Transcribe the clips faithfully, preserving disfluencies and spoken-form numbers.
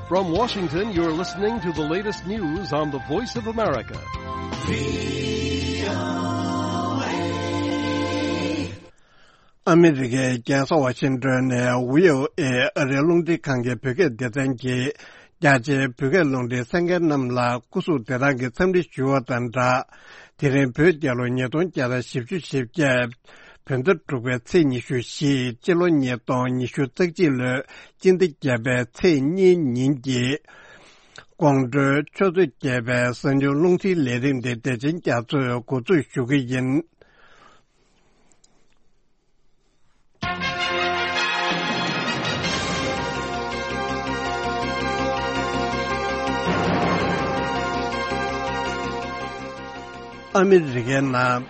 From Washington, you're listening to the latest news on the Voice of America. ཨ་མི་རི་ཀའི་རྒྱལ་ས་ཝ་ཤིང་ཏོན་ནས་བྷི་ཨོ་ཨེ་ཨ་རིའི་རླུང་འཕྲིན་ཁང་གི་བོད་སྐད་སྡེ་ཚན་གྱིས། རྒྱ་ཆེའི་བོད་སྐད་རླུང་འཕྲིན་གསན་མཁན་རྣམས་ལ་སྐུ་གཟུགས་བདེ་ཐང་གི་འཚམས་འདྲི་ཞུ་བ་དང་སྦྲགས། དེ་རིང་བོད་རྒྱལ་ལོ་ཉིས་སྟོང་བརྒྱ་དང་བཞི་བཅུ་ཞེ་བརྒྱད། བོད་ཟླ་དྲུག་པའི་ཚེས་ཉི་ཤུ་བཞི། སྤྱི་ལོ་ཉིས་སྟོང་ཉི་ཤུ་རྩ་གཅིག་ལོའི་སྤྱི་ཟླ་བརྒྱད་པའི་ཚེས་གཉིས་ཉིན་གྱི་དགོང་དྲོའི་ཆུ་ཚོད་བརྒྱད་པའི་གསར་འགྱུར་རླུང་འཕྲིན་ལས་རིམ་འདི་བདེ་ཆེན་རྒྱ་མཚོས་འགོ་འཛུགས་ཞུ་གི་ཡིན། ཨ་མི་རི་ཀའི་ནང་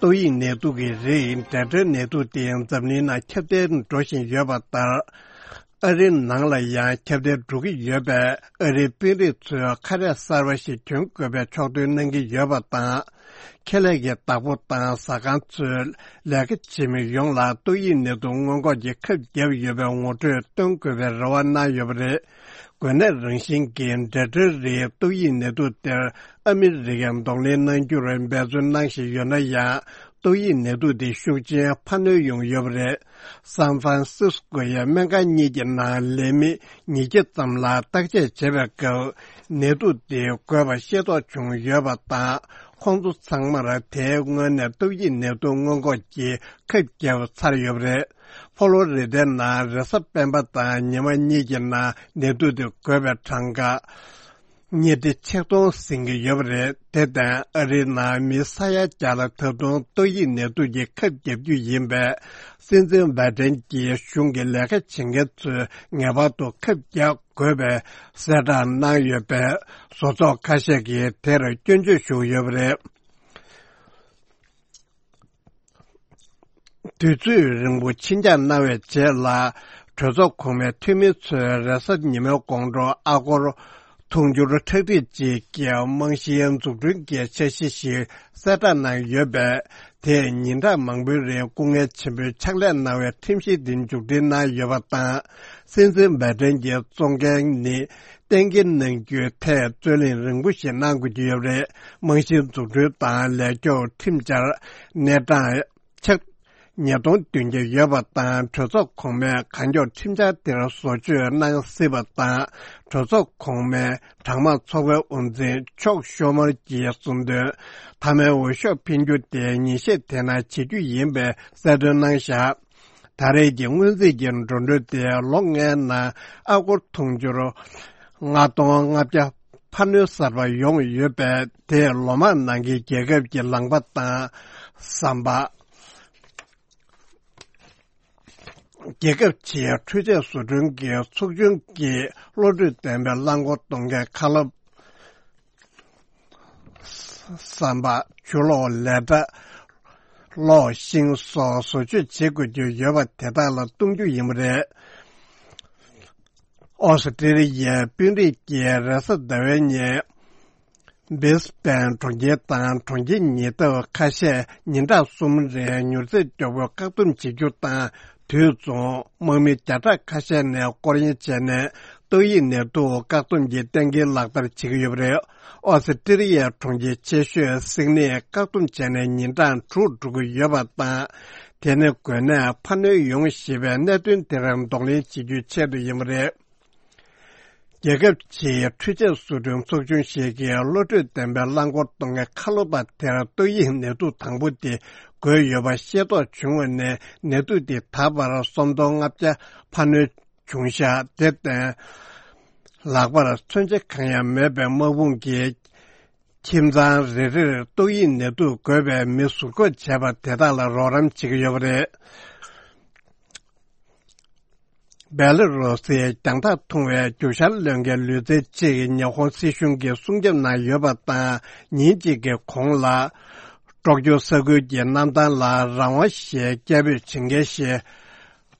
ཏོག་དབྱིབས་ནད་དུག་གི་རིགས་ཌེལ་ཊ་ནད་དུག་དེ་འཛམ་གླིང་ནང་ཁྱབ་གདལ་འགྲོ་བཞིན་ཡོད་པ་ལྟར། ཨ་རིའི་ནང་ལ་ཡང་ཁྱབ་གདལ་འགྲོ་གི་ཡོད་པས། ཨ་རིའི་དཔོན་རིགས་ཚོས་ཁ་རས་གསར་པ་ཞིག་གྱོན་དགོས་པའི་ཕྱོགས་སྟོན་གནང་གི་ཡོད་པ་དང་། ཁེ་ལས་ཀྱི་བདག་པོ་དང་ཟ་ཁང་ཚོས་ལས་ཀ་བྱེད་མི་ཡོངས་ལ་ཏོག་དབྱིབས་ནད་དུག་སྔོན་འགོག་གི་ཁབ་བརྒྱབ་ཡོད་པའི་ངོ་སྤྲོད་སྟོན་དགོས་པའི་རེ་བ་གནང་ཡོད་པ་རེད། འགོས་ནད་རང་བཞིན་གྱི་ཌེལ་ཊ་རིགས་ཏོག་དབྱིབས་ནད་དུག་དེར་ཨ་མི་རི་ཀས་གདོང་ལེན་གནང་རྒྱུར་འབད་བརྩོན་གནང་བཞིན་ཡོད་ན་ཡང་། ཏོག་དབྱིབས་ནད་དུག་འདི་ཤུགས་ཆེན་འཕར་སྣོན་ཡོང་ཡོད་པ་རེད། སན་ཧྥ་རན་སིས་ཀོ་ཡི་སྨན་ཁང་གཉིས་ཀྱི་ནང་ལས་མི་ཉིས་བརྒྱ་ཙམ་ལ་བརྟག་དཔྱད་བྱེད་པའི་སྐབས། ནད་དུག་འདི་འགོས་པ་ཤེས་རྟོགས་བྱུང་ཡོད་པ་དང་། ཁོང་ཚོ་ཚང་མར་དེའི་སྔོན་ནས་ཏོག་དབྱིབས་ནད་དུག་སྔོན་འགོག་གི་ཁབ་བརྒྱབ་ཚར་ཡོད་པ་རེད། ཕོ་ལོ་རི་ཌའི་ནང་རེས་གཟའ་སྤེན་པ་དང་ཉི་མ་གཉིས་ཀྱི་ནང་ནད་དུག་དེ་འགོས་པའི་གྲངས་ཀ་ཉིས་ཁྲི་ཆིག་སྟོང་ཟིན་གྱི་ཡོད་པ་རེད། དེ་དང་ཨ་རིའི་ནང་མི་ས་ཡ་བརྒྱ་ལ་ད་དུང་ཏོག་དབྱིབས་ནད་དུག་གི་ཁབ་བརྒྱབ་རྒྱུ་ཡིན་པས། སྲིད་འཛིན་བྷའི་ཏན་གྱི་གཞུང་གི་ལས་ཀ་བྱེད་མཁན་ཚོས་ངེས་པར་དུ་ཁབ་བརྒྱབ་དགོས་པའི་གསལ་བསྒྲགས་གནང་ཡོད་པས། བཟོ་ཚོགས་ཁ་ཤས་ཀྱིས་དེར་སྐྱོན་བརྗོད་ཞུ་ཡོད་པ་རེད། དུས་ཚོད་རིང་པོ་ཕྱིན་འགྱངས་གནང་བའི་རྗེས་ལ། གྲོས་ཚོགས་གོང་མའི་འཐུས་མི་ཚོས་རེས་གཟའ་ཉི་མའི་དགོང་དྲོ་ཨ་སྒོར་འཐུང་ཆུར་ཁྲག་ཁྲིག་ཅིག་གི་རྨང་གཞིའི་འཛུགས་སྐྲུན་གྱི་འཆར་གཞི་ཞིག་གསལ་བསྒྲགས་གནང་ཡོད་པས། དེས་ཉིན་གྲངས་མང་པོའི་རིང་སྐུ་ངལ་ཆེན་པོས་ཕྱག་ལས་གནང་བའི་ཁྲིམས་གཞི་འདི་མཇུག་སྒྲིལ་གནང་ཡོད་པ་དང་། སྲིད་འཛིན་བྷའི་ཏན་གྱི་གཙོ་འགན་ནི། གཏན་འཁེལ་གནང་རྒྱུའི་ཐད་རྩོད་གླེང་རིང་པོ་ཞིག་གནང་དགོས་ཀྱི་ཡོད་པ་རེད། རྨང་གཞིའི་འཛུགས་སྐྲུན་དང་ལས་སྐྱོབ་ཁྲིམས་འཆར་གནས་གྲངས་ཆ་ཉིས་སྟོང་བདུན་བརྒྱ་ཡོད་པ་དང་། གྲོས་ཚོགས་གོང་མས་གང་མགྱོགས་ཁྲིམས་འཆར་དེར་བཟོ་བཅོས་གནང་སྲིད་པ་དང་། གྲོས་ཚོགས་གོང་མའི་གྲངས་མང་ཚོགས་པའི་དབུ་འཛིན་མཆོག་ཤོ་མར་གྱིས་གསུངས་དོན། མཐའ་མའི་འོས་ཤོག་འཕེན་རྒྱུ་དེ་ཉིན་ཤས་དེ་ནང་བྱེད་རྒྱུ་ཡིན་པའི་གསལ་སྟོན་གནང་བཞག་ད་རེས་ཀྱི་སྔོན་རྩིས་ཀྱི་འགྲོ་གྲོན་དེ་ལོ་ལྔའི་ནང་ཨ་སྒོར་འཐུང་ཆུར་ལྔ་སྟོང་ལྔ་བརྒྱ་འཕར་སྣོན་གསར་པ་ཡོང་ཡོད་པས། དེས་ལོ་མང་ནང་གི་རྒྱལ་ཁབ་ཀྱི་ལངས་པ་དང་ཟམ་པ། རྒྱལ་ཁབ་ཕྱིའི་འཕྲུལ་ཆས་བཟོ་སྐྲུན་གྱི་ཚོགས་ཆུང་གིས་བློ་གྲོས་ལྡན་པའི་རླངས་འཁོར་གཏོང་མཁན་ཁ་སློབ། ཟམ་པ། ཆུ་གློག་ལས་གྲྭ། གློག་ཤིང་སོགས་བཟོ་བཅོས་བྱེད་དགོས་ཀྱི་ཡོད་པ་དེ་དག་ལ་གཏོང་རྒྱུ་ཡིན་པ་རེད། ཨོ་སི་ཀྲི་ལི་ཡའི་དཔོན་རིགས་ཀྱིས་རེས་གཟའ་ཟླ་བའི་ཉིན། སྦིས་པན་གྲོང་ཁྱེར་དང་གྲོང་ཁྱེར་ཉེ་འདབས་ཁ་ཤས་ཉིན་གྲངས་གསུམ་རིང་མྱུར་ཚད་མགྱོགས་པོས་བཀག་སྡོམ་བྱེད་རྒྱུ་དང་། དུས་མཚུངས། དམག་མི་བརྒྱ་ཕྲག་ཁ་ཤས་ནས་སྐོར་གཡེང་བྱས་ནས། ཏོག་དབྱིབས་ནད་དུག་བཀག་སྡོམ་གྱི་གཏན་འཁེལ་ལག་བསྟར་བྱེད་ཀྱི་ཡོད་པ་རེད། ཨོ་སི་ཀྲི་ལི་ཡའི་གྲོང་ཁྱེར་ཆེ་ཤོས་སིད་ནི་བཀག་སྡོམ་བྱས་ནས་ཉིན་གྲངས་དྲུག་འགྲོ་གི་ཡོད་པ་དང་། དེ་ནི་འགོས་ནད་འཕར་སྣོན་ཡོང་སྲིད་པའི་གནད་དོན་དེར་གདོང་ལེན་བྱེད་རྒྱུའི་ཆེད་དུ་ཡིན་པ་རེད། རྒྱལ་ཁབ་ཕྱིའི་འཕྲུལ་ཆས་བཟོ་སྐྲུན་ཚོགས་ཆུང་ཞིག་གིས་བློ་གྲོས་ལྡན་པའི་རླངས་འཁོར་གཏོང་མཁན་ཁ་ལོ་པ་དེར་ཏོག་དབྱིབས་ནད་དུག་དང་པོ་དེ་འགོས་ཡོད་པ་ཤེས་རྟོགས་བྱུང་བ་ནས། ནད་དུག་དེ་ད་བར་སུམ་སྟོང་ལྔ་བརྒྱ་འཕར་སྣོན་བྱུང་བཞག་དེར་བརྟེན། ལག་པར་མཚོན་ཆ་གང་ཡང་མེད་པའི་དམག་དཔུང་གིས་ཁྱིམ་ཚང་རེ་རེར་ཏོག་དབྱིབས་ནད་དུག་འགོས་པའི་མི་ཟུར་འགོག་བྱས་པ་དེ་དག་ལ་རོགས་རམ་བྱེད་ཀྱི་ཡོད་པ་རེད། བེ་ལ་རུ་སིའི་རྒྱང་ཐག་ཐུང་བའི་རྒྱུག་ཤར་ལྷོ་ཁའི་ལུས་རྩལ་ཅིག་ཉི་ཧོང་སྲིད་གཞུང་གིས་སྲུང་སྐྱོབ་གནང་ཡོད་པ་དང་། ཉིན་གཅིག་གི་གོང་ལ། ཀྲོག་ཀྱོ་ས་ཁུལ་གྱི་གནམ་ཐང་ལ་རང་དབང་ཞེས་སྐད་འབོད་བྱེད་མཁན་ཞིག་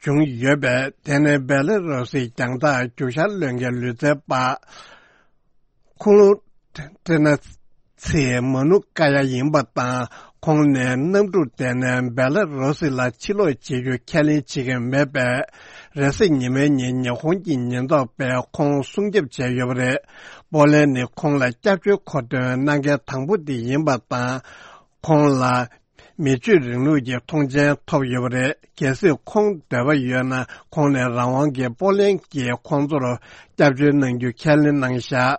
བྱུང་ཡོད་པས། དེ་ནི་བེ་ལ་རུ་སིའི་རྒྱང་ཐག་རྒྱུག་ཤར་ལྷོ་ཁའི་ལུས་རྩལ་པ། ཁུ་ལུ་ཏྲེ་ན་ཚེ་མ་ནུ་ཀ་ཡ་ཡིན་པ་དང་ ཁོང་ནས་གནམ་གྲུར་བསྡད་ནས་སྦེ་ལ་རུ་སི་ལ་ཕྱིར་ལོག་བྱེད་རྒྱུ་ཁས་ལེན་བྱེད་ཀྱི་མེད་པས། རེས་གཟའ་ཉི་མའི་ཉིན་ཉི་ཧོང་གི་ཉེན་རྟོག་པས་ཁོང་སྲུང་སྐྱོབ་བྱས་ཡོད་པ་རེད། པོ་ལན་ནི་ཁོང་ལ་སྐྱབས་བཅོལ་མཁོ་འདོན་གནང་མཁན་དང་པོ་དེ་ཡིན་པ་དང་། ཁོང་ལ་མི་ཆོས་རིང་ལུགས་ཀྱི་མཐོང་མཆན་ཐོབ་ཡོད་པ་རེད། གལ་སྲིད་ཁོང་འདོད་པ་ཡོད་ན། ཁོང་ནས་རང་དབང་གི་པོ་ལན་གྱིས་ཁོང་ཚོར་སྐྱབས་བཅོལ་གནང་རྒྱུ་ཁས་ལེན་གནང་བཞག་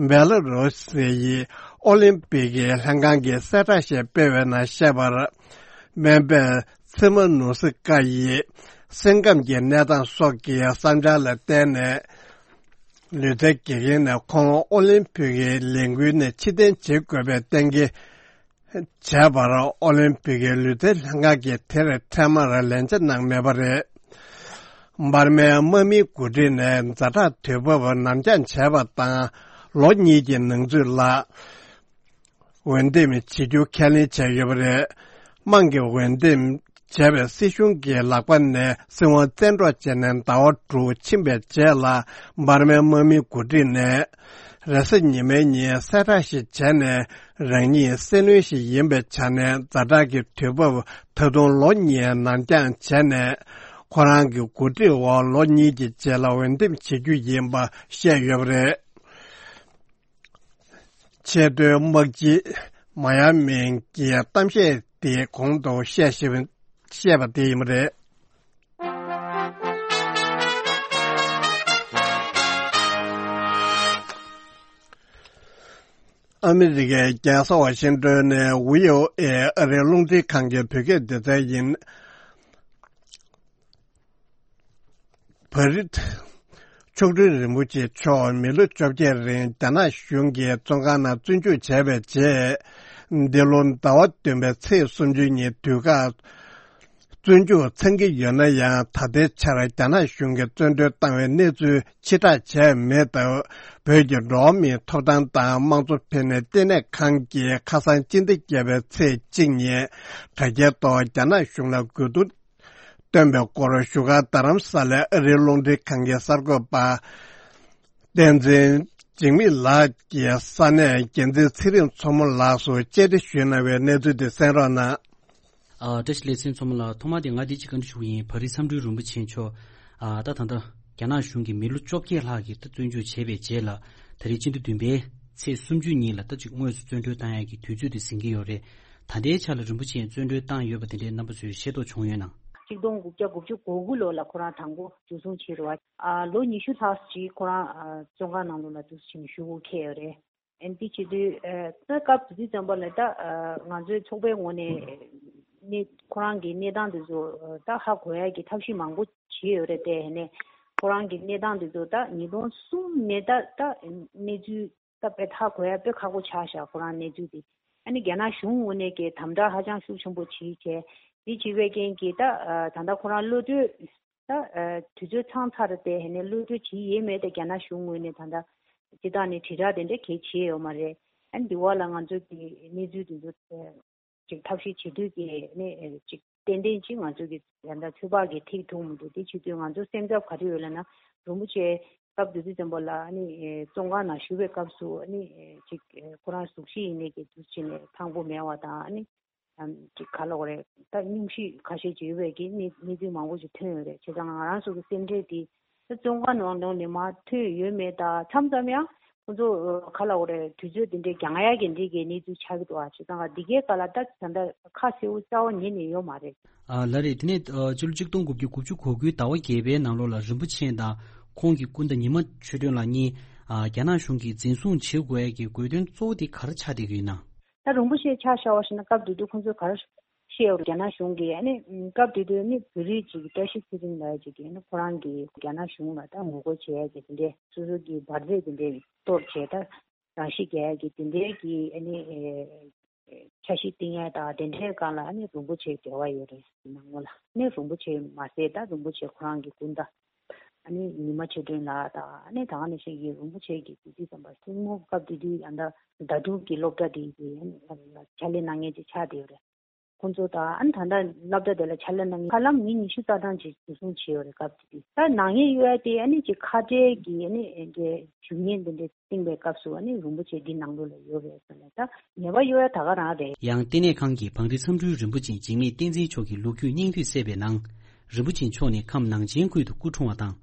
སྦེ་ལ་རུ་སི་ཡི་ཨོ་ལིམ་པིག་གི་ལྷན་ཁང་གིས་གསལ་བསྒྲགས་ཤིག་སྤེལ་བའི་ནང་བཤད་པར། སྨན་པས་ཚེ་མ་ནུ་སི་ཀ་ཡི་སེམས་ཁམས་ཀྱི་གནས་སྟངས་སོགས་ཀྱི་བསམ་འཆར་ལ་བརྟེན་ནས། ལུས་རྩལ་དགེ་རྒན་ནས་ཁོང་ཨོ་ལིམ་པིག་གི་ལས་འགུལ་ནས་ཕྱིར་འཐེན་བྱེད་དགོས་པའི་གཏན་འཁེལ་བྱས་པར། ཨོ་ལིམ་པིག་གི་ལུས་རྩལ་ལྷན་ཁང་གིས་དེར་འཕྲལ་མར་ལན་ཆ་གནང་མེད་པ་རེད། འབར་མའི་དམག་མིའི་འགོ་ཁྲིད་ནས་ཛ་དྲག་དུས་བབ་ནར་འགྱངས་བྱས་པ་དང་། ལོ་གཉིས་ཀྱི་ནང་ཚུད་ལ་འོས་འདེམས་བྱེད་རྒྱུ་ཁས་ལེན་བྱས་ཡོད་པ་རེད། དམངས་ཀྱི་འོས་འདེམས་བྱས་པའི་སྲིད་གཞུང་གི་ལག་པ་ནས་སྲིད་དབང་བཙན་འཕྲོག་བྱས་ནས་ཟླ་བ་དྲུག་ཕྱིན་པའི་རྗེས་ལ། འབར་མའི་དམག་མིའི་འགོ་ཁྲིད་ནས་རེས་གཟའ་ཉི་མའི་ཉིན་གསལ་བསྒྲགས་ཤིག་བྱས་ནས། རང་ཉིད་སེ་བློན་ཞིག་ཡིན་པའི་ཆ་ནས་ཛ་དྲག་གི་དུས་བབ་ད་དུང་ལོ་གཉིས་ནར་འགྱངས་བྱས་ནས། ཁོ་རང་གི་འགོ་ཁྲིད་འོག་ལོ་གཉིས་ཀྱི་རྗེས་ལ་འོས་འདེམས་བྱེད་རྒྱུ་ཡིན་པ་བཤད་ཡོད་པ་རེད། ཆེས་མཐོའི་དམག་སྤྱི་མ་ཡ་མིང་གིས་གཏམ་བཤད་དེའི་གོང་དུ་བཤད་བཞིན་བཤད་པ་དེ་ཡིན་པ་རེད། ཨ་མི་རི་ཀའི་རྒྱལ་ས་ཝ་ཤིང་ཏོན་ནས་ཝི་ཨོ་ཨེ་ཨ་རིའི་རླུང་འཕྲིན་ཁང་གི་བོད་སྐད་སྡེ་ཚན་ཡིན། བྷ་རི་མཆོག་སྤྲུལ་རིན་པོ་ཆེ་མཆོག་མི་ལོ་བཅོ་བརྒྱད་རིང་རྒྱ་ནག་གཞུང་གི་བཙོན་ཁང་ནང་བཙོན་འཇུག་བྱས་པའི་རྗེས། འདི་ལོ་ཟླ་བ་བདུན་པའི་ཚེས་སུམ་ཅུ་ཉིན་དུས་བཀག་བཙོན་འཇུག་ཚང་གི་ཡོད་ན་ཡང་། ད་ལྟའི་ཆར་རྒྱ་ནག་གཞུང་གིས་བཙོན་གྲོལ་བཏང་བའི་གནས་ཚུལ་ཕྱིར་བསྒྲགས་བྱས་མེད་སྟབས། བོད་ཀྱི་འགྲོ་བ་མིའི་ཐོབ་ཐང་དང་དམངས་གཙོ་ཕན་ནུས་ལྟེ་གནས་ཁང་གིས་ཁ་སང་སྤྱི་ཟླ་བརྒྱད་པའི་ཚེས་གཅིག་ཉིན་དྲ་རྒྱའི་ཐོག་རྒྱ་ནག་གཞུང་ལ་དགོས་འདུན་བཏོན་པའི་སྐོར་བཞུགས་སྒར་རྡ་རམ་ས་ལའི་ཨ་རིའི་རླུང་འཕྲིན་ཁང་གི་གསར་འགོད་པ་བསྟན་འཛིན་འཇིགས་མེད་ལགས་ཀྱིས་ས་གནས་འགན་འཛིན་ཚེ་རིང་མཚོ་མོ་ལགས་སུ་བཅར་འདྲི་ཞུས་གནང་བའི་གནས་ཚུལ་དེ་གསན་རོགས་གནང་། ཨ། བཀྲ་ཤིས་ལེགས་སེ་མཚོ་མོ་ལགས། ཐོག་མར་དེ་ང་འདི་གཅིག་བཀའ་འདྲི་ཞུ་གི་ཡིན། བྷ་རི་མཆོག་སྤྲུལ་རིན་པོ་ཆེ་མཆོག་ཨ། ད་ད་ལྟ་རྒྱ་ནག་གཞུང་གིས་མི་ལོ་བཅོ་བརྒྱད་ལྷག་གི་ད་བཙོན་འཇུག་བྱས་པའི་རྗེས་ལ། ད་རེས་སྤྱི་ཟླ་བདུན་པའི་ཚེས་སུམ་ཅུ་ཉིན་ལ་ད་ཅིག་དངོས་སུ་བཙོན་གྲོལ་བཏང་ཡག་གི་དུས་ཚོད་དེ་ཟིན་གྱི་ཡོད་རེད། ད་ལྟའི་ཆ་ལ་རིན་པོ་ཆེ་བཙོན་གྲོལ་བཏང་ཡོད་པ་དེ་འདྲའི་རྣམ་པ་ཚོས་ཤེས་རྟོགས་བྱུང་ཡོད་ན། ཆིག་སྟོང་དགུ་བརྒྱ་དགུ་བཅུ་གོ་དགུ་ལོ་ལ་ཁོ་རང་དང་པོ་འཇུ་བཟུང་བྱས་རེད་བ། ཨ། ལོ་ཉི་ཤུ་ལྷག་ཅིག་ཁོ་རང་ཨ་བཙོན་ཁང་ནང་ལོགས་ལ་འདུག་སེ་བྱས་ནས་བཞུགས་འཁེལ་ཡོད་རེད། ཨ་ནི་དེ་བྱེད་དུས་ཨ་ད་སྐབས་དེ་དུས་ཙམ་པ་ལ་ད་ཨ་ང་ཚོའི་ཚོགས་པའི་ངོས་ནས་གནས་ཁོ་རང་གི་གནས་སྟངས་དེ་ཚོ་ད་ཧ་གོ་ཡག་གི་ཐབས་ཤེས་མང་པོ་བྱས་ཡོད་རེད་དེ། ཨ་ནི་ཁོ་རང་གི་གནས་སྟངས་དེ་ཚོ་ད་ཉིས་སྟོང་གསུམ་ནས་ད་ད་གནས་ཚུལ་ད་དཔེ་ཧ་གོ་ཡག་དཔེ་ཁག་པོ་ཆགས་ཤག་ཁོ་རང་གནས་ཚུལ་དེ། ཨ་ནི་རྒྱ་ནག་གཞུང་ངོས་ནས་ཀྱི་དམ་དྲག་ཧ་ཅང་ཤུགས་ཆེན་པོ་བྱས་བྱས། དེ་བྱས་པའི་རྐྱེན་གྱིས་ད་ཨ་ད་ལྟ་ཁོ་རང་གློད་གྲོལ་ད་ཨ་དུས་ཚོད་ཚང་ཚར་ཏེ། ཨ་ནི་གློད་གྲོལ་བྱེད་ཡས་མེད་དེ། རྒྱ་ནག་གཞུང་ངོས་ནས་ད་ལྟ་སྤྱིར་བཏང་ནས་དྲིལ་བསྒྲགས་དེ་འདྲ་གང་ཡང་བྱས་ཡོད་མ་རེད། ཨ་ནི་འདི་བ་ལ་ང་ཚོ་གི་གནས་ཚུལ་དེ་ཚོ་ཨ་ཅིག་ཐབས་ཤེས་བྱེད་དུས་ཀྱི་ཨ་ནི་ཨ་ཅིག་ཏན་ཏན་ཅིག་ང་ཚོ་གི་ད་ལྟ་ཚོད་དཔག་གིས་ཐིག་ཐུབ་མི་འདུག་དེ་བྱེད་དུས་ང་ཚོ་སེམས་འཚབ་ག་རེ་ཡོད་ལབ་ན། རིན་པོ་ཆེ་སྐབས་དེ་དུས་ཙམ་པ་ལ་ཨ་ནི་ཨ་བཙོན་ཁང་ནང་བཞུགས་པའི་སྐབས་སུ་ཨ་ནི་ཨ་ཅིག་ཨ་ཁོ་རང་གཟུགས་གཞི་ཡིན་ནའི་གི་འདུག་སེ་བྱས་ནས་ཐང་པོ་མེད་པ་དང་། ཨ་ནི་ཨམ་ཅིག་ག་ལབ་དགོས་རེད། ད་སྙུང་གཞི་ཁ་ཤས་ཅིག་ཡོད་པའི་གི་གནས་གནས་ཚུལ་མང་པོ་ཅིག་ཐོན་ཡོད་རེད། བྱས་ཙང་ང་རང་ཚོ་གི་སེམས་ཁྲལ་དེ་ད་བཙོན་ཁང་ནང་ནང་ནས་མར་ཐོན་ཡོད་མེད་དང་། མཚམས་མཚམས་ཡང་ཁོ་ཚོ་ག་ལབ་དགོས་རེད། དུས་ཚོད་དེ་འདྲའི་འགྱངས་ཡག་གི་འདི་གའི་གནས་ཚུལ་ཆགས་ཀྱི་འདུག་ཨ། བྱས་ཙང་འདི་གའི་སྐབས་ལ་ད་ད་ལྟ་ཁ་གསལ་པོ་རྩ་བ་ཉིད་ནས་ཡོད་མ་རེད། ཨ་ལགས་རེད། དེ་ནས་ཨ་སྤྱི་ལོ་གཅིག་སྟོང་དགུ་བརྒྱ་དགུ་བཅུ་གོ་དགུའི་ཟླ་བ་བརྒྱད་པའི་ནང་ལོགས་ལ་རིན་པོ་ཆེ་དང་ཁོང་གི་སྐུ་ཟླ་ཉི་མ་ཆོས་སྒྲོན་ལགས་གཉིས་ཨ་རྒྱ་ནག་གཞུང་གིས་འཛིན་བཟུང་བྱེད་དགོས་ཡས་ཀྱི་དགོས་དོན་གཙོ་བོ་དེ་ག་རེ་ཆགས་བསྡད་ཀྱི་ཡོད་ན། ད་རིན་པོ་ཆེ་ཆ་བཞག་པ་ཞིག་ན། སྐབས་དེ་དུས་ཁོང་ཚོས་ག་རེ་བཤད་ཡོད་རེད། རྒྱ་ནག་གཞུང་གིས་ཨ་ནི་སྐབས་དེ་དུས་ནི་བོད་རིགས་ཅིག་བཀྲ་ཤིས་ཚེ་རིང་ལབ་ཡས་ཅིག་གིས་ཨ་ནི་ཁོ་རང་གིས་རྒྱ་ནག་གཞུང་ལ་ད་ངོ་རྒོལ་བྱེད་ཡས་ཀྱི་དེ་འདྲའི་སོ་སོ་གི་འབར་རྫས་དེ་འདྲའི་གཏོར་བྱས། ད་རང་ཤི་རྒྱག་ཡས་ཀྱི་དེ་འདྲའི་གི་ཨ་ནི་ཨེ་འཆར་གཞི་བཏིང་ཡས་དང་དེ་འདྲའི་སྒང་ལ་ཨ་ནི་རིན་པོ་ཆེ་འབྲེལ་བ་ཡོད་རེད། ནང་ལོགས་ལ་ནི་རིན་པོ་ཆེ་མ་ཟད། ད་རིན་པོ་ཆེ་ཁོ་རང་གི་སྐུ་ཟླ་ཨ་ནི་ཉི་མ་ཆོས་སྒྲོན་ལགས་དང་། ཨ་ནི་ད་ག་ནང་བཞིན་གྱི་རིན་པོ་ཆེ་གི་དེ་དུས་ཙམ་པ་སྲིང་མོ་སྐབས་དེ་དུས་ཡང་ད་ཟླ་དྲུག་གི་སློབ་གྲྭ་དེ་གི་ཕྱག་ལས་གནང་མཁན་ཅིག་ཆགས་བསྡད་ཡོད་རེད། ཁོང་ཚོ་དང་ཨ་ནི་ད་ལྟ་སློབ་གྲྭ་དེ་ལ་ཕྱག་ལས་གནང་མཁན་ཧ་ལམ་མི་ཉི་ཤུ་རྩ་གྲངས་ཅིག་འཛུལ་ཞུགས་བྱས་ཡོད་རེད། སྐབས་དེ་དུས་ད་ནག་ཉེས་གཡོག་ཡ་དེ་ཨ་ནི་ཅིག་ཁ་བྲལ་གྱི་ཨ་ནི་ཞུ་སྙན་དེ་འདྲ་བཏིང་བའི་སྐབས་སུ་ཨ་ནི་རིན་པོ་ཆེ་འདི་ནང་ལོགས་ལ་ཡོད་རེད་ཟེར་ནས་ད་ཉེས་པ་གཡོག་ཡ་ད་ག་རང་རེད། ཡང་ལྟེ་གནས་ཁང་གི་བང་རི་མཚམས་སྤྲུལ་རིན་པོ་ཆེ་འཇིགས་མེད་བསྟན་འཛིན་མཆོག་གི་ལོ་རྒྱུས་སྙིང་བསྡུས་གསལ་བའི་ནང་། རིན་པོ་ཆེ་མཆོག་ནི་ཁམས་ནང་ཆེན་ཁུལ་དུ་སྐུ་འཁྲུངས་པ་དང་།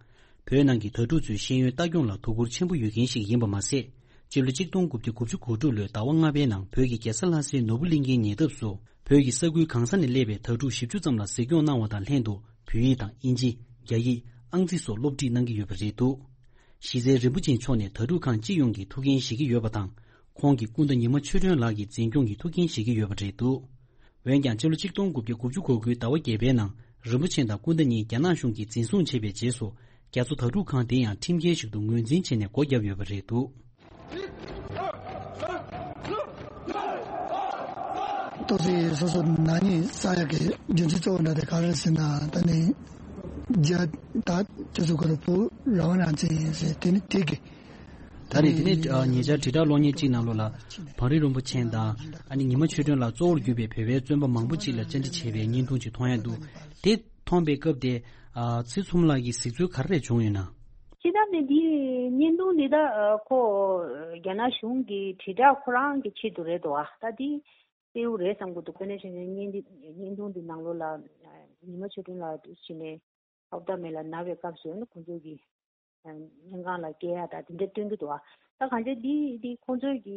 བོད་ནང་གི་དྭ་ཕྲུག་ཚོའི་ཤེས་ཡོན་ལྟ་སྐྱོང་ལ་དོ་ཁུར་ཆེན་པོ་ཡོད་མཁན་ཞིག་ཡིན་པ་མ་ཟད། སྤྱི་ལོ་གཅིག་སྟོང་དགུ་བརྒྱ་དགུ་བཅུ་གོ་དྲུག་ལོའི་ཟླ་བ་ལྔ་པའི་ནང་བོད་ཀྱི་རྒྱལ་ས་ལྷ་སའི་ནོར་བུ་གླིང་གའི་ཉེ་འདབས་སུ། བོད་ཀྱི་ས་ཁུལ་གང་ས་ནས་སླེབས་པའི་དྭ་ཕྲུག་བཞི་བཅུ་ཙམ་ལ་གཟིགས་སྐྱོང་གནང་བ་དང་ལྷན་དུ། བོད་ཡིག་དང་དབྱིན་ཇི། རྒྱ་ཡིག་ཨང་རྩིས་སོགས་སློབ་ཁྲིད་གནང་གི་ཡོད་པ་རེད་འདུག་གཞི་རྩའི་རིན་པོ་ཆེ་མཆོག་ནི་དྭ་ཕྲུག་ཁང་སྤྱི་ཡོངས་ཀྱི་ཐུགས་འགན་བཞེས་ཀྱི་ཡོད་པ་དང་། ཁོང་གི་སྐུ་ཟླ་ཉི་མ་ཆོས་སྒྲོན་ལགས་ཀྱི་འཛིན་སྐྱོང་གི་ཐུགས་འགན་བཞེས་ཀྱི་ཡོད་པ་རེད་འདུག་འོན་ཀྱང་སྤྱི་ལོ་གཅིག་སྟོང་དགུ་བརྒྱ་དགུ་བཅུ་གོ་དགུའི་ཟླ་བ་བརྒྱད་པའི་ནང་རིན་པོ་ཆེ་དང་སྐུ་ཟླ་གཉིས་རྒྱ་ནག་གཞུང་གིས་འཛིན་བཟུང་བྱས་པའི་རྗེས་སུ། རྒྱ་མཚོ་དྭ་ཕྲུག་ཁང་དེ་ཡང་ཁྲིམས་འགལ་ཞིག་ཏུ་ངོས་འཛིན་བྱས་ནས་སྒོ་བརྒྱབ་ཡོད་པ་རེད་འདུག་ཏོག་ཙམ་སོ་སོ་ནག་ཉེས་བསགས་ཡག་གི་རྒྱུ་མཚན་གཙོ་བོ་འདྲ་དེ་ག་རེ་ཟེར་ན། ད་ནི་རྒྱ་ད་ཁྱེད་ཚོ་ཁོ་རང་བོད་རང་དབང་རང་བཙན་ཡིན་ཟེར། དེ་ནི་དེ་གི་ད་ནི་དེ་ནས་ཨ་ཉེ་ཆར་དྲིལ་བསྒྲགས་གློག་བརྙན་གཅིག་ནང་ལོགས་ལ་བང་རི་རིན་པོ་ཆེ་དང་ཨ་ནི་ཉི་མ་ཆོས་སྒྲོན་ལགས་གཙོ་བོར་གྱུར་པའི་བོད་པའི་བཙོན་པ་མང་པོ་ཅིག་ལ་བཅར་འདྲི་བྱས་པའི་བརྙན་ཐུང་ཅིག་མཐོང་ཡ་འདུག་དེ་མཐོང་པའི་སྐབས་དེ་ཨ་ཚེ་ཚོམ་ལགས་ཀྱིས་གཟིགས་ཚུལ་ག་རེ་བྱུང་ཡོད་ན། སྤྱིར་བཏང་ནི་འདི་བརྙན་ཐུང་འདི་ད་ཨ་ཁོ་རྒྱ་ནག་གཞུང་གི་དྲིལ་བསྒྲགས་ཁོ་རང་གི་ཆེད་དུ་རེད་འདུག་ཨ་ད་འདི་གསལ་པོ་རེད་བསམ་གྱི་འདུག་དཔེར་ན་ཆ་བཞག་བརྙན་འདི་བརྙན་ཐུང་འདི་ནང་ལོགས་ལ་ཉི་མ་ཆོས་སྒྲོན་ལགས་འདུག་བྱས་ནས། ཧོབ་ཏ་མེ་ལ་ན་བའི་སྐབས་སུ་ནི་ཁོང་ཚོ་གི་སྨན་ཁང་ལ་སྐྱེལ་ཡ་དང་དེ་འདྲ་སྟོན་གྱི་འདུག་ཨ། ད་གང་ཅི་འདི་འདི་ཁོང་ཚོའི་གི་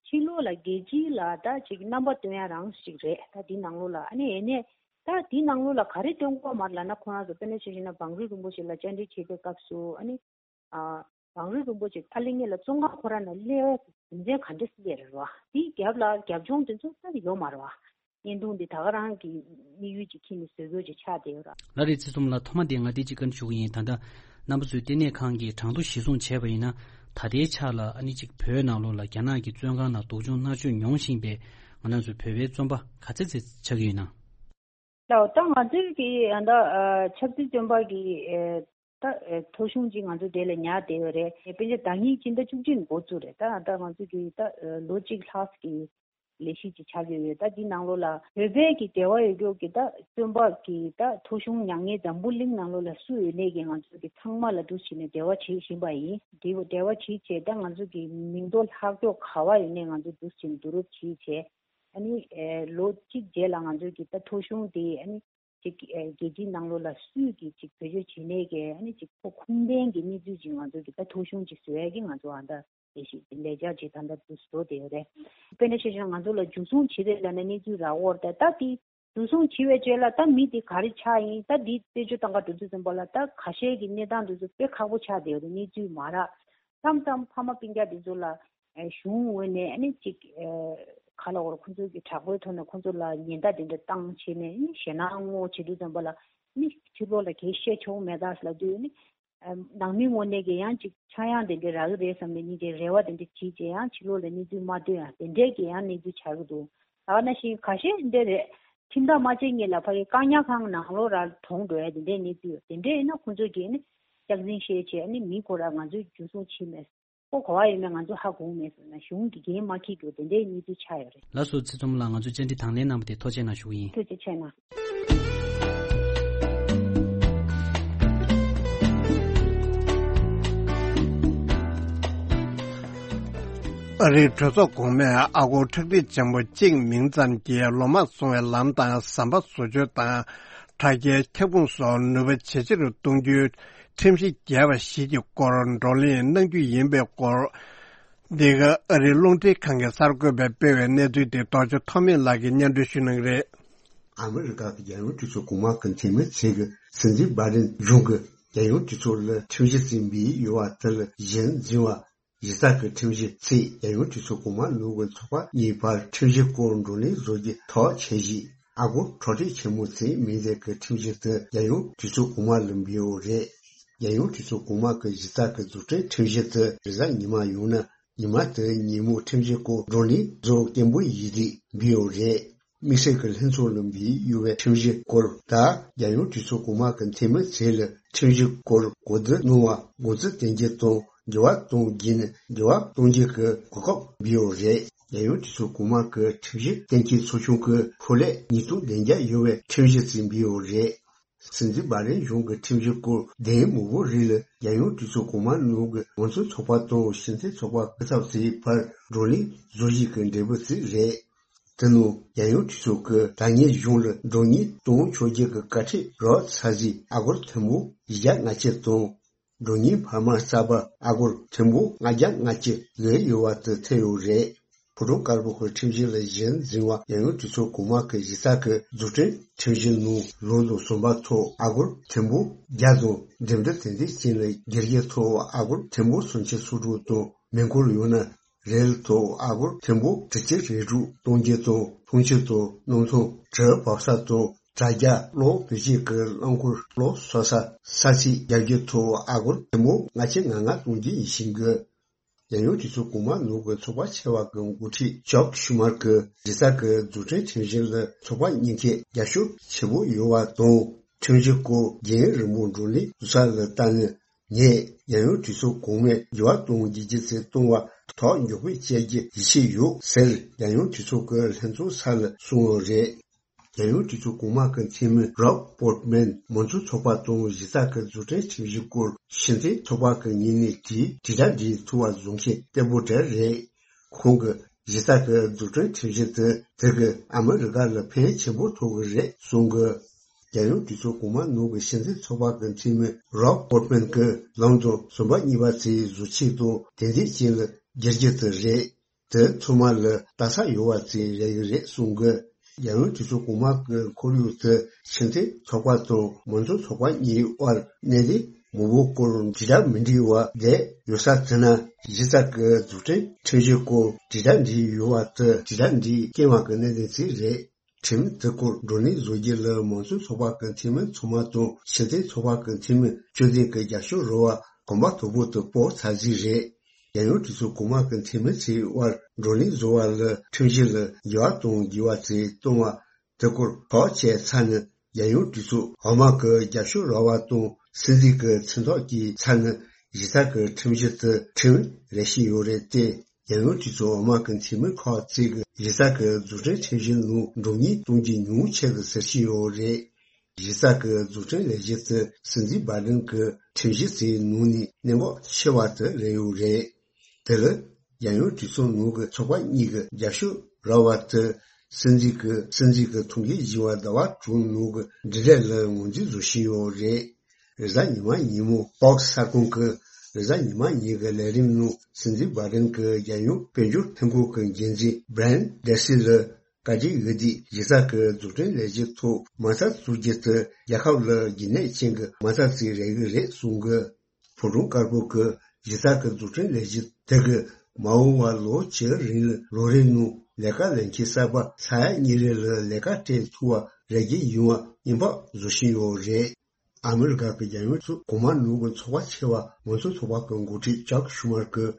ཕྱི་ལོགས་ལ་རྒྱལ་སྤྱིའི་ལ་ད་ཅིག་རྣམ་པ་སྟོན་ཡ་རང་ཞིག་རེད། ད་འདི་ནང་ལོགས་ལ་ཨ་ནི་ཡེ་ནས་ད་འདི་ནང་ལོགས་ལ་ག་རེ་སྟོན་དགོས་མ་རེད་ལབ་ན། ཁོ་རང་ཚོ་དཔེར་ན་ཆ་བཞག་ན་བང་རི་རིན་པོ་ཆེ་ལ་བཅར་འདྲི་བྱེད་པའི་སྐབས་སུ་ཨ་ནི། ཨ། བང་རི་རིན་པོ་ཆེ་ཨ་ལེ་ངེད་ལ་བཙོན་ཁང་ཁོ་ར་ནང་སླེབས་པའི་རྒྱུ་མཚན་ག་འདྲ་སླེབས་རེད་བ། དེའི་རྒྱབ་ལ་རྒྱབ་ལྗོངས་དེ་ཚོ་ད་ཡོད་མ་རེད་བ། བརྙན་ཐུང་འདི་ད་ག་རང་གི་དམིགས་ཡུལ་ཅིག་ཁྱེར་ནས་བཟོ་དགོས་ཅིག་ཆགས་བསྡད་ཡོད་ར། ལགས་རེད། ཚེ་ཚོམ་ལགས་ཐོག་མ་དེ་ང་དེ་གཅིག་བཀའ་འདྲི་ཞུ་གི་ཡིན། ད་ལྟ་རྣམ་པ་ཚོས་ལྟེ་གནས་ཁང་གི་གྲངས་ཐོ་གཞིར་བཟུང་བྱས་པ་ཡིན་ན། ད་ལྟའི་ཆ་ལ་ཨ་ནི་གཅིག་བོད་ནང་ལོགས་ལ་རྒྱ་ནག་གི་བཙོན་ཁང་ནང་སྡུག་སྦྱོང་མནར་གཅོད་མྱོང་བཞིན་པའི་ང་རང་ཚོའི་བོད་པའི་བཙོན་པ་ག་ཚད་ཚད་ཆགས་ཀྱི་ཡོད་ན། ལགས། ད་ང་ཚོའི་གི་ཨ་ད་ཨ་ཆབ་སྲིད་བཙོན་པ་གི་ཨ་ད་ཨ་ཐོ་གཞུང་ཅིག་ང་ཚོ་དེ་ལ་ཉར་བསྡད་ཡོད་རེད། དཔེར་ན་ཟླ་ཉིན་སྤྱི་ཟླ་བཅུ་གཅིག་འགོ་བཙུགས་རེད། ད་ད་ང་ཚོ་གི་ད་ཨ་ལོ་གཅིག་ལྷག་གི་ལས་གཞི་ཅིག་ཆགས་ཀྱི་ཡོད། ད་འདི་ནང་ལོགས་ལ་བོད་པའི་གི་འབྲེལ་བ་ཡོད་རྒྱུ་གི་ད་བཙོན་པ་གི་ད་ཐོ་གཞུང་ཉར་མཁན་འཛམ་བུ་གླིང་ནང་ལོགས་ལ་སུ་ཡོད་ནའི་གི་ང་ཚོ་གི་ཚང་མ་ལ་འདུག་བྱས་ནས་འབྲེལ་བ་བྱེད་བཞིན་པ་ཡིན། འབྲེལ་བ་བྱེད་བྱས་ད་ང་ཚོ་གི་མིང་ཐོ་ལྷག་རྒྱུ་ག་བ་ཡོད་ནའི་ང་ཚོ་འདུག་བྱས་ནས་བསྡུ་རུབ་བྱས་བྱས། ཨ་ནི་ཨེ་ལོ་གཅིག་རྗེས་ལ་ང་ཚོས་ཀྱི་ད་ཐོ་གཞུང་དེ་ཨ་ནི་ཅིག་ཨེ་རྒྱལ་སྤྱིའི་ནང་ལོགས་ལ་སུས་ཀྱི་ཅིག་བེད་སྤྱོད་བྱེད་ནས་ཀྱི་ཨ་ནི་ཅིག་ཁོ་ཁུངས་ལྡན་གྱི་གནས་ཚུལ་ཅིག་ང་ཚོ་གི་ད་ཐོ་གཞུང་ཅིག་བཟོ་ཡ་གི་ང་ཚོ་ཨ་ད་ལས་ཞིག་ལས་འཆར་ཅིག་ད་ལྟ་འདུག་བཟོ་བསྡད་ཡོད་རེད། དཔེར་ན་ཆ་བཞག་ང་ཚོ་ལ་འཇུ་བཟུང་བྱེད་རེད་ལབ་ན་གནས་ཚུལ་རག་གི་ཡོད་རེད། ད་དེ་འཇུ་བཟུང་བྱེད་པའི་རྗེས་ལ་ད་མི་དེ་ག་རེ་ཆགས་ཡིན། ད་དེ་རྩད་གཅོད་གཏོང་ག་འགྲོ་དུས་ཙམ་པ་ལ་ད་ཁ་ཤས་ཀྱི་གནས་སྟངས་དེ་ཚོ་དཔེ་ཁག་པོ་ཆགས་བསྡད་ཡོད་རེད། གནས་ཚུལ་མ་རག་མཚམས་མཚམས་ཕ་མ་སྤུན་ཀྱག་དེ་ཚོ་ལ་ཨེ་གཞུང་ངོས་ནས་ཨ་ནི་ཅིག་ཨེ་ག་ལ་འོར་ཁོང་ཚོ་གི་དྲག་པོའི་ཐོག་ནས་ཁོང་ཚོ་ལ་ཉེན་བརྡ་དེ་འདྲ་བཏང་བྱས་ནས་ཨ་ནི་ཞེད་སྣང་ངོ་བྱེད་དུས་ཙམ་པ་ལ་ཨ་ནི་ཕྱི་ལོགས་ལ་གས་བཤད་ཆོག་མེད་ད་ལབ་དུས་ཨ་ནི་ཨེ་ནང་མི་ངོས་ནས་ཀྱི་ཡང་ཅིག་ཆག་ཡང་དེ་འདྲ་རག་གི་རེད་བསམ་ནས་ཉིན་དེ་རེ་བ་དེ་འདྲ་བྱེད་བྱས་ཡང་ཕྱི་ལོགས་ལ་གནས་ཚུལ་མ་ཐོན་ཡང་དེ་འདྲས་ཀྱི་ཡང་གནས་ཚུལ་ཆགས་ཀྱི་འདུག་ད་ག་ནང་བཞིན་ཁ་ཤས་འདི་རེད། ཁྲིམས་ཐག་མ་བཅད་སྔོན་ལ་ཕ་གི་བཀག་ཉར་ཁང་ནང་ལོགས་ར་གྲོངས་འགྲོ་ཡ་དེ་འདྲའི་གནས་ཚུལ་ཡོད། དེ་འདྲའི་ཡིན་ན་ཁོང་ཚོས་ཀྱིས་ནི་སྐྱག་རྫུན་བཤད་བྱས་ནི་མི་ཁོ་ར་ང་ཚོས་འཇུ་བཟུང་བྱས་མེད། ཁོ་ག་བ་ཡོད་མེད་ང་ཚོས་ཧ་གོ་མེད་ཟེར་ན་གཞུང་གི་འགན་མ་འཁྱེར་རྒྱུ་དེ་འདྲའི་གནས་ཚུལ་ཆགས་ཡོད་རེད། ལགས་སོ། ཚེ་ཚོམ་ལགས་ང་ཚོ་བཅར་འདྲི་དང་ལེན་གནང་བ་དེ་ཐུགས་རྗེ་གནང་ཞུ་གི་ཡིན། ཐུགས་རྗེ་ཆེ་གནང་། ཨ་རིའི་གྲོས་ཚོགས་གོང་མས་ཨ་སྒོར་ཁྲག་ཁྲིག་ཆེན་པོ་གཅིག་མིང་ཙམ་གྱིས་ལོ་མང་སོང་བའི་ལམ་དང་ཟམ་པ་བཟོ་བཅོས་དང་། དྲ་རྒྱའི་ཁྱབ་ཁོངས་སོགས་ནུས་པ་ཇེ་ཆེ་རུ་གཏོང་རྒྱུའི་ཁྲིམས་གཞི་བརྒྱབ་པ་ཞིག་གི་སྐོར་བགྲོ་གླེང་གནང་རྒྱུ་ཡིན་པའི་སྐོར། འདི་ག་ཨ་རིའི་རླུང་འཕྲིན་ཁང་གི་གསར་འགོད་པས་སྤེལ་བའི་གནས་ཚུལ་དེ་རྡོ་རྗེ་ཐོགས་མེད་ལགས་ཀྱིས་སྙན་སྒྲོན་ཞུ་གནང་གི་རེད། ཨ་མི་རི་ཀ་གི་རྒྱལ་ཡོངས་གྲོས་ཚོགས་གོང་མ་གི་འཐུས་མི་ཚོས་ཀྱི་སྲིད་འཛིན་བྷའི་ཌེན་གཞུང་གི་རྒྱལ་ཡོངས་གྲོས་ཚོགས་ལ་ཁྲིམས་གཞི་བརྩིས་པའི་ཡོད་པ་དེ་ལ་གཞི་འཛིན་པ། གཞི་རྩ་གི་ཁྲིམས་གཞི་ཚེས་རྒྱལ་ཡོངས་གྲོས་ཚོགས་གོང་མ་ནོར་བུ་ཚོགས་པ་གཉིས་བར་ཁྲིམས་གཞི་སྐོར་བགྲོ་གླེང་བཟོ་རྒྱུ་ཐག་བཅད་རྗེས། ཨ་སྒོར་གྲོས་ཁྲིམས་ཆེན་མོ་ཚོས་མིང་ལྡན་གྱི་ཁྲིམས་གཞི་དེ་རྒྱལ་ཡོངས་གྲོས་ཚོགས་གོང་མ་ལ་འབུལ་ཡོད་རེད། རྒྱལ་ཡོངས་གྲོས་ཚོགས་གོང་མ་གི་གཞི་རྩ་གི་རྫུ་འཕྲུལ་ཁྲིམས་གཞི་དེ་རེས་གཟའ་ཉི་མ་ཡོང་ན་ཉི་མ་དེའི་ཉིན་མོ་ཁྲིམས་གཞི་སྐོར་བགྲོ་གླེང་བཟོ་སྐད་འབོད་ཡིག་རིགས་འབུལ་ཡོད་རེད། དམིགས་བསལ་གྱི་ལྷན་ཚོགས་ལ་འབུལ་ཡོད་པའི་ཁྲིམས་གཞི་སྐོར་དང་རྒྱལ་ཡོངས་གྲོས་ཚོགས་གོང་མ་གི་འཐུས་མི་ཚོས་ལ་ཁྲིམས་གཞི་སྐོར་གོ་བསྡུར་གནང་བ་འགོ་འཛུགས་གཏོང་རྒྱུ་དང་འགྱུར་བ་གཏོང་རྒྱུ་ནི་འགྱུར་བ་གཏོང་རྒྱུ་གི་གོ་སྐབས་འབུལ་ཡོད་རེད། རྒྱལ་ཡོངས་གྲོས་ཚོགས་གོང་མ་གི་ཁྲིམས་གཞི་གཏན་འཁེལ་ཚོགས་ཆུང་གི་ཧྥུ་ལེ་ཉིས་སྟོང་བདུན་བརྒྱ་ཡོད་པའི་ཁྲིམས་གཞི་རྩིས་འབུལ་ཡོད་རེད། སྲིད་འཛིན་བྷ་རེན་གཞུང་གི་ཁྲིམས་གཞི་སྐོར་གདེང་མང་པོ་རིགས་ལ་རྒྱལ་ཡོངས་གྲོས་ཚོགས་གོང་མ་ནང་གི་མང་གཙོ་ཚོགས་པ་དང་སྤྱི་མཐུན་ཚོགས་པ་སྐུ་ཚབ་ཚོའི་བར་བགྲོ་གླེང་བཟོ་གཞི་གི་འབྲས་བུ་ཞིག་རེད། དེ་ནང་རྒྱལ་ཡོངས་གྲོས་ཚོགས་ཀྱི་དྲ་བརྙན་གཞུང་ལ་བགྲོ་གླེང་གཏོང་ཆོག་རྒྱུ་གི་བཀའ་ཁྲིད་རག་ཚར་རྗེས་ཨ་སྒོར་ཐེར་འབུམ་བཞི་བརྒྱ་ལྔ་བཅུ་དང་། བགྲོ་གླེང་འཕར་མ་གསར་པ་ཨ་སྒོར་ཐེར་འབུམ་ལྔ་བརྒྱ་ལྔ་བཅུ་བཟོས་ཡོད་པ་དེ་ཐོན་ཡོད་རེད། ཕོ་བྲང་དཀར་པོ་གི་ཁྲིམས་གཞི་ལ་གཞི་འཛིན་པ་རྒྱལ་ཡོངས་གྲོས་ཚོགས་གོང་མ་གི་གཞི་རྩ་གི་རྫུ་འཕྲུལ་ཁྲིམས་གཞི་ནང་ལོ་ལྟར་ཟམ་པ་ཐོག་ཨ་སྒོར་ཐེར་འབུམ་བརྒྱ་དང་འགྲིམ་འགྲུལ་དེ་འདྲའི་རྐྱེན་ལ་སྒེར་གྱི་ཐོག་ཨ་སྒོར་ཐེར་འབུམ་སུམ་ཅུ་སོ་དྲུག་དང་། མི་འཁོར་ཡོད་ན་རེལ་ཐོག་ཨ་སྒོར་ཐེར་འབུམ་དྲུག་ཅུ་རེ་དྲུག་གཏོང་རྒྱུ་དང་། འཐུང་ཆུ་དང་གནམ་ཐང་གྲུ་འབབ་ས་དང་དྲ་རྒྱ་གློག་བེད་སྤྱོད་ཀྱི་རླངས་འཁོར་གློག་གསོག་ས་ས་ཚིགས་རྒྱག་རྒྱུའི་ཐོག་ཨ་སྒོར་ཐེར་འབུམ་ལྔ་བཅུ་ང་ལྔ་གཏོང་རྒྱུ་ཡིན་ཞིང་གི། རྒྱལ་ཡོངས་གྲོས་ཚོགས་གོང་མ་ནང་གི་ཚོགས་པ་ཆེ་བ་གི་འགོ་ཁྲིད་ཅག་ཤུ་མར་གྱིས་གཞི་རྩ་གི་རྫུ་འཕྲུལ་ཁྲིམས་གཞི་ལ་ཚོགས་པ་གཉིས་ཀས་རྒྱབ་སྐྱོར་ཆེན་པོ་ཡོད་པ་དང་། ཁྲིམས་གཞི་སྐོར་རྒྱུན་རིང་པོ་བགྲོ་གླེང་བཟོ་ས་ལ་ལྟ་ན། ངས་རྒྱལ་ཡོངས་གྲོས་ཚོགས་གོང་མས་འགྱུར་བ་གཏོང་རྒྱུ་བརྒྱུད་ཚེ་གཏོང་བ་ཐག་མགྱོགས་པོས་བྱེད་རྒྱུ་ཡིད་ཆེས་ཡོད་ཟེར་རྒྱལ་ཡོངས་གྲོས་ཚོགས་ཀྱི་ལྷན་ཚོགས་ས་ལ་གསུངས་ཡོད་རེད། རྒྱལ་ཡོངས་གྲོས་ཚོགས་གོང་མ་གི་འཐུས་མི་རོབ་པོར་ཊི་མན་མང་གཙོ་ཚོགས་པ་དང་གཞི་རྩ་གི་རྫུ་འཕྲུལ་ཁྲིམས་གཞི་སྐོར་སྤྱི་མཐུན་ཚོགས་པ་གི་ངོས་ནས་དྲིས་དྲིལ་བསྒྲགས་འབྲི་ཐུབ་པ་བཟོ་མཁན་བརྟན་པོ་བྲལ་རེད། ཁོང་གིས་གཞི་རྩ་གི་རྫུ་འཕྲུལ་ཁྲིམས་གཞི་དེ་དེ་གིས་ཨ་མི་རི་ཀ་ལ་ཕན་ཆེན་པོ་ཐོགས་ཀྱི་རེད་གསུངས་གི། རྒྱལ་ཡོངས་གྲོས་ཚོགས་གོང་མ་ནང་གི་སྤྱི་མཐུན་ཚོགས་པ་གི་འཐུས་མི་རོབ་པོར་ཊི་མན་གྱིས་ལོན་ཌོན་ཟམ་པ་གཉིས་པ་དེའི་བཟོ་ཆས་དང་དེ་འདྲའི་རྐྱེན་ལ་སྒེར་གྱི་དེ་རེད། དེ་ཚང་མ་ལ་ལྟ་ས་ཡོད་པ་ཅིག་རེད་ཀྱི་རེད་གསུངས་གི། རྒྱལ་ཡོངས་གྲོས་ཚོགས་གོང་མ་གི་ཁོར་ཡུག་དེ་སྤྱི་མཐུན་ཚོགས་པ་དང་མང་གཙོ་ཚོགས་པ་གཉིས་དབར་གནད་དོན་མང་པོའི་སྐོར་དྲིལ་བསྒྲགས་མི་འདྲ་བ་བསྡད་ཡོད་ས་དེ་ན། གཞི་རྩ་གི་རྫུ་འཕྲུལ་ཁྲིམས་གཞི་སྐོར་དྲིལ་བསྒྲགས་འདྲ་ཡོད་པ་དེ་དྲིལ་བསྒྲགས་འདྲའི་རྐྱེན་པ་གི་གནད་དོན་ཅིག་རེད། ཁྲིམས་དེ་སྐོར་བགྲོ་གླེང་བཟོ་རྒྱུ་ལ་མང་གཙོ་ཚོགས་པ་གི་འཐུས་མི་ཚང་མ་དང་སྤྱི་མཐུན་ཚོགས་པ་གི་འཐུས་མི་བཅུ་བདུན་གྱི་རྒྱབ་སྐྱོར་རག་པ་གོམ་པ་དོད་པོ་དེ་སྤོ་ཚར་རྗེས་རེད། རྒྱལ་ཡོངས་གྲོས་ཚོགས་གོང་མ་གི་འཐུས་མི་ཚོའི་དབར་བགྲོ་གླེང་བཟོ་བ་ལ་ཁྲིམས་གཞི་ལ་འགྱུར་བ་གཏོང་དགོས་པ་ཅིག་གཏོང་བ་དེ་སྐོར་ཐག་བཅད་ཚར་ན། རྒྱལ་ཡོངས་གྲོས་ཚོགས་འོག་མ་གི་རྒྱབ་སྐྱོར་རག་པ་དང་སྲིད་འཛིན་གྱི་མཚན་ཐོ་བཀོད་ཚར་ན་གཞི་རྩ་གི་ཁྲིམས་གཞི་དེ་ཁྲིམས་རེད་བཞིན་ཡོད་རེད་དེ། རྒྱལ་ཡོངས་གྲོས་ཚོགས་འོག་མ་གི་འཐུས་མི་ཁག་ཅིག་གིས་གཞི་རྩ་གི་རྫུ་འཕྲུལ་ཁྲིམས་གཞི་ནང་འགྲོ་ཉེས་གཏོང་རྒྱུ་ཉུང་ཆེ་གི་ཟེར་གྱི་ཡོད་རེད། གཞི་རྩ་གི་རྫུ་འཕྲུལ་ལས་གཞི་དེ་སྲིད་འཛིན་བྷའི་ཌེན་གྱི་ཁྲིམས་གཞི་དེའི་ནང་ནས་གནད་འགག་ཆེ་བ་དེ་རེད་ཡོད་རེད། དེ་ལ་རྒྱལ་ཡོངས་གྲོས་ཚོགས་ནང་གི་ཚོགས་པ་གཉིས་ཀྱི་རྒྱབ་སྐྱོར་རག་པ་དེ་སྲིད་འཛིན་གྱི་སྲིད་འཛིན་གྱི་ཐུགས་འགན་བཞེས་པ་ཟླ་བ་དྲུག་ནང་གི་འབྲེལ་འདྲིས་ལ་ངོས་འཛིན་བཟོ་བཞིན་ཡོད་རེད། རེས་གཟའ་ཉི་མ་ཉིན་མོ་ཕོག་སི་གསར་ཁང་གི་རེས་གཟའ་ཉི་མ་ཉིན་གྱི་ལས་རིམ་ནང་སྲིད་འཛིན་བྷའི་ཌེན་གྱི་རྒྱལ་ཡོངས་དཔལ་འབྱོར་ལྷན་ཁང་གི་འགན་འཛིན་བྷི་རན་ཌེ་སི་ལ་བཀའ་དྲིན་ཡོད་དུས་གཞི་རྩ་གི་རྫུ་འཕྲུལ་ལས་གཞི་ཐོག་མ་རྩ་བཙུགས་རྒྱུ་དེ་རྒྱལ་ཁབ་ལ་རྒྱུན་གནས་ཅན་གྱི་མ་རྩ་ཅིག་རེད་ཀྱི་རེད་གསུངས་གི། ཕོ་བྲང་དཀར་པོ་གི་གཞི་རྩ་གི་རྫུ་འཕྲུལ་ལས་གཞི་དེ་གིས་མ་འོངས་པ་ལོ་བཅུ་རིང་ལ་ལོ་རེའི་ནང་ལས་ཀ་ལེན་མཁན་གསར་པ་ས་ཡ་གཉིས་རེ་ལ་ལས་ཀ་སྤྲད་ཐུབ་པ་རེ་རྒྱུ་ཡོང་བ་སྙིང་བག་བཟོ་བཞིན་ཡོད་རེད། ཨ་མི་རི་ཀ་གི་རྒྱལ་ཡོངས་ཚོགས་གོང་མ་ནང་གི་ཚོགས་པ་ཆེ་བ་མང་གཙོ་ཚོགས་པ་གི་འགོ་ཁྲིད་ཅག་ཤུ་མར་གྱིས་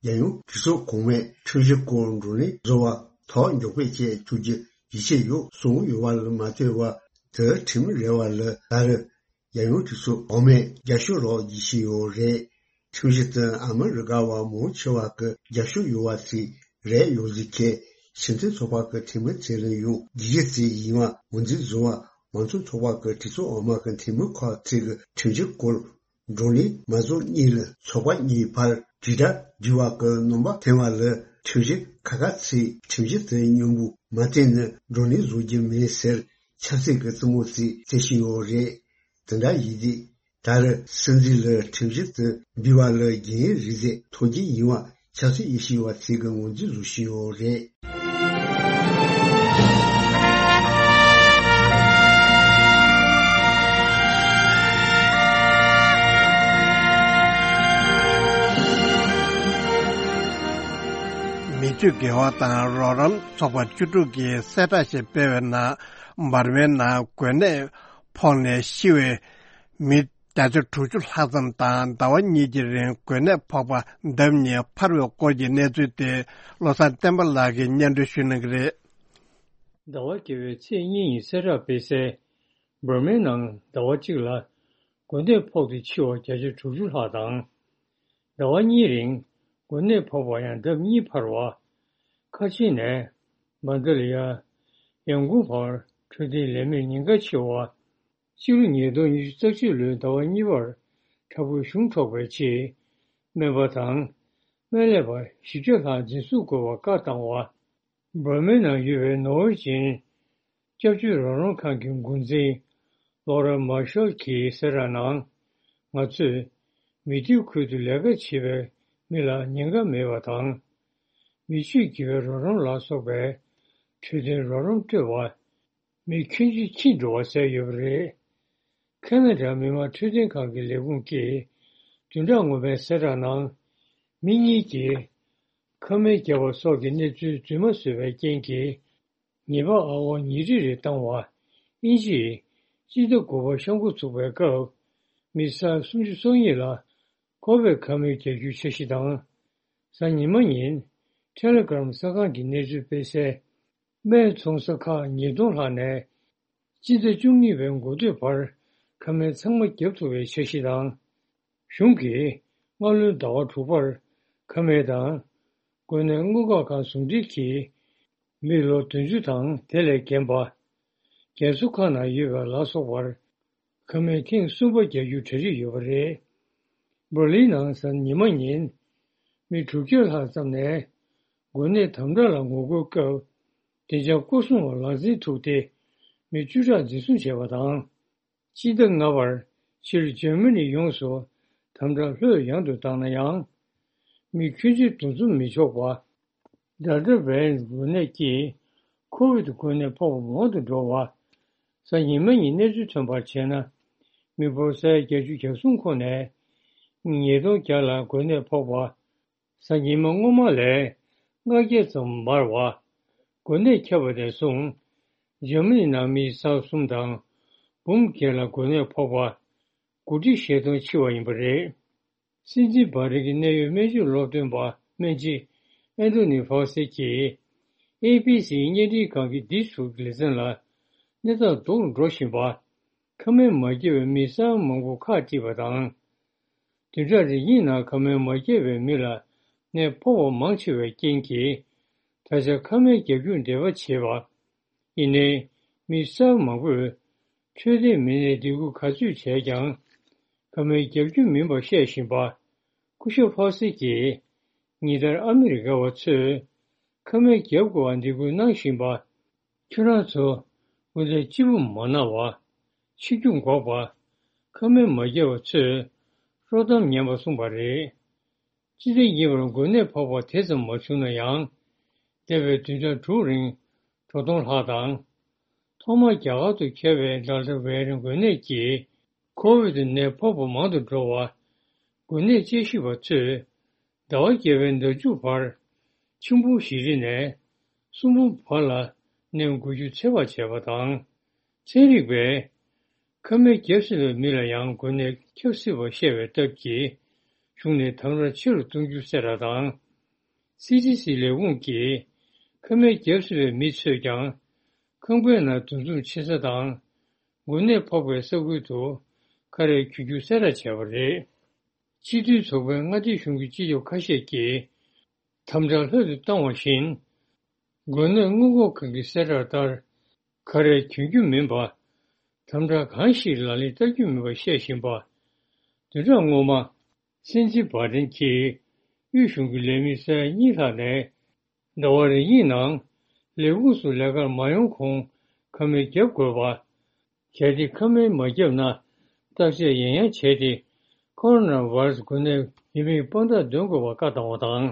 རྒྱལ་ཡོངས་གྲོས་ཚོགས་གོང་མས་ཁྲིམས་གཞི་སྐོར་བགྲོ་གླེང་བཟོ་བ་ཐག་མགྱོགས་པོས་བྱེད་ཐུབ་རྒྱུ་ཡིད་ཆེས་ཡོད་གསུངས་ཡོད་པ་ལ་མ་ལྟོས་པར་དེ་ཁྲིམས་རེད་པ་ལ་ད་རེས་རྒྱལ་ཡོངས་གྲོས་ཚོགས་འོག་མས་རྒྱབ་སྐྱོར་རོགས་བྱེད་བཞིན་ཡོད་རེད། ཁྲིམས་གཞི་དེ་ཨ་མི་རི་ཀ་བ་མང་ཆེ་བ་གི་རྒྱབ་སྐྱོར་ཡོད་པ་ཞིག་རེད་ཡོད་ཟིག་གི་སྤྱི་མཐུན་ཚོགས་པ་གི་འཐུས་མི་ཚོས་ལ་ཡང་རྒྱུ་རྒྱུ་ཅིག་ཡིན་པ་ངོས་འཛིན་བཟོ་བ་མང་གཙོ་ཚོགས་པ་གི་གྲོས་ཚོགས་འོག་མ་གི་འཐུས་མི་ཁག་ཅིག་གིས་ཁྲིམས་གཞི་སྐོར་བགྲོ་གླེང་མ་རྫོགས་སྔོན་ལ་ཚོགས་པ་གཉིས་བར་དྲིལ་བསྒྲགས་འབྲི་བ་གི་རྣམ་པ་ཐོན་པ་ལ་ཁྲིམས་གཞི་ཁ་ཁ་ཚིག་ཁྲིམས་གཞི་དེ་མཉམ་པོ་མ་བཏོན་ན་བགྲོ་གླེང་བཟོ་རྒྱུ་མིན་ཟེར་ཆབ་སྲིད་ཀྱི་རྩེད་མོ་ཅིག་རྩེ་བཞིན་ཡོད་རེད། དེ་འདྲ་ཡིན་དུས། ད་རེས་སྲིད་འཛིན་ལ་ཁྲིམས་གཞི་དེ་འབུལ་བ་ལ་རྒྱུན་རིང་ཟིག་ཐོགས་ཀྱི་ཡིན་པ་ཆབ་སྲིད་དབྱེ་ཞིབ་པ་ཚོས་ཀྱི་ངོས་འཛིན་བཟོ་བཞིན་ཡོད་རེད། མི་ཆོས་དགེ་བ་དང་རོགས་རམ་ཚོགས་པ་བཅུ་དྲུག་གིས་གསལ་བསྒྲགས་ཤིག་སྤེལ་བའི་ནང་འབར་མའི་ནང་འགོས་ནད་ཕོག་ནས་ཤི་བའི་མི་བརྒྱ་ཆ་དྲུག་ཅུ་ལྷག་ཙམ་དང་ཟླ་བ་གཉིས་ཀྱི་རིང་འགོས་ནད་ཕོག་པ་ལྡབ་གཉིས་འཕར་བའི་སྐོར་གྱི་གནས་ཚུལ་དེ་བློ་བཟང་བསྟན་པ་ལགས་ཀྱིས་སྙན་སྒྲོན་ཞུ་གནང་གི་རེད། ཟླ་བ་བརྒྱད་པའི་ཚེས་གཉིས་ཉིན་གསལ་བསྒྲགས་སྤེལ་གསལ། འབར་མའི་ནང་ཟླ་བ་གཅིག་ལ་འགོས་ནད་ཕོག་སྟེ་འཆི་བ་བརྒྱ་ཆ་དྲུག་ཅུ་ལྷག་དང་། ཟླ་བ་གཉིས་རིང་འགོས་ནད་ཕོག་པ་ཡང་ལྡབ་གཉིས་འཕར་བ། ཁ་ཆེ་ནས་མན་ད་ལི་ཡ། ཡང་ཀུང་བར་འཕྲོད་བསྟེན་ལས་མེད་ཉེན་ཁ་ཆེ་བ། སྤྱི་ལོ་ཉིས་སྟོང་ཉི་ཤུ་རྩ་གཅིག་ལོའི་ཟླ་བ་གཉིས་པར་དྲག་པོའི་གཞུང་འཕྲོག་པའི་ཆེད། སྨན་པ་དང་། སྨན་ལས་པ་བཞི་བརྒྱ་ལྷག་འཛིན་བཟུང་དགོས་པར་བཀའ་བཏང་བ། འབར་མའི་ནང་ཡོད་པའི་ནོར་ཝེ་ཅན། སྐྱབས་བཅོལ་རོགས་རམ་ཁང་གི་འགོ་འཛིན། ལོ་ར་མར་ཤལ་གྱིས་གསལ་བསྒྲགས་ནང་། ང་ཚོས་མི་སྡེ་ཁུལ་དུ་ལས་ཀ་བྱེད་པའི་མི་ལ་ཉེན་ཁ་མེད་པ་དང་། མི་སྤྱོད་དགེ་བའི་རོགས་རམ་ལ་སོགས་པའི་འཕྲོད་བསྟེན་རོགས་རམ་སྤྲོད་པ། མི་ཁྱོན་ཆེ་འཆི་འགྲོ་བ་བསལ་ཡོད་པ་རེད། ཁ་ན་ཌ་མི་དམངས་འཕྲོད་བསྟེན་ཁང་གི་ལས་ཁུངས་ཀྱིས་བདུན་ཕྲག་སྔོན་མའི་གསལ་བསྒྲགས་ནང་། མི་གཉིས་ཀྱིས་ཁ་སྨན་བརྒྱབ་པ་སོགས་ཀྱི་གནས་ཚུལ་རྫུན་མ་བཟོས་པའི་རྐྱེན་གྱིས། ཉེས་པ་ཨ་ཝ་ཉིས་ཁྲི་རེ་བཏང་བ། དབྱིན་ཇིའི་སྤྱི་ཟླ་དགུ་པ་ཤང་ཀུ་ཚུགས་པའི་སྐབས། མི་སེར་སུམ་ཅུ་སོ་གཉིས་ལ་ཁོ་བེད་ཁ་སྨན་བརྒྱབ་རྒྱུའི་འཆར་གཞི་དང་། གཟའ་ཉི་མ་ཉིན་ཊེ་ལེ་གྷི་རམ་གསར་ཁང་གི་གནས་ཚུལ་སྤེལ་གསལ། སྨན་འཚོང་ས་ཁག་ཉིས་སྟོང་ལྷག་ནས་སྤྱི་ཟླ་བཅུ་གཉིས་པའི་འགོ་སྟོད་བར་ཁ་སྨན་ཚང་མ་བརྒྱབ་ཐུབ་པའི་འཆར་གཞི་དང་། གཞུང་གིས་སྔ་ལོའི་ཟླ་བ་དྲུག་པར་ཁ་སྨན་དང་། འགོས་ནད་སྔོན་འགོག་ཁང་ཟུང་འབྲེལ་གྱིས་མི་ལོ་བདུན་ཅུ་དང་དེ་ལས་རྒན་པ། རྒན་གསོ་ཁང་ནང་ཡོད་པ་ལ་སོགས་པར་ཁ་སྨན་ཐེངས་གསུམ་པ་རྒྱག་རྒྱུ་གྲ་སྒྲིག་ཡོད་པ་རེད། འབར་ལིན་ནང་གཟའ་ཉི་མ་ཉིན་མི་དྲུག་བརྒྱ་ལྷག་ཙམ་ནས་འགོས་ནད་དམ་དྲག་ལ་ངོ་རྒོལ་སྐབས། བདེ་འཇགས་སྐོར་སྲུང་བ་ལག་འཛིན་ཐུག་སྟེ་མི་བཅུ་ཕྲག་འཛིན་བཟུང་བྱས་པ་དང་། སྤྱི་ཟླ་ལྔ་པར་ཕྱིར་འཇར་མ་ནི་ཡོངས་སུ་དམ་དྲག་ལྷོད་ཡངས་དུ་བཏང་ན་ཡང་། མི་ཁྱོན་ཆེ་འདུ་འཛོམས་མི་ཆོག་པ། ཌེལ་ཊ་བྷེ་རི་ཡན་ཊི་འགོས་ནད་ཀྱིས་ཁོ་བིད་འགོས་ནད་ཕོག་པ་མང་དུ་འགྲོ་བ། གཟའ་ཉི་མ་ཉིན་གནས་ཚུལ་ཐོན་པར་བྱས་ན། མི་འབོར་ས་ཡ་བརྒྱད་ཅུ་གྱ་གསུམ་ཁོངས་ནས་ཉིས་སྟོང་བརྒྱ་ལ་འགོས་ནད་ཕོག་པ། གཟའ་ཉི་མ་སྔོན་མ་ལས་ལྔ་བརྒྱ་ཙམ་མར་བ། འགོས་ནད་ཁྱབ་པ་ནས་བཟུང་། འཇར་མ་ནི་ནང་མི་ས་གསུམ་དང་འབུམ་བརྒྱད་ལ་འགོས་ནད་ཕོག་པ། དགུ་ཁྲི་བཞི་སྟོང་འཆི་བ་ཡིན་པ་རེད། སྲིད་འཛིན་བྷ་རེན་གྱི་གནད་ཡོད་སྨན་བཅོས་སློབ་སྟོན་པ་སྨན་སྤྱི་ཨན་ཐོ་ནི་ཕའུ་སི་གྱིས་ཨེ་བྷི་སི་བརྙན་འཕྲིན་ཁང་གི་འདི་ཚོ་གི་ལེ་ཚན་ལ། གནས་སྟངས་སྡུག་རུ་འགྲོ་བཞིན་པ། ཁ་སྨན་མ་བརྒྱབ་པའི་མི་ས་ཡ་མང་པོ་ཁག་དཀྲིས་པ་དང་། བདུན་ཕྲག་རེ་གཉིས་ནང་ཁ་སྨན་མ་བརྒྱབ་པའི་མི་ལ་ནད་ཕོག་པ་མང་ཆེ་བའི་རྐྱེན་གྱིས། ད་ཆ་ཁ་སྨན་རྒྱག་རྒྱུར་འདོད་པ་བྱེད་པ། ཡིན་ནའི། མི་སེར་མང་པོས་འཕྲོད་བསྟེན་མི་སྣའི་སྡིགས་སྐུལ་ག་ཚོད་བྱས་ཀྱང་། ཁ་སྨན་རྒྱག་རྒྱུ་མིན་པ་བཤད་བཞིན་པ། སྐུ་ཞབས་ཕའུ་སི་གྱིས། ཉིན་ལྟར་ཨ་མི་རི་ཀ་བ་ཚོས་ཁ་སྨན་རྒྱག་དགོས་པར་སྡིགས་སྐུལ་གནང་བཞིན་པ། ཁྱོད་རང་ཚོ་འོན་ཏེ་སྐྱིད་པོ་མ་གནང་བ། འཆི་རྒྱུ་འགོག་པ། ཁ་སྨན་མ་བརྒྱབ་པ་ཚོས་དཀྲོག་གཏམ་ཉན་པ་གསུངས་པ་རེད། སྤྱི་ཟླ་གཉིས་པར་འགོས་ནད་ཕོག་པ་དེ་ཙམ་མ་བྱུང་ན་ཡང་། འདས་པའི་བདུན་ཕྲག་དྲུག་རིང་འགྲོ་སྟོང་ལྷག་དང་། ཐོག་མར་རྒྱ་གར་དུ་ཁྱབ་པའི་ཌེལ་ཊ་བྷེ་རི་ཡན་ཊི་འགོས་ནད་ཀྱིས་ཁོ་བིད་ནད་ཕོག་པ་མང་དུ་འགྲོ་བ། འགོས་ནད་དཔྱད་ཞིབ་པ་ཚོས་ཟླ་བ་བརྒྱད་པའི་ཟླ་མཇུག་བར་ཆིག་འབུམ་བཞི་ཁྲི་ནས་གསུམ་འབུམ་བར་ལ་ནད་འགོས་རྒྱུ་ཚོད་དཔག་བྱས་པ་དང་། ཚན་རིག་པས། ཁ་སྨན་བརྒྱབ་ཟིན་པའི་མི་ལ་ཡང་འགོས་ནད་ཁྱབ་སྲིད་པ་བཤད་པའི་སྟབས་ཀྱིས། གཞུང་ནས་དམ་དྲག་ཆེ་རུ་གཏོང་རྒྱུ་གསལ་བསྒྲགས་དང་། སི་ཌི་སི་ལས་ཁུངས་ཀྱིས། ཁ་སྨན་བརྒྱབ་ཟིན་པའི་མི་ཚོས་ཀྱང་། ཁང་པའི་ནང་འདུ་འཛོམས་ཆེ་ས་དང་། འགོས་ནད་ཕོག་པའི་ས་ཁུལ་དུ་ཁ་རས་གྱོན་རྒྱུ་གསལ་བསྒྲགས་བྱས་པ་རེད། སྤྱི་མཐུན་ཚོགས་པའི་མངའ་སྡེ་གཞུང་གི་སྤྱི་ཁྱབ་ཁ་ཤས་ཀྱིས། དམ་དྲག་ལྷོད་དུ་བཏང་བ་བཞིན། འགོས་ནད་སྔོན་འགོག་ཁང་གི་གསལ་བསྒྲགས་ལྟར། ཁ་རས་གྱོན་རྒྱུ་མིན་པ། དམ་དྲག་གང་ཞིག་ལག་ལེན་བསྟར་རྒྱུ་མིན་པ་བཤད་བཞིན་པ། བདུན་ཕྲག་སྔོན་མ། སྲིད་འཛིན་བྷ་ཏན་གྱིས་དབུས་གཞུང་གི་ལས་མི་ས་ཡ་གཉིས་ལྷག་ནས། ཟླ་བ་རེ་གཉིས་ནང་ལས་ཁུངས་སུ་ལས་ཀར་མ་ཡོང་གོང་ཁ་སྨན་བརྒྱབ་དགོས་པ། གལ་ཏེ་ཁ་སྨན་མ་བརྒྱབ་ན་བརྟག་དཔྱད་ཡང་ཡང་བྱས་ཏེ་ཁོ་རོ་ན་བྷ་ར་སི་འགོས་ནད་ཡིན་མིན་དཔང་རྟགས་འདོན་དགོས་པར་བཀའ་བཏང་བ་དང་།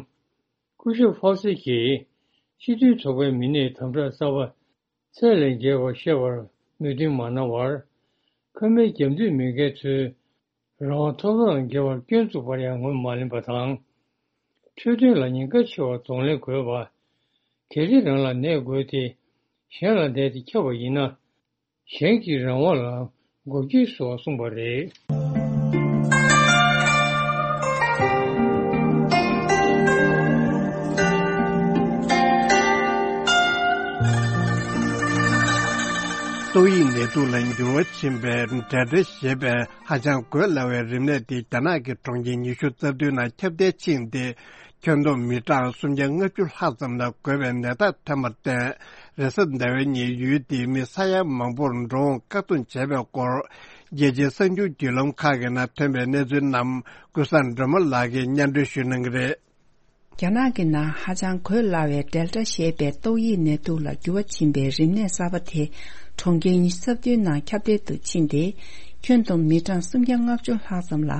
སྐུ་ཞབས་ཧྥའོ་སི་གྱིས་སྤྱི་མཐུན་ཚོགས་པའི་མི་སྣས་དམ་དྲག་གསར་པ་ཚད་ལས་བརྒལ་བ་བཤད་པར་མོས་མཐུན་མ་གནང་བར། ཁ་སྨན་བརྒྱབ་འདོད་མེད་མཁན་ཚོས། རང་དབང་ཐོབ་ཐང་ལ་འགལ་བར་སྐྱོན་བཙུགས་པར་ཡང་ངོས་མ་ལེན་པ་དང་། འཕྲོད་བསྟེན་ལ་ཉེན་ཁ་ཆེ་བར་གདོང་ལེན་དགོས་པ། གལ་ཏེ་རང་ལ་ནད་འགོས་ཏེ། གཞན་ལ་ནད་དེ་ཁྱབ་པ་ཡིན་ན། གཞན་གྱི་རང་དབང་ལ་འགོག་རྐྱེན་བཟོ་བར་གསུངས་པ་རེད། ཏོག་དབྱིབས་ནད་དུག་ལ་འགྱུར་བ་ཕྱིན་པའི་ཌེལ་ཊ་ཞེས་པའི་ཧ་ཅང་འགོས་སླ་བའི་རིམས་ནད་དེ་རྒྱ་ནག་གི་གྲོང་ཁྱེར་ཉི་ཤུ་རྩ་བདུན་ནང་ཁྱབ་གདལ་ཕྱིན་ཏེ། ཁྱོན་བསྡོམས་མི་གྲངས་སུམ་བརྒྱ་ལྔ་བཅུ་ལྷག་ཙམ་ལ་འགོས་པའི་ནད་རྟགས་ཐོན་པར་བརྟེན། རེས་གཟའ་ཟླ་བའི་ཉིན་ཡུལ་དེའི་མི་ས་ཡ་མང་པོར་འགྲོ་འོང་བཀག་སྡོམ་བྱས་པའི་སྐོར། རྒྱལ་སྤྱིའི་གསར་འགྱུར་བརྒྱུད་ལམ་ཁག་གི་ནང་ཐོན་པའི་གནས་ཚུལ་རྣམས་ཀུན་བཟང་སྒྲོལ་མ་ལགས་ཀྱིས་སྙན་སྒྲོན་ཞུ་གནང་གི་རེད། རྒྱ་ནག་གི་ནང་ཧ་ཅང་འགོས་སླ་བའི་ཌེལ་ཊ་ཞེས་པའི་ཏོག་དབྱིབས་ནད་དུག་ལ་འགྱུར་བ་ཕྱིན་པའི་རིམས་ནད་གསར་པ་དེ་གྲོང་ཁྱེར་ཉི་ཤུ་རྩ་བདུན་ནང་ཁྱབ་གདལ་དུ་ཕྱིན་ཏེ། ཁྱོན་བསྡོམས་མི་གྲངས་སུམ་བརྒྱ་ལྔ་བཅུ་ལྷག་ཙམ་ལ་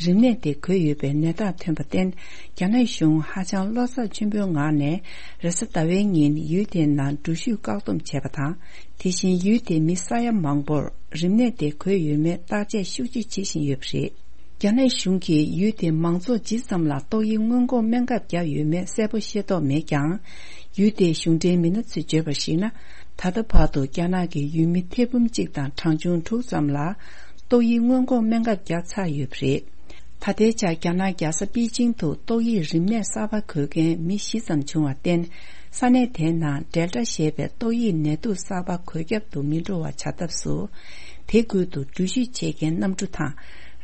རིམས་ནད་དེ་འགོས་ཡོད་པའི་ནད་རྟགས་ཐོན་པར་བརྟེན། རྒྱ་ནག་གཞུང་ཧ་ཅང་བློ་འཚབ་ཆེན་པོའི་ངང་ནས་རེས་གཟའ་ཟླ་བའི་ཉིན་ཡུལ་དེའི་ནང་འགྲུལ་བཞུད་བཀག་སྡོམ་བྱས་པ་དང་། དེ་བཞིན་ཡུལ་དེའི་མི་ས་ཡ་མང་པོར་རིམས་ནད་དེ་འགོས་ཡོད་མེད་བརྟག་དཔྱད་ཤུགས་ཆེ་བྱེད་བཞིན་ཡོད་པ་རེད། རྒྱ་ནག་གཞུང་གིས་ཡུལ་དེའི་མང་ཚོགས་ཇི་ཙམ་ལ་ཏོག་དབྱིབས་སྔོན་འགོག་སྨན་ཁབ་བརྒྱབ་ཡོད་མེད་གསལ་པོ་ཤེས་རྟོགས་མེད་ཀྱང་། ཡུལ་དེའི་གཞུང་འབྲེལ་མི་སྣ་ཚོས་བརྗོད་པར་གཞིགས་ན། ད་ལྟ་བར་དུ་རྒྱ་ནག་གི་ཡུལ་མི་ཐེར་འབུམ་གཅིག་དང་གྲངས་ཆུང་དྲུག་ཙམ་ལ་ཏོག་དབྱིབས་སྔོན་འགོག་སྨན་ཁབ་བརྒྱབ་ཚར་ཡོད་པ་རེད། ད་ལྟའི་ཆར་རྒྱ་ནག་རྒྱལ་ས་པེ་ཅིང་དུ་ཏོག་དབྱིབས་རིམས་ནད་གསར་པ་འགོས་མཁན་མི་བཞི་ཙམ་བྱུང་བར་བརྟེན། ས་གནས་དེའི་ནང་ཌེལ་ཊ་ཞེས་པའི་ཏོག་དབྱིབས་ནད་དུག་གསར་པ་འགོས་ཁྱབ་ཏུ་མི་འགྲོ་བ་བྱ་ཐབས་སུ། དེ་ཁུལ་དུ་འགྲུལ་བཞུད་བྱེད་མཁན་གནམ་གྲུ་དང་།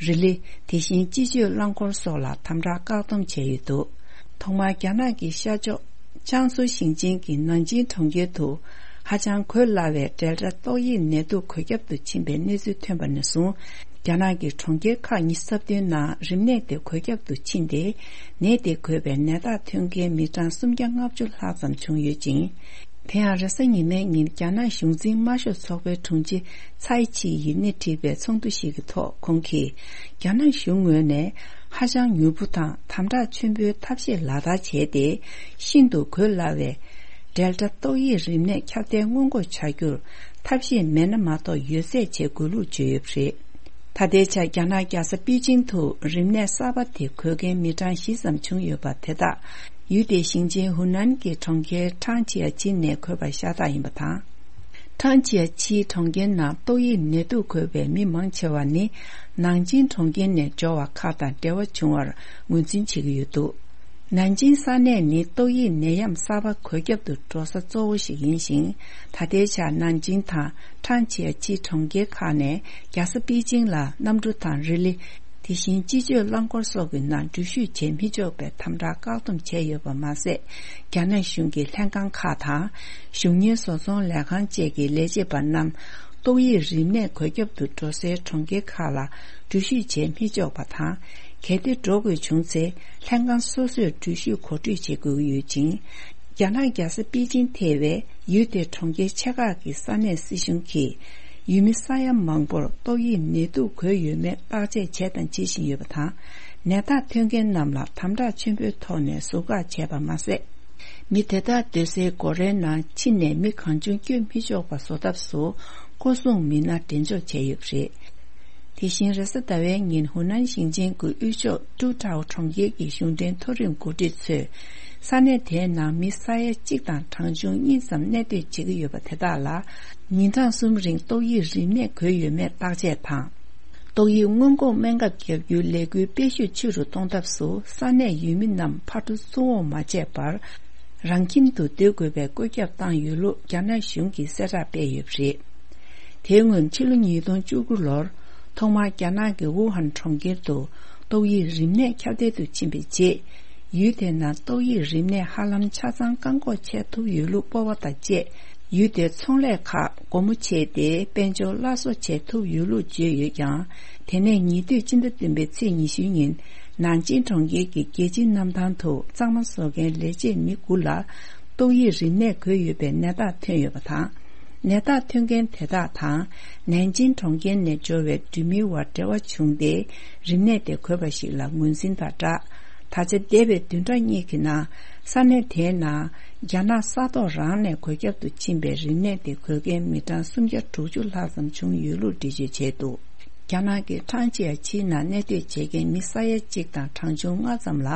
རི་ལི། དེ་བཞིན་སྤྱི་སྤྱོད་རླངས་འཁོར་སོགས་ལ་དམ་དྲག་བཀག་སྡོམ་བྱས་ཡོད་འདུག་ཐོག་མར་རྒྱ་ནག་གི་ཤར་ཕྱོགས་ཅང་སུའུ་ཞིང་ཆེན་གྱི་ནན་ཅིང་གྲོང་ཁྱེར་དུ་ཧ་ཅང་འགོས་སླ་བའི་ཌེལ་ཊ་ཏོག་དབྱིབས་ནད་དུག་འགོས་ཁྱབ་ཏུ་ཕྱིན་པའི་གནས་ཚུལ་ཐོན་པ་ནས་བཟུང་། རྒྱ་ནག་གི་གྲོང་ཁྱེར་ཁག་ཉི་ཤུ་རྩ་བདུན་ནང་རིམས་ནད་དེ་འགོས་ཁྱབ་ཏུ་ཕྱིན་ཏེ། ནད་དེ་འགོས་པའི་ནད་རྟགས་ཐོན་མཁན་མི་གྲངས་སུམ་བརྒྱ་ལྔ་བཅུ་ལྷག་ཙམ་བྱུང་ཡོད་ཅིང་། དེ་ཡང་རེས་གཟའ་ཉི་མའི་ཉིན་རྒྱ་ནག་གཞུང་འཛིན་དམར་ཤོག་ཚོགས་པའི་དྲུང་ཆེ་ཚའེ་ཆི་ཡིས་སྣེ་ཁྲིད་པའི་ཚོགས་འདུ་ཞིག་གི་ཐོག་ཁོང་གིས། རྒྱ་ནག་གཞུང་ངོས་ནས་ཧ་ཅང་མྱུར་པོ་དང་དམ་དྲག་ཆེན་པོའི་ཐབས་ཤེས་ལག་བསྟར་བྱས་ཏེ། ཤིན་ཏུ་འགོས་སླ་བའི་ཌེལ་ཊ་ཏོག་དབྱིབས་རིམས་ནད་ཁྱབ་གདལ་སྔོན་འགོག་བྱ་རྒྱུར་ཐབས་ཤེས་མེད་ན་མ་གཏོགས་ཡོད་ཚད་བྱེད་དགོས་ལུགས་བརྗོད་ཡོད་པ་རེད། ད་ལྟའི་ཆར་རྒྱ་ནག་རྒྱལ་ས་པེ་ཅིང་དུ་རིམས་ནད་གསར་པ་དེ་འགོས་མཁན་མི་གྲངས་བཞི་ཙམ་བྱུང་ཡོད་པ་དེ་དག་ཡུལ་དེའི་ཞིང་ཆེན་ཧུ་ནན་གྱི་གྲོང་ཁྱེར་ཁྲང་ཆི་ཡ་ཆི་ནས་འགོས་པ་ཤ་སྟག་ཡིན་པ་དང་། ཁྲང་ཆི་ཡ་ཆིའི་གྲོང་ཁྱེར་ནང་ཏོག་དབྱིབས་ནད་དུག་འགོས་པའི་མི་མང་ཆེ་བ་ནི་ནང་ཆིང་གྲོང་ཁྱེར་ནས་འབྱོར་བ་ཁག་དང་འབྲེལ་བ་བྱུང་བར་ངོས་འཛིན་བྱེད་ཀྱི་ཡོད་འདུག་ནན་ཅིང་ས་གནས་ནི་ཏོག་དབྱིབས་ནད་ཡམས་གསར་པ་འགོས་ཁྱབ་ཏུ་འགྲོ་ས་གཙོ་བོ་ཞིག་ཡིན་ཞིང་། ད་ལྟའི་ཆར་ནན་ཅིང་དང་ཁྲང་ཆི་ཡ་ཆི་གྲོང་ཁྱེར་ཁག་ནས་རྒྱལ་ས་པེ་ཅིང་ལ་གནམ་གྲུ་དང་རི་ལི། དེ་བཞིན་སྤྱི་སྤྱོད་རླངས་འཁོར་སོགས་ཀྱི་ནང་འགྲུལ་བཞུད་བྱེད་མི་ཆོག་པའི་དམ་དྲག་བཀག་སྡོམ་བྱས་ཡོད་པ་མ་ཟད། རྒྱ་ནག་གཞུང་གི་ལྷན་ཁང་ཁག་དང་། གཞུང་གཉེར་བཟོ་ཚོང་ལས་ཁང་བཅས་ཀྱི་ལས་བྱེད་པ་རྣམས། ཏོག་དབྱིབས་རིམས་ནད་འགོས་ཁྱབ་ཏུ་འགྲོ་སའི་གྲོང་ཁྱེར་ཁག་ལ་འགྲུལ་བཞུད་བྱེད་མི་ཆོག་པ་དང་། གལ་ཏེ་འགྲོ་དགོས་བྱུང་ཚེ། ལྷན་ཁང་སོ་སོས་འགྲུལ་བཞུད་གོ་སྒྲིག་བྱེད་དགོས་ཀྱི་ཡོད་ཅིང་། རྒྱ་ནག་རྒྱལ་ས་པེ་ཅིང་ཐེ་བའི་ཡུལ་དེའི་གྲོང་ཁྱེར་ཆེ་ཁག་གི་ས་གནས་སྲིད་གཞུང་གིས། ཡུལ་མི་ས་ཡ་མང་པོར་ཏོག་དབྱིབས་ནད་དུག་འགོས་ཡོད་མེད་བརྟག་དཔྱད་བྱས་དང་བྱེད་བཞིན་ཡོད་པ་དང་། ནད་རྟགས་ཐོན་མཁན་རྣམས་ལ་དམ་དྲག་ཆེན་པོའི་ཐོག་ནས་ཟུར་བཀག་བྱས་པ་མ་ཟད། མི་དེ་དག་སྡོད་སའི་སྒོ་རའི་ནང་ཕྱི་ནས་མི་གང་བྱུང་བསྐྱོད་མི་ཆོག་པ་བཟོ་ཐབས་སུ། སྐོར་སྲུང་མི་སྣ་འགྲེམས་འཇོག་བྱས་ཡོད་པ་རེད། དེ་བཞིན་རེས་གཟའ་ཟླ་བའི་ཉིན་ཧུ་ནན་ཞིང་ཆེན་གྱི་དབུས་ཕྱོགས་ཀྲུའུ་ཀྲའོ་གྲོང་ཁྱེར་གྱི་གཞུང་འབྲེལ་མཐོ་རིམ་འགོ་ཁྲིད་ཚོས། ས་གནས་དེའི་ནང་མི་ས་ཡ་གཅིག་དང་གྲངས་ཆུང་གཉིས་ཙམ་གནས་སྡོད་བྱེད་ཀྱི་ཡོད་པ་དེ་དག་ལ། ཉིན་གྲངས་གསུམ་རིང་ཏོག་དབྱིབས་རིམས་ནད་འགོས་ཡོད་མེད་བརྟག་དཔྱད་དང་། ཏོག་དབྱིབས་སྔོན་འགོག་སྨན་ཁབ་བརྒྱབ་རྒྱུའི་ལས་འགུལ་སྤེལ་ཤུགས་ཆེ་རུ་གཏོང་ཐབས་སུ། ས་གནས་ཡུལ་མི་རྣམས་ཕར་འགྲོ་ཚུར་འོང་མ་བྱས་པར། རང་ཁྱིམ་དུ་སྡོད་དགོས་པའི་བཀོད་ཁྱབ་བཏང་ཡོད་ལུགས་རྒྱ་ནག་གཞུང་གིས་གསལ་བསྒྲགས་སྤེལ་ཡོད་པ་རེད། དེའི་སྔོན་ཕྱི་ལོ་ཉིས་སྟོང་བཅུ་དགུ་ལོར། ཐོག་མར་རྒྱ་ནག་གི་ཝུ་ཧན་གྲོང་ཁྱེར་དུ་ཏོག་དབྱིབས་རིམས་ནད་ཁྱབ་གདལ་དུ་ཕྱིན་པའི་རྗེས། ཡུལ་དེ་ནང་ཏོག་དབྱིབས་རིམས་ནད་ཧ་ལམ་ཆ་ཚང་བཀག་འགོག་བྱས་ཐུབ་ཡོད་ལུགས་སྤོབས་པ་དང་བཅས། ཡུལ་དེའི་ཚོང་ལས་ཁག་སྒོ་མོ་ཕྱེས་ཏེ། དཔལ་འབྱོར་སླར་གསོ་བྱེད་ཐུབ་ཡོད་ལུགས་བརྗོད་ཡོད་ཀྱང་། དེ་ནས་ཉེ་དུས་སྤྱི་ཟླ་བདུན་པའི་ཚེས་ཉི་ཤུ་ཉིན། ནན་ཅིང་གྲོང་ཁྱེར་གྱི་རྒྱལ་སྤྱིའི་གནམ་ཐང་དུ་གཙང་མ་བཟོ་མཁན་ལས་བྱེད་མི་དགུ་ལ། ཏོག་དབྱིབས་རིམས་ནད་འགོས་ཡོད་པའི་ནད་རྟགས་ཐོན་ཡོད་པ་དང་། ནད་རྟགས་ཐོན་མཁན་དེ་དག་དང་། ནན་ཅིང་གྲོང་ཁྱེར་ནས་འབྱོར་བའི་འགྲུལ་མིའི་དབར་འབྲེལ་བ་བྱུང་སྟེ། རིམས་ནད་དེ་འགོས་པ་ཞིག་ལ་ངོས་འཛིན་དང་སྦྲགས། ད་ཆ་འདས་པའི་བདུན་ཕྲག་གཉིས་ཀྱི་ནང་། ས་གནས་དེའི་ནང་རྒྱ་ནག་ས་ཐོག་རང་ནས་འགོས་ཁྱབ་ཏུ་ཕྱིན་པའི་རིམས་ནད་དེ་འགོས་མཁན་མི་གྲངས་སུམ་བརྒྱ་དྲུག་ཅུ་ལྷག་ཙམ་བྱུང་ཡོད་ལུགས་འགྲེལ་བརྗོད་བྱས་འདུག་རྒྱ་ནག་གི་ཁྲང་ཅི་ཡ་ཆིའི་ནང་གནས་སྡོད་བྱེད་མཁན་མི་ས་ཡ་གཅིག་དང་གྲངས་ཆུང་ལྔ་ཙམ་ལ།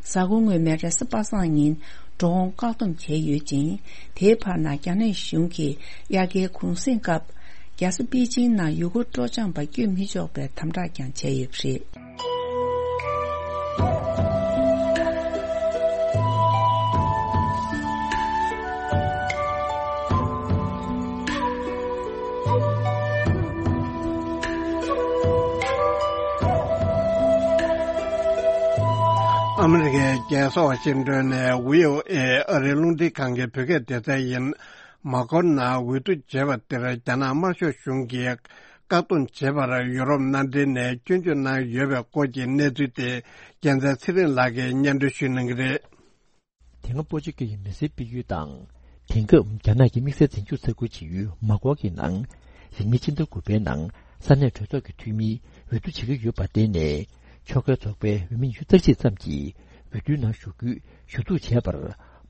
གཟའ་འཁོར་སྔོན་མའི་རེས་གཟའ་པ་སངས་ཉིན་འགྲོ་འོང་བཀག་སྡོམ་བྱས་ཡོད་ཅིང་། དེའི་བར་ན་རྒྱ་ནག་གཞུང་གིས་དབྱར་ཁའི་གུང་གསེང་སྐབས། རྒྱལ་ས་པེ་ཅིང་ནང་ཡུལ་སྐོར་སྤྲོ་འཆམ་པ་བསྐྱོད་མི་ཆོག་པའི་དམ་དྲག་ཀྱང་བྱས་ཡོད་པ་རེད། ཨ་མི་རི་ཀའི་རྒྱལ་ས་ཝ་ཤིང་ཏོན་ནས་བྷི་ཨོ་ཨེ་ཨ་རིའི་རླུང་འཕྲིན་ཁང་གི་བོད་སྐད་སྡེ་ཚན་ཡིན། མ་གོར་ནང་འོས་བསྡུ་བྱས་པ་དེར་རྒྱ་ནག་དམར་ཤོག་གཞུང་གིས་བཀག་སྡོམ་བྱས་པར་ཡུ་རོབ་མནའ་འབྲེལ་ནས་སྐྱོན་བརྗོད་གནང་ཡོད་པའི་སྐོར་གྱི་གནས་ཚུལ་དེ་རྒྱལ་མཚན་ཚེ་རིང་ལགས་ཀྱིས་སྙན་སྒྲོན་ཞུ་གནང་གི་རེད། དེ་སྔ་སྤོ་ཆུ་ཁ་ཡི་མི་སེར་སྤེལ་ཡུལ་དང་། དེང་སྐབས་རྒྱ་ནག་གི་དམིགས་བསལ་འཛིན་སྐྱོང་ས་ཁུལ་བྱེད་ཡུལ་མ་གོ་གི་ནང་། རིང་མིན་ཕྱི་ཟླ་དགུ་པའི་ནང་ས་གནས་གྲོས་ཚོགས་ཀྱི་འཐུས་མིའི་འོས་བསྡུ་བྱེད་ཀྱི་ཡོད་པར་བརྟེན་ནས། ཕྱོགས་འགལ་ཚོགས་པའི་འོས་མི་ཉི་ཤུ་རྩ་གཅིག་ཙམ་གྱིས་འོས་བསྡུའི་ནང་ཞུགས་རྒྱུའི་ཞུ་གཏུག་བྱས་པར།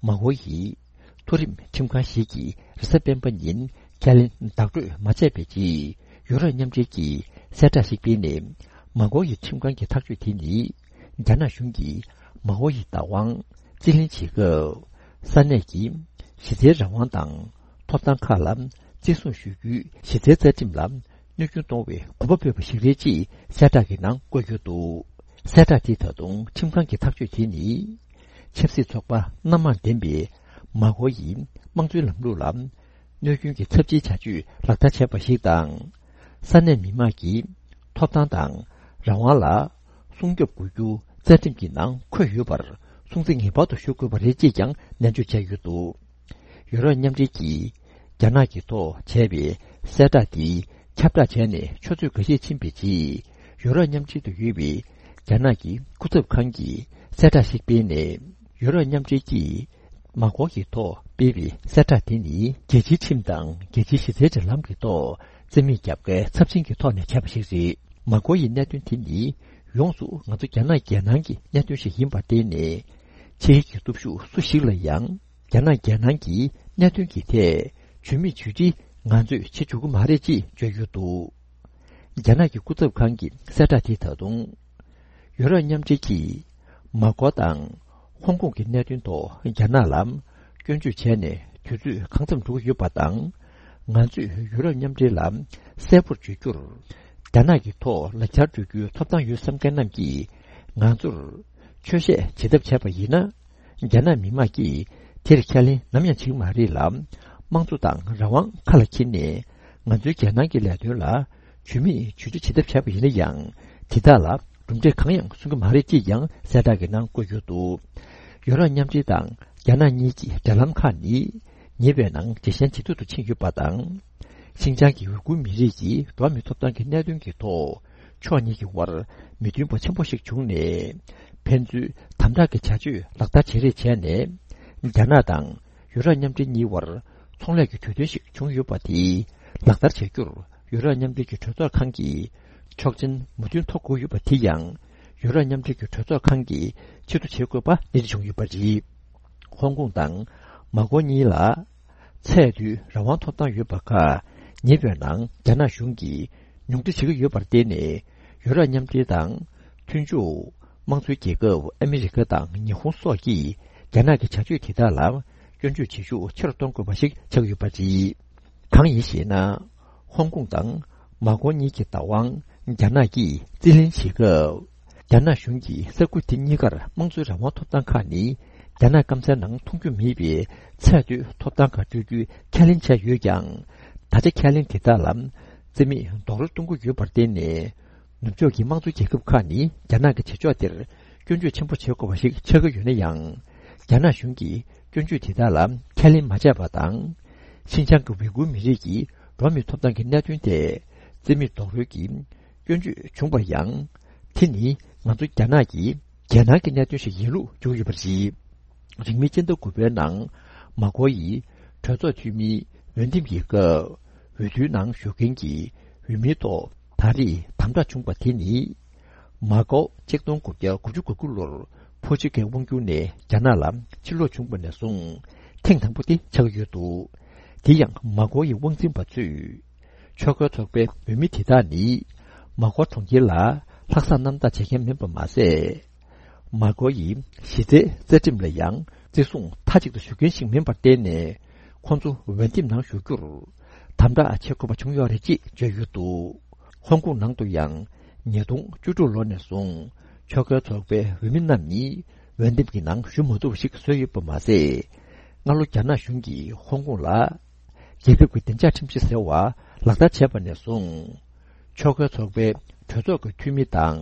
མ་གོ་ཡིས་མཐོ་རིམ་ཁྲིམས་ཁང་ཞིག་གིས་རེས་གཟའ་སྤེན་པ་ཉིན་ཁས་ལེན་བདག་སྤྲོད་མ་བྱས་པའི་རྗེས། ཡུ་རོབ་མཉམ་འབྲེལ་གྱིས་གསལ་བསྒྲགས་ཤིག་སྤེལ་ནས། མ་གོ་ཡི་ཁྲིམས་ཁང་གི་ཐག་གཅོད་དེ་ནི། རྒྱ་ནག་གཞུང་གིས་མ་གོ་ཡི་བདག་དབང་རྩིས་ལེན་བྱེད་སྐབས། ས་གནས་ཀྱི་གཞི་རྩའི་རང་དབང་དང་ཐོབ་ཐང་ཁག་ལ་བརྩི་སྲུང་ཞུ་རྒྱུའི་གཞི་རྩའི་རྩ་ཁྲིམས་ལ་གནོད་སྐྱོན་གཏོང་བའི་གོ་སྐབས་སྤྲད་པ་ཞིག་རེད་ཅེས་གསལ་བསྒྲགས་ཀྱི་ནང་བཀོད་ཡོད་འདུག་གསལ་བསྒྲགས་དེ་ད་དུང་ཁྲིམས་ཁང་གི་ཐག་གཅོད་དེ་ནི། ཆབ་སྲིད་ཚོགས་པ་སྣ་མང་ལྡན་པའི་མ་གོ་ཡི་དམངས་གཙོའི་ལམ་ལུགས་ལ། གནོད་སྐྱོན་གྱི་ཚབས་ཆེའི་བྱ་སྤྱོད་ལག་བསྟར་བྱས་པ་ཞིག་དང་། ས་གནས་མི་མང་གི་ཐོབ་ཐང་དང་རང་དབང་ལ་སྲུང་སྐྱོབ་དགོས་རྒྱུ་རྩ་ཁྲིམས་ཀྱི་ནང་འཁོད་ཡོད་པར་སྲུང་བརྩི་ངེས་པར་དུ་ཞུ་དགོས་པ་རེད་ཅེས་ཀྱང་ནན་བརྗོད་བྱས་ཡོད་འདུག་ཡུ་རོབ་མཉམ་འབྲེལ་གྱིས་རྒྱ་ནག་གི་ཐོག་བྱས་པའི་གསལ་བསྒྲགས་དེ་ཁྱབ་བསྒྲགས་བྱས་ནས་ཆུ་ཚོད་འགའ་ཤས་ཕྱིན་པའི་རྗེས། ཡུ་རོབ་མཉམ་འབྲེལ་དུ་ཡོད་པའི་རྒྱ་ནག་གི་སྐུ་ཚབ་ཁང་གིས་གསལ་བསྒྲགས་ཤིག་སྤེལ་ནས། ཡུ་རོབ་མཉམ་འབྲེལ་གྱིས། མ་གོ་གི་ཐོག་སྤེལ་བའི་གསལ་བསྒྲགས་དེ་ནི་རྒྱལ་སྤྱིའི་ཁྲིམས་དང་རྒྱལ་སྤྱིའི་གཞི་རྩའི་འབྲེལ་ལམ་གྱི་ཐོག་རྩིས་མེད་རྒྱབ་འགལ་ཚབས་ཆེན་གྱི་ཐོག་ནས་བྱས་པ་ཞིག་རེད། མ་གོ་ཡི་གནད་དོན་དེ་ནི་ཡོངས་སུ་ང་ཚོ་རྒྱ་ནག་རྒྱལ་ནང་གི་གནད་དོན་ཞིག་ཡིན་པར་བརྟེན་ནས། ཕྱིའི་གི་སྟོབས་ཤུགས་སུ་ཞིག་ལ་ཡང་རྒྱ་ནག་རྒྱལ་ནང་གི་གནད་དོན་གྱི་ཐད་ཇུས་མེད་ཇུས་སྒྲིག་ང་ཚོས་བྱེད་ཆོག་གི་མ་རེད་ཅེས་བརྗོད་ཡོད་འདུག་རྒྱ་ནག་གི་སྐུ་ཚབ་ཁང་གི་གསལ་བསྒྲགས་དེ་ད་དུང་། ཡུ་རོབ་མཉམ་འབྲེལ་གྱིས་མ་གོ་དང་ཧོང་ཀོང་གི་གནད་དོན་ཐོག་རྒྱ་ནག་ལ་སྐྱོན་བརྗོད་བྱས་ནས་དུས་ཚོད་གང་འཚམ་འགྲོ་གི་ཡོད་པ་དང་། ང་ཚོས་ཡུ་རོབ་མཉམ་འབྲེལ་ལ་གསལ་པོར་བརྗོད་རྒྱུར། རྒྱ་ནག་གི་ཐོག་ལག་ཆར་སྤྲོད་རྒྱུའི་ཐོབ་ཐང་ཡོད་བསམ་མཁན་རྣམས་ཀྱིས་ང་ཚོར་ཆོས་བཤད་བྱེད་ཐབས་བྱས་པ་ཡིན་ན། རྒྱ་ནག་མི་དམངས་ཀྱིས་དེར་ཁས་ལེན་ནམ་ཡང་བྱེད་ཀྱི་མ་རེད་ལ། དམངས་གཙོ་དང་རང་དབང་ཁ་ལ་འཁྱེར་ནས་ང་ཚོའི་རྒྱལ་ནང་གི་ལས་དོན་ལ་ཇུས་མེད་ཇུས་སྒྲིག་བྱེད་ཐབས་བྱས་པ་ཡིན་ན་ཡང་། དེ་དག་ལ་གྲུབ་འབྲས་གང་ཡང་སོན་གྱི་མ་རེད་ཅེས་ཀྱང་གསལ་བསྒྲགས་ཀྱི་ནང་བཀོད་ཡོད་འདུག་ཡུ་རོབ་མཉམ་འབྲེལ་དང་རྒྱ་ནག་གཉིས་ཀྱི་འབྲེལ་ལམ་ཁག་ནི་ཉེ་བའི་ནང་ཇེ་ཞན་ཇེ་སྡུག་ཏུ་ཕྱིན་ཡོད་པ་དང་། ཤིན་ཅང་གི་ཝུ་གུར་མི་རིགས་ཀྱི་འགྲོ་བ་མིའི་ཐོབ་ཐང་གི་གནད་དོན་གྱི་ཐོག་ཕྱོགས་གཉིས་ཀྱི་དབར་མི་མཐུན་པ་ཆེན་པོ་ཞིག་བྱུང་ནས། ཕན་ཚུན་དམ་དྲག་གི་བྱ་སྤྱོད་ལག་བསྟར་བྱེད་རེས་བྱས་ནས། རྒྱ་ནག་དང་ཡུ་རོབ་མཉམ་འབྲེལ་གཉིས་དབར་ཚོང་ལས་ཀྱི་གྲོས་མཐུན་ཞིག་བྱུང་ཡོད་པ་དེ་ལག་བསྟར་བྱ་རྒྱུར་ཡུ་རོབ་མཉམ་འབྲེལ་གྱི་གྲོས་ཚོགས་ཁང་གིས་ཆོག་མཆན་མོས་མཐུན་ཐོབ་དགོས་ཡོད་པ་དེ་ཡང་། ཡུ་རོབ་མཉམ་འབྲེལ་གྱི་གྲོས་ཚོགས་ཁང་གིས་ཕྱིར་བསྡུ་བྱེད་དགོས་པ་གནད་འགག་བྱུང་ཡོད་པ་རེད། ཧོང་ཀོང་དང་མ་གོ་གཉིས་ལ། ཚད་མཐོའི་རང་དབང་ཐོབ་ཐང་ཡོད་པ་ཁག་ཉེ་བའི་ནང་རྒྱ་ནག་གཞུང་གིས་ཉུང་འཕྲི་བྱེད་ཀྱི་ཡོད་པར་བརྟེན་ནས། ཡུ་རོབ་མཉམ་འབྲེལ་དང་མཐུན་ཕྱོགས་དམངས་གཙོའི་རྒྱལ་ཁབ་ཨ་མི་རི་ཀ་དང་ཉི་ཧོང་སོགས་ཀྱིས་རྒྱ་ནག་གི་བྱ་སྤྱོད་དེ་དག་ལ་སྐྱོན་བརྗོད་བྱེད་ཤུགས་ཆེ་རུ་གཏོང་དགོས་པ་ཞིག་ཆགས་ཡོད་པ་རེད། གང་ཡིན་ཞེ་ན། ཧོང་ཀོང་དང་མ་གོ་གཉིས་ཀྱི་བདག་དབང་རྒྱ་ནག་གིས་རྩིས་ལེན་བྱེད་སྐབས། རྒྱ་ནག་གཞུང་གིས་ས་ཁུལ་དེ་གཉིས་ཀར་དམངས་གཙོའི་རང་དབང་ཐོབ་ཐང་ཁག་ནི། རྒྱ་ནག་སྐམ་སའི་ནང་མཐོང་རྒྱུ་མེད་པའི་ཚད་མཐོའི་ཐོབ་ཐང་ཁག་སྤྲོད་རྒྱུའི་ཁས་ལེན་བྱས་ཡོད་ཀྱང་། ད་ཆ་ཁས་ལེན་དེ་དག་ལ་རྩིས་མེད་རྡོག་རོལ་གཏོང་གི་ཡོད་པར་བརྟེན་ནས། ནུབ་ཕྱོགས་ཀྱི་དམངས་གཙོ་རྒྱལ་ཁབ་ཁག་ནི་རྒྱ་ནག་གི་བྱེད་ཕྱོགས་དེར་སྐྱོན་བརྗོད་ཆེན་པོ་བྱེད་དགོས་པ་ཞིག་ཆགས་ཀྱི་ཡོད་ན་ཡང་། རྒྱ་ནག་གཞུང་གིས་སྐྱོན་བརྗོད་དེ་དག་ལ་ཁས་ལེན་མ་བྱས་པ་དང་། ཤིན་ཅང་གི་ཝི་གུར་མི་རིགས་ཀྱི་འགྲོ་བ་མིའི་ཐོབ་ཐང་གི་གནད་དོན་ཐད་རྩིས་མེད་རྡོག་རོལ་གྱིས་སྐྱོན་བརྗོད་བྱུང་བ་ཡང་། དེ་ནི་ང་ཚོ་རྒྱ་ནག་གི་རྒྱལ་ནང་གི་གནད་དོན་ཞིག་ཡིན་ལུགས་བརྗོད་ཡོད་པ་རེད། རིང་མིན་སྤྱི་ཟླ་དགུ་པའི་ནང་མ་གོ་ཡིས་གྲོས་ཚོགས་འཐུས་མིའི་འོས་འདེམས་ཀྱི་སྐབས། འོས་བསྡུའི་ནང་ཞུགས་མཁན་གྱི་འོས་མིའི་ཐོག་ད་རེས་དམ་དྲག་བྱུང་བ་དེ་ནི། མ་གོ་ཆིག་སྟོང་དགུ་བརྒྱ་དགུ་བཅུ་གོ་དགུ་ལོར་ཕོ་ཆུ་ཁའི་དབང་སྒྱུར་ནས་རྒྱ་ནག་ལ་ཕྱིར་ལོག་བྱུང་བ་ནས་བཟུང་ཐེངས་དང་པོ་དེ་ཆགས་ཡོད་འདུག་དེ་ཡང་མ་གོ་ཡི་དབང་འཛིན་པ་ཚོས། ཆོལ་ཁའི་ཚོགས་པའི་འོས་མི་དེ་དག་ནི། མ་གོ་གྲོང་ཁྱེར་ལ་ལྷག་བསམ་རྣམ་དག་བྱེད་མཁན་མིན་པ་མ་ཟད། མ་གོ་ཡི་གཞི་རྩའི་རྩ་ཁྲིམས་ལ་ཡང་བརྩི་སྲུང་མཐའ་གཅིག་ཏུ་ཞུ་མཁན་ཞིག་མིན་པར་བརྟེན་ནས། ཁོང་ཚོ་འོས་འདེམས་ནང་ཞུགས་རྒྱུར་དམ་དྲག་བྱེད་དགོས་པ་བྱུང་ཡོད་རེད་ཅེས་བརྗོད་ཡོད་འདུག་ཧོང་ཀོང་ནང་དུ་ཡང་ཉིས་སྟོང་བཅུ་དྲུག་ལོ་ནས་བཟུང་ཆོལ་ཁའི་ཚོགས་པའི་འོས་མི་རྣམས་ནི་འོས་འདེམས་ཀྱི་ནང་ཞུགས་མ་ཐུབ་པ་ཞིག་བཟོས་ཡོད་པ་མ་ཟད། སྔ་ལོ་རྒྱ་ནག་གཞུང་གིས་ཧོང་ཀོང་ལ་རྒྱལ་ཁབ་ཀྱི་བདེ་འཇགས་ཁྲིམས་གཞི་ཟེར་བ་ལག་བསྟར་བྱས་པ་ནས་བཟུང་། ཆོལ་ཁའི་ཚོགས་པའི་གྲོས་ཚོགས་ཀྱི་འཐུས་མི་དང་།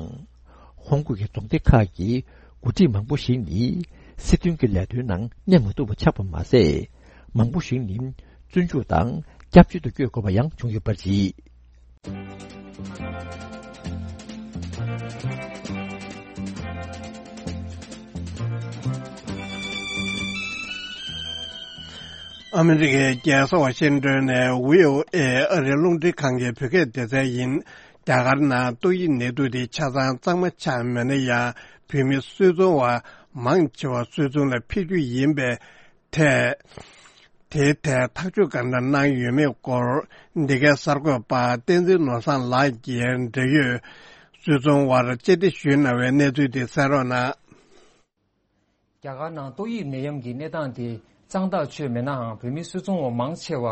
ཧོང་ཀོང་གི་རྫོང་སྡེ་ཁག་གི་ འགོ་ཁྲིད་མང་པོ་ཞིག་ནི་སྲིད་དོན་གྱི་ལས་དོན་ནང་གནས་མ་ཐུབ་པ་ཆགས་པ་མ་ཟད། མང་པོ་ཞིག་ནི་བཙོན་འཇུག་དང་སྐྱབས་བཅོལ་དུ་བསྐྱོད་དགོས་པ་ཡང་བྱུང་ཡོད་པ་རེད། ཨ་མི་རི་ཀའི་རྒྱལ་ས་ཝ་ཤིང་ཏོན་ནས་བྷི་ཨོ་ཨེ་ཨ་རིའི་རླུང་འཕྲིན་ཁང་གི་བོད་སྐད་སྡེ་ཚན་ཡིན། རྒྱ་གར་ནང་ཏོག་དབྱིབས་ནད་དུག་དེ་ཆ་ཚང་གཙང་མ་ཆགས་མེད་ན་ཡང་བོད་མི་སུད་ཚོང་བ་མང་ཆེ་བ་སུད་ཚོང་ལ་ཕེབས་རྒྱུ་ཡིན་པའི་ཐད། དེའི་ཐད་ཐག་གཅོད་ག་འདྲ་གནང་ཡོད་མེད་སྐོར་འདི་གའི་གསར་འགོད་པ་བསྟན་འཛིན་ནོར་བཟང་ལགས་ཀྱིས་འབྲེལ་ཡོད་སུད་ཚོང་བར་བཅར་འདྲི་ཞུས་གནང་བའི་གནས་ཚུལ་དེ་གསན་རོགས་གནང་། རྒྱ་གར་ནང་ཏོག་དབྱིབས་ནད་ཡམས་ཀྱི་གནས་སྟངས་དེ་གཙང་ཐག་ཆོད་མེད་ནའང་བོད་མི་སུད་ཚོང་བ་མང་ཆེ་བ་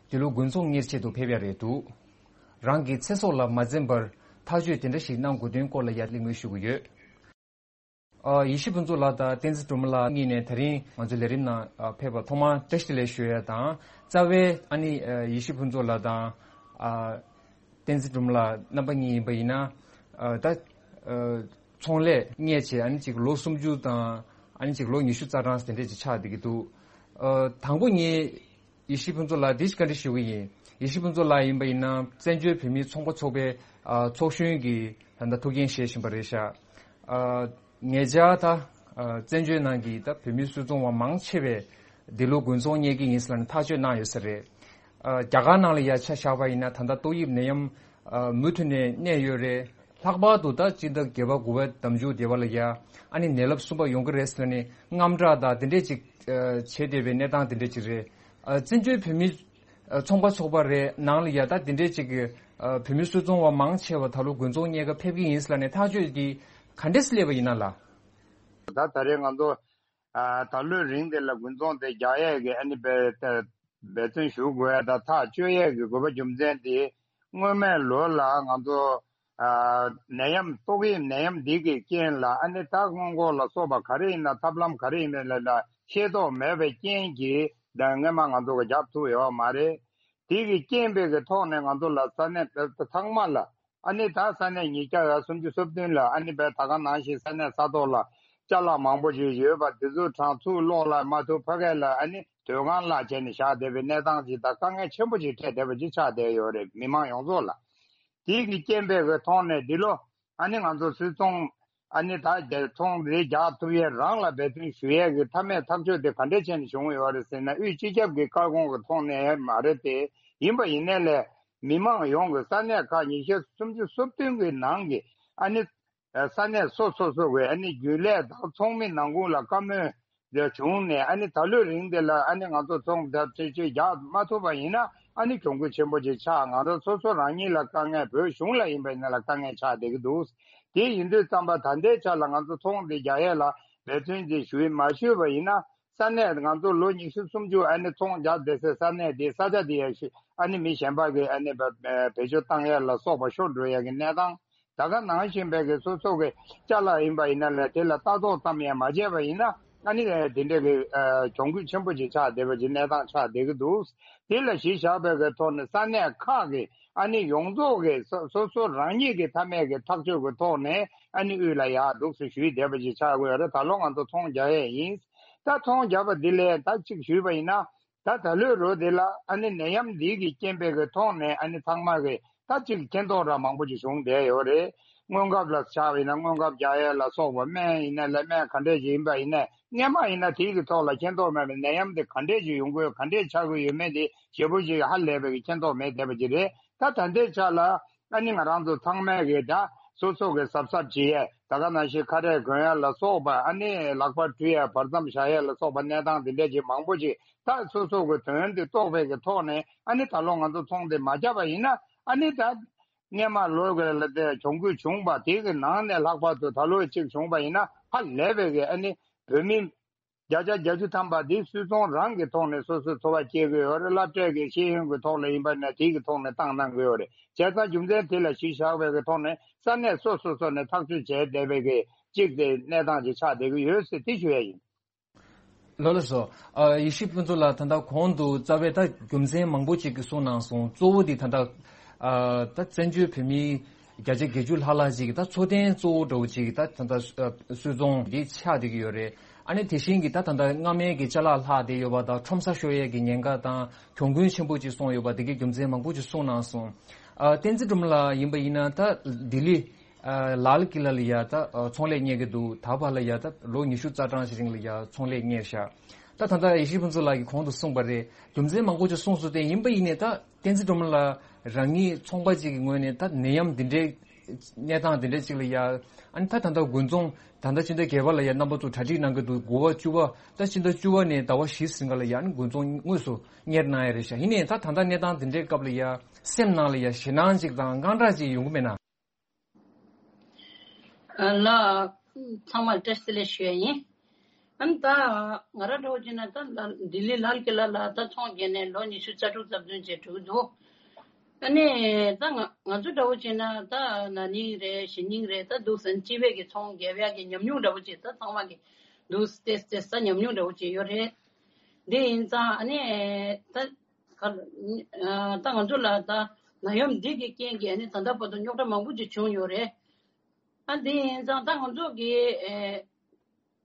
འདི་ལོ་དགུན་ཚོང་གཉེར་ཆེད་དུ་ཕེབས་ཡ་རེད་འདུག་རང་གི་ཚེ་སྲོག་ལ་མ་འཛེམ་པར་ཐག་གཅོད་དེ་འདྲ་ཞིག་གནང་དགོས་དོན་སྐོར་ལ་ཡ་གླེང་མོལ་ཞུ་གི་ཡོད། ཨ། ཡེ་ཤེས་ཕུན་ཚོགས་ལགས་དང་བསྟན་འཛིན་སྒྲོལ་མ་ལགས་གཉིས་ནས་ད་རིང་ང་ཚོའི་ལས་རིམ་ནང་ཨ་ཕེབས་པར་ཐོག་མར་བཀྲ་ཤིས་བདེ་ལེགས་ཞུ་ཡ་དང་། རྩ་བའི་ཨ་ནི་ཨ་ཡེ་ཤེས་ཕུན་ཚོགས་ལགས་དང་ཨ་བསྟན་འཛིན་སྒྲོལ་མ་ལགས་རྣམ་པ་གཉིས་ཡིན་པ་ཡིན་ན། ཨ་ད་ཨ་ཚོང་ལས་གཉེར་བྱས་ཨ་ནི་ཅིག་ལོ་སུམ་ཅུ་དང་ཨ་ནི་ཅིག་ལོ་ཉི་ཤུ་རྩ་གྲངས་དེ་འདྲས་ཅིག་ཆགས་བསྡད་ཀྱི་འདུག་ཨ་དང་པོ་ངས་ཡེ་ཤེས་ཕུན་ཚོགས་ལགས་འདི་བཀའ་འདྲི་ཞུ་གི་ཡིན། ཡེ་ཤེས་ཕུན་ཚོགས་ལགས་ཡིན་པ་ཡིན་ན་བཙན་བྱོལ་བོད་མིའི་ཚོང་པ་ཚོགས་པའི་ཨ་ཚོགས་གཞོན་གྱི་ད་ལྟ་ཐུགས་འགན་བཞེས་བཞིན་པ་རེད་ཤག་ཨ་ཉེ་ཆར་ད་ཨ་བཙན་བྱོལ་ནང་གི་ད་བོད་མིའི་སུད་ཚོང་བ་མང་ཆེ་བས་འདི་ལོ་དགུན་ཚོང་གཉེར་གྱི་ཡིན་ཟེར་ནས་ཐག་གཅོད་གནང་ཡོད་ས་རེད། ཨ་རྒྱ་གར་ནང་ལ་ཡ་ཆ་བཞག་པ་ཡིན་ན་ད་ལྟ་ཏོག་དབྱིབས་ནད་ཡམས་ཨ་མུ་མཐུད་ནས་གནས་ཡོད་རེད། ལྷག་པར་དུ་ད་སྤྱི་ཟླ་བརྒྱད་པ་དགུ་པའི་ཟླ་མཇུག་དེ་བ་ལ་ཡ་ཨ་ནི་ནད་རླབས་གསུམ་པ་ཡོང་གི་རེད་ཟེར་ནས་དངངས་སྐྲག་དང་དེ་འདྲས་ཅིག་ཨ་བྱེད་བསྡད་པའི་གནས་སྟངས་དེ་འདྲས་ཅིག་རེད། ཨ་བཙན་བྱོལ་བོད་མི་ཨ་ཚོང་པ་ཚོགས་པ་རེད་ནང་ལ་ཡ་ད་དེ་འདྲས་ཅིག་གི་ཨ་བོད་མི་སུད་ཚོང་བ་མང་ཆེ་བ་ད་ལོ་དགུན་ཚོང་གཉེར་ག་ཕེབས་ཀྱི་ཡིན་ཟེར་ནས་ཐག་གཅོད་དེ་ག་འདྲས་སླེབས་པ་ཡིན་ན་ལགས། ད་ད་རེས་ང་ཚོ་ཨ་ད་ལོའི་རིང་དེ་ལ་དགུན་ཚོང་དེ་རྒྱག་ཡས་ཀྱི་ཨ་ནི་འབད་འབད་བརྩོན་ཞུ་དགོས་ཡ་དང་ཐག་གཅོད་ཡས་ཀྱི་དགོས་པ་རྒྱུ་མཚན་དེ། སྔོན་མའི་ལོ་ལ་ང་ཚོ་ཨ་ནད་ཡམས་ཏོག་དབྱིབས་ནད་ཡམས་འདི་གི་རྐྱེན་ལ་ཨ་ནི་ད་སྔོན་འགོག་ལ་སོགས་པ་ག་རེ་ཡིན་ན་ཐབས་ལམ་ག་རེ་ཡིན་ན་ལ་ལ་ཤེས་རྟོགས་མེད་པའི་རྐྱེན་གྱིས་ད་སྔོན་མ་ང་ཚོ་གི་རྒྱབ་ཐུབ་ཡོད་མ་རེད། དེ་གི་རྐྱེན་པས་གི་ཐོག་ནས་ང་ཚོ་ལ་ས་གནས་ད་ཚང་མ་ལ་ཨ་ནི་ད་ས་གནས་ཉིས་བརྒྱ་སུམ་ཅུ་སོ་བདུན་ལ་ཨ་ནི་བས་ད་ག་ནང་བཞིན་ས་གནས་ས་ཐོག་ལ་ཅ་ལག་མང་པོ་ཞིག་ཡོད་པ་དེ་ཚོ་གྲངས་ཚུར་གློག་ལ་མ་ཐུག་ཕ་གི་ལ་ཨ་ནི་དུས་གང་ལ་བྱས་ནས་བཞག་བསྡད་པའི་གནས་སྟངས་ཅིག་དང་དཀའ་ངལ་ཆེན་པོ་ཅིག་འཕྲད་བསྡད་པ་ཅིག་ཆགས་བསྡད་ཡོད་རེད། མི་མང་ཡོངས་རྫོགས་ལ། དེ་གི་རྐྱེན་པས་གི་ཐོག་ནས་འདི་ལོ་ཨ་ནི་ང་ཚོ་སུད་ཚོང་ཨ་ནི་ད་རྒྱལ་ཚོང་རེ་རྒྱག་ཐུབ་ཡས་རང་ལ་འབད་བརྩོན་ཞུ་ཡས་ཀྱི་མཐའ་མའི་ཐག་གཅོད་དེ་ག་འདྲས་བྱས་ནས་བྱུང་ཡོད་རེད་ཟེར་ན། དབུས་སྤྱི་ཁྱབ་ཀྱི་བཀའ་དགོངས་ཀྱི་ཐོག་ནས་མ་རེད་དེ། ཡིན་པ་ཡིན་ནའི་ལས་མི་མང་ཡོངས་ཀྱི་ས་གནས་ཁག་ཉི་ཤུ་སུམ་ཅུ་སོ་བདུན་གྱི་ནང་གི་ཨ་ནི་ས་གནས་སོ་སོ་སོ་གི་ཨ་ནི་རྒྱུན་ལས་དང་ཚོགས་མི་ནང་ཁུལ་ལ་བཀའ་མོལ་འདི་བྱུང་ནས་ཨ་ནི་ད་ལོའི་རིང་འདི་ལ་ཨ་ནི་ང་ཚོ་ཚོང་རྒྱག་ཆེ་ཆེ་རྒྱག་མ་ཐུབ་པ་ཡིན་ན་ཨ་ནི་གྱོང་གུད་ཆེན་པོ་ཅིག་ཆགས། ང་རང་སོ་སོ་རང་ཉིད་ལ་དཀའ་ངལ། བོད་གཞུང་ལ་ཡིན་པ་ཡིན་ན་ལ་དཀའ་ངལ་ཆགས་བསྡད་ཀྱི་འདུག་དེ་ཡིན་དུས་ཙམ་པ་ད་ལྟའི་ཆ་ལ་ང་ཚོ་ཚོང་འདི་རྒྱག་ཡས་ལ་འབད་བརྩོན་ཅིག་ཞུས་མ་ཞུས་པ་ཡིན་ན་ས་གནས་ང་ཚོ་ལོ་ཉི་ཤུ་སུམ་ཅུ་ཨ་ནི་ཚོང་རྒྱག་བསྡད་སའི་ས་གནས་འདི་ས་ཆ་འདི་ཡ་ཤི་ཨ་ནི་མི་གཞན་པ་གི་ཨ་ནི་བེད་སྤྱོད་བཏང་ཡས་ལ་སོགས་པ་ཤོར་འགྲོ་ཡས་ཀྱི་གནས་སྟངས། ད་ག་ནང་བཞིན་པའི་གི་སོ་སོ་གི་ཅ་ལག་ཡིན་པ་ཡིན་ན་ལས་དེ་ལ་ལྟ་རྟོག་ཙམ་ཡང་མ་བྱས་པ་ཡིན་ན་ཨ་ནི་དེ་འདྲའི་གི་གྱོང་གུད་ཆེན་པོ་ཅིག་ཆགས་བསྡད་པ་ཅིག་གནས་སྟངས་ཆགས་བསྡད་ཀྱི་འདུག་དེ་ལ་གཞི་བཞག་པའི་གི་ཐོག་ནས་ས་གནས་ཁག་གི་ཨ་ནི་ཡོངས་རྫོགས་གི་སོ་སོ་སོ་རང་ཉིད་ཀྱི་མཐའ་མའི་གི་ཐག་གཅོད་ཀྱི་ཐོག་ནས་ཨ་ནི་དབུས་ལ་ཡར་འདུག་སེ་ཞུས་བསྡད་པ་ཅིག་ཆགས་དགོས་རེད། ད་ལོ་ང་ཚོ་ཚོང་རྒྱག་ཡས་ཡིན། ད་ཚོང་རྒྱག་པ་འདི་ལས་ད་གཅིག་ཞུས་པ་ཡིན་ན། ད་ད་ལོའི་ལོ་འདི་ལ་ཨ་ནི་ནད་ཡམས་འདི་གི་རྐྱེན་པས་གི་ཐོག་ནས་ཨ་ནི་ཚང་མ་གི་ད་ཅིག་མཁྱེན་རྟོགས་ར་མང་པོ་ཅིག་བྱུང་བསྡད་ཡོད་རེད། སྔོན་ཁབ་ལ་ཆགས་པ་ཡིན་ན་སྔོན་ཁབ་རྒྱག་ཡས་ལ་སོགས་པ་སྨན་ཡིན་ན་ལས་སྨན་ག་འདྲས་ཅིག་ཡིན་པ་ཡིན་ན་སྔོན་མ་ཡིན་ན་དེའི་གི་ཐོག་ལ་མཁྱེན་རྟོགས་མེད་པའི་ནད་ཡམས་དེ་ག་འདྲས་ཅིག་ཡོང་གི་ཡོད་ག་འདྲས་ཆགས་ཀྱི་ཡོད་མེད་དེ་ཞེ་པོ་ཅིག་ཧ་ལས་པའི་གི་མཁྱེན་རྟོགས་མེད་བསྡད་པ་ཅིག་རེད། ད་ད་ལྟའི་ཆ་ལ་ཨ་ནི་ང་རང་ཚོ་ཚང་མས་གི་ད་སོ་སོ་གི་གཟབ་གཟབ་བྱེད་ཡས་ད་ག་ནང་བཞིན་ཁ་རས་གོན་ཡས་ལ་སོགས་པ་ཨ་ནི་ལག་པ་བཀྲུ་ཡས་བར་མཚམས་བཞག་ཡས་ལ་སོགས་པ་གནས་སྟངས་དེ་འདྲས་ཅིག་མང་པོ་ཅིག་ད་སོ་སོ་གི་དོན་དེ་རྟོགས་པའི་གི་ཐོག་ནས་ཨ་ནི་ད་ལོ་ང་ཚོ་ཚོང་དེ་མ་བརྒྱབ་པ་ཡིན་ན་ཨ་ནི་ད་སྔོན་མ་ལོ་གི་ལ་དེ་གྱོང་གུད་བྱུང་བ་དེ་གི་ནང་ནས་ལྷག་པར་དུ་ད་ལོ་གཅིག་བྱུང་བ་ཡིན་ན་ཧ་ལས་པའི་གི་ཨ་ནི་བོད་མི་བརྒྱ་ཆ་བརྒྱད་ཅུ་ཐམ་པ་དེ་སུད་ཚོང་རང་གི་ཐོག་ནས་སོ་སོའི་འཚོ་བ་སྐྱེལ་གི་ཡོད་རེད། སློབ་གྲྭའི་གི་ཤེས་ཡོན་གི་ཐོག་ལ་ཡིན་པ་ན་དེ་གི་ཐོག་ནས་བཏང་གནང་གི་ཡོད་རེད། བྱས་ཙང་རྒྱུ་མཚན་དེ་ལ་གཞི་བཞག་པའི་གི་ཐོག་ནས་ས་གནས་སོ་སོ་སོ་ནས་ཐག་གཅོད་བྱས་བསྡད་པའི་གི་གཅིག་དེ་གནས་སྟངས་ཅིག་ཆགས་བསྡད་ཀྱི་ཡོད་ཟེར་དེ་ཞུ་ཡ་ཡིན། ལགས་ལགས་སོ། ཨ་ཡེ་ཤེས་ཕུན་ཚོགས་ལགས་ད་ལྟ་གོང་དུ་རྩ་བའི་ད་རྒྱུ་མཚན་མང་པོ་ཅིག་གི་གསུངས་གནང་སོང་། གཙོ་བོ་དེ་ད་ལྟ་ཨ་ད་བཙན་བྱོལ་བོད་མིའི་ བརྒྱ་ཆ་བརྒྱད་ཅུ་ལྷག་ལྷག་ཅིག་གིས་ད་འཚོ་རྟེན་གཙོ་བོ་འདྲ་བོ་ཅིག་ད་ད་ད་གསོ་ཚོང་འདི་ཆགས་བསྡད་ཀྱི་ཡོད་རེད། ཨ་ནི་དེ་བཞིན་གྱི་ད་ད་ད་སྔ་མའི་གི་ཅ་ལག་ལྷག་བསྡད་ཡོད་པ་དང་ཁྲོམ་ས་ཤོར་ཡས་ཀྱི་ཉེན་ཁ་དང་གྱོང་གུན་ཆེན་པོ་ཅིག་སོང་ཡོད་པ་དེ་གའི་རྒྱུ་མཚན་མང་པོ་ཅིག་གསུངས་གནང་སོང་། ཨ་བསྟན་འཛིན་སྒྲོལ་མ་ལགས་ཡིན་པ་ཡིན་ན་ད་ལྡི་ལི་ཨ་ལཱལ་ཀི་ལ་ལ་ཡ་ད་ཨ་ཚོང་ལས་གཉེར་གྱི་འདུག་ད་བར་ལ་ཡ་ད་ལོ་ཉི་ཤུ་རྩ་གྲངས་ཤིག་རིང་ལ་ཡ་ཚོང་ལས་གཉེར་ཤག་ད་ད་ད་ཡེ་ཤེས་ཕུན་ཚོགས་ལགས་ཀྱིས་གོང་དུ་གསུངས་པ་རེད། རྒྱུ་མཚན་མང་པོ་ཅིག་གསུངས་སོང་སྟེ། ཡིན་པ་ཡིན་ནའི་ད་བསྟན་འཛིན་སྒྲོལ་མ་ལགས་རང་ཉིད་ཚོང་པ་ཅིག་གི་ངོས་ནས་ད་ནད་ཡམས་འདི་འདྲའི་གནས་སྟངས་འདི་འདྲའི་ཅིག་ལ་ཡ། ཨ་ནི་ད་ད་ལྟ་དགུན་ཚོང་ད་ལྟ་ཕྱི་ཟླ་བརྒྱད་པ་ལ་ཡ་རྣམ་པ་ཚོ་གྲ་སྒྲིག་གནང་གི་འདུག་དགུ་པ་བཅུ་པ་ད་ཕྱི་ཟླ་བཅུ་པ་ནས་ཟླ་བ་བཞི་ཟིན་ག་ལ་ཡ། ཨ་ནི་དགུན་ཚོང་དངོས་སུ་གཉེར་གནང་ཡ་རེད་ཤག་ཡིན་ནའི་ད་ད་ལྟ་གནས་སྟངས་འདི་འདྲའི་སྐབས་ལ་ཡ་སེམས་ནང་ལ་ཡ་ཞེད་སྣང་ཅིག་དང་དངངས་སྐྲག་ཅིག་ཡོང་གི་མེད་ན། ལགས། ཚང་མར་བཀྲ་ཤིས་བདེ་ལེགས་ཞུ་ཡ་ཡིན། ཨ་ནི་ད་ང་རང་འདྲ་བོ་བྱས་ན་ད་ལ་ལྡི་ལི་ལཱལ་ཀི་ལ་ལ་ད་ཚོང་བརྒྱབ་ནས་ལོ་ཉི་ཤུ་རྩ་དྲུག་ཙམ་ཙམ་བྱས་འགྲོ་གི་འདུག་ཨ་ནི་ད་ང་ང་ཚོ་འདྲ་བོ་བྱས་ན་ད་ན་ནིང་རེད་གཞེས་ནིང་རེད་ད་འདུག་སེ་སྤྱི་པའི་གི་ཚོང་བརྒྱབ་ཡག་གི་ཉམས་མྱོང་འདྲ་བོ་བྱས་ད་ཚང་མ་གི་འདུག་སེ་ཏེས་ཏེས་ད་ཉམས་མྱོང་འདྲ་བོ་བྱས་ཡོད་རེད། དེ་ཡིན་ཙང་ཨ་ནི་ད་ག་ད་ང་ཚོ་ལ་ད་ནད་ཡམས་འདི་གི་རྐྱེན་གྱིས་ཨ་ནི་ད་ལྟ་བར་དུ་རྙོག་དྲ་མང་པོ་ཅིག་བྱུང་ཡོད་རེད། ཨ་འདི་ཡིན་ཙང་ད་ང་ཚོ་གི་ཨེ་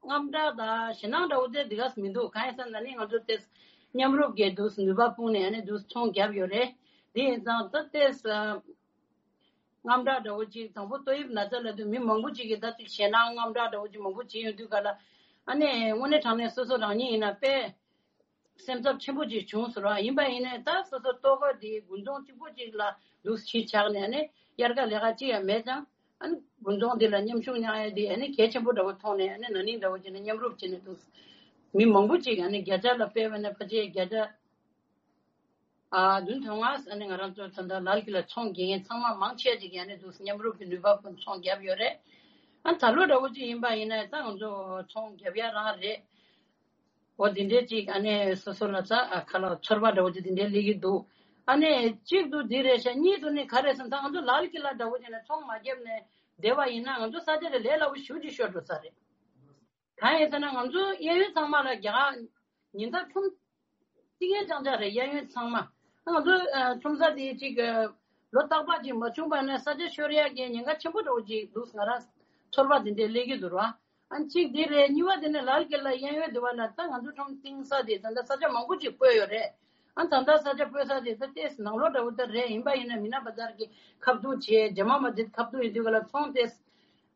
དངངས་སྐྲག་དང་ཞེད་སྣང་འདྲ་བོ་དེ་འདི་ག་མི་འདུག་གང་ཡིན་ཟེར་ན་ནི་ང་ཚོ་དེ་མཉམ་རུབ་ཀྱིས་འདུག་ནུས་པ་སྤུངས་ནས་ཨ་ནི་འདུག་ཚོང་བརྒྱབ་ཡོད་རེད། འདི་ཡིན་ཙང་ད་དེ་དངངས་སྐྲག་འདྲ་བོ་ཅིག་དང་པོ་ཏོག་དབྱིབས་ན་ཚ་ལབ་དུས་མི་མང་པོ་ཅིག་གིས་ད་ཅིག་ཞེད་སྣང་དངངས་སྐྲག་འདྲ་བོ་ཅིག་མང་པོ་བྱེད་ཡོང་དུས་ག་ལ་ཨ་ནི་དངོས་གནས་དྲང་གནས་སོ་སོ་རང་ཉིད་ཡིན་ན་དཔེ་སེམས་འཚབ་ཆེན་པོ་ཅིག་བྱུང་ཟེར་བ་ཡིན་པ་ཡིན་ནའི་ད་སོ་སོ་ལྟོ་གོས་དེ་དགུན་ཚོང་གཅིག་པོ་ཅིག་ལ་འདུག་གཞིས་ཆགས་ནས་ཨ་ནི་དབྱར་ཁ་ལས་ཀ་ཅི་ཡང་མེད་ཙང་ཨ་ནི་དགུན་ཚོང་དེ་ལ་མཉམ་ཞུགས་གནང་ཡ་དེ་ཨ་ནི་གལ་ཆེན་པོ་འདྲ་བོ་མཐོང་ནས་ཨ་ནི་ན་ནིང་འདྲ་བོ་བྱས་ནས་མཉམ་རུབ་བྱས་ནས་འདུག་མི་མང་པོ་ཅིག་ཨ་ནི་བརྒྱ་ཆ་ལ་དཔེ་བས་ན་ཕལ་ཆེར་བརྒྱ་ཆ་ཨ་བདུན་དོན་ལྔ་ཨ་ནི་ང་རང་ཚོ་ད་ལྟ་ལཱལ་ཀི་ལ་ཚོང་རྒྱག་མཁན་ཚང་མ་མང་ཆེ་ཅིག་ཨ་ནི་འདུག་མཉམ་རུབ་ཀྱི་ནུས་པ་ཀུན་ཚོང་བརྒྱབ་ཡོད་རེད། ཨ་ད་ལོ་འདྲ་བོ་ཅིག་ཡིན་པ་ཡིན་ན་ད་ང་ཚོ་ཚོང་བརྒྱབ་ཡ་རང་རེད། འོ་དེ་འདྲའི་ཅིག་ཨ་ནི་སོ་སོ་ལ་ཙ་ཨ་ཁ་ལག་ཚོར་བ་འདྲ་བོ་ཅིག་དེ་འདྲའི་སླེབས་ཀྱི་འདུག་ཨ་ནི་གཅིག་ཏུ་འདི་རེད་ཤག་གཉིས་དུ་ནི་ག་རེ་ཟེར་ན་ད་ང་ཚོ་ལཱལ་ཀི་ལ་འདྲ་བོ་ཅིག་ནས་ཚོང་མ་བརྒྱབ་ནས་བསྡད་པ་ཡིན་ན་ང་ཚོ་ས་ཆ་དེ་ལས་སླ་པོ་ཞེ་པོ་ཅིག་ཤོར་འགྲོ་ས་རེད། གང་ཡིན་ཟེར་ན་ང་ཚོ་གཡས་གཡོན་ཚང་མ་ལ་རྒྱ་གར་ཉིན་ལྟར་ཁྲོམ་རྩིག་ངན་རྐྱང་རྐྱང་རེད། གཡས་གཡོན་ཚང་མ། ང་ཚོ་ཨ་ཁྲོམ་ས་དེ་ཅིག་ཨ་ལོ་རྟག་པ་ཅིག་མ་བྱུང་བ་ན་ས་ཆ་ཤོར་ཡག་གི་ཉེན་ཁ་ཆེན་པོ་འདྲ་བོ་ཅིག་འདུག་ང་རང་ཚོར་བ་དེ་འདྲས་སླེབས་ཀྱི་འདུག་ར། ཨ་གཅིག་དེ་རེད། གཉིས་པ་དེ་ནི་ལཱལ་ཀི་ལ་གཡས་གཡོན་དེ་བ་ལ་ད་ང་ཚོ་ཁྲོམ་གཏིང་ས་དེ་ད་ལྟ་ས་ཆ་མང་པོ་ཅིག་བཀོད་ཡོད་རེད། ཨ་ད་ལྟ་ས་ཆ་སྤོས་ས་དེ་ད་ཏེས་ནང་ལོགས་འདྲ་བོ་ད་རེད། ཡིན་པ་ཡིན་ན་མི་ན་བ་ཛར་གྱི་ཁ་ཐུག་བྱས་ཇ་མ་མ་དེ་ཁ་ཐུག་ཡིན་དུས་ག་ལ་ཚོང་ཏེས་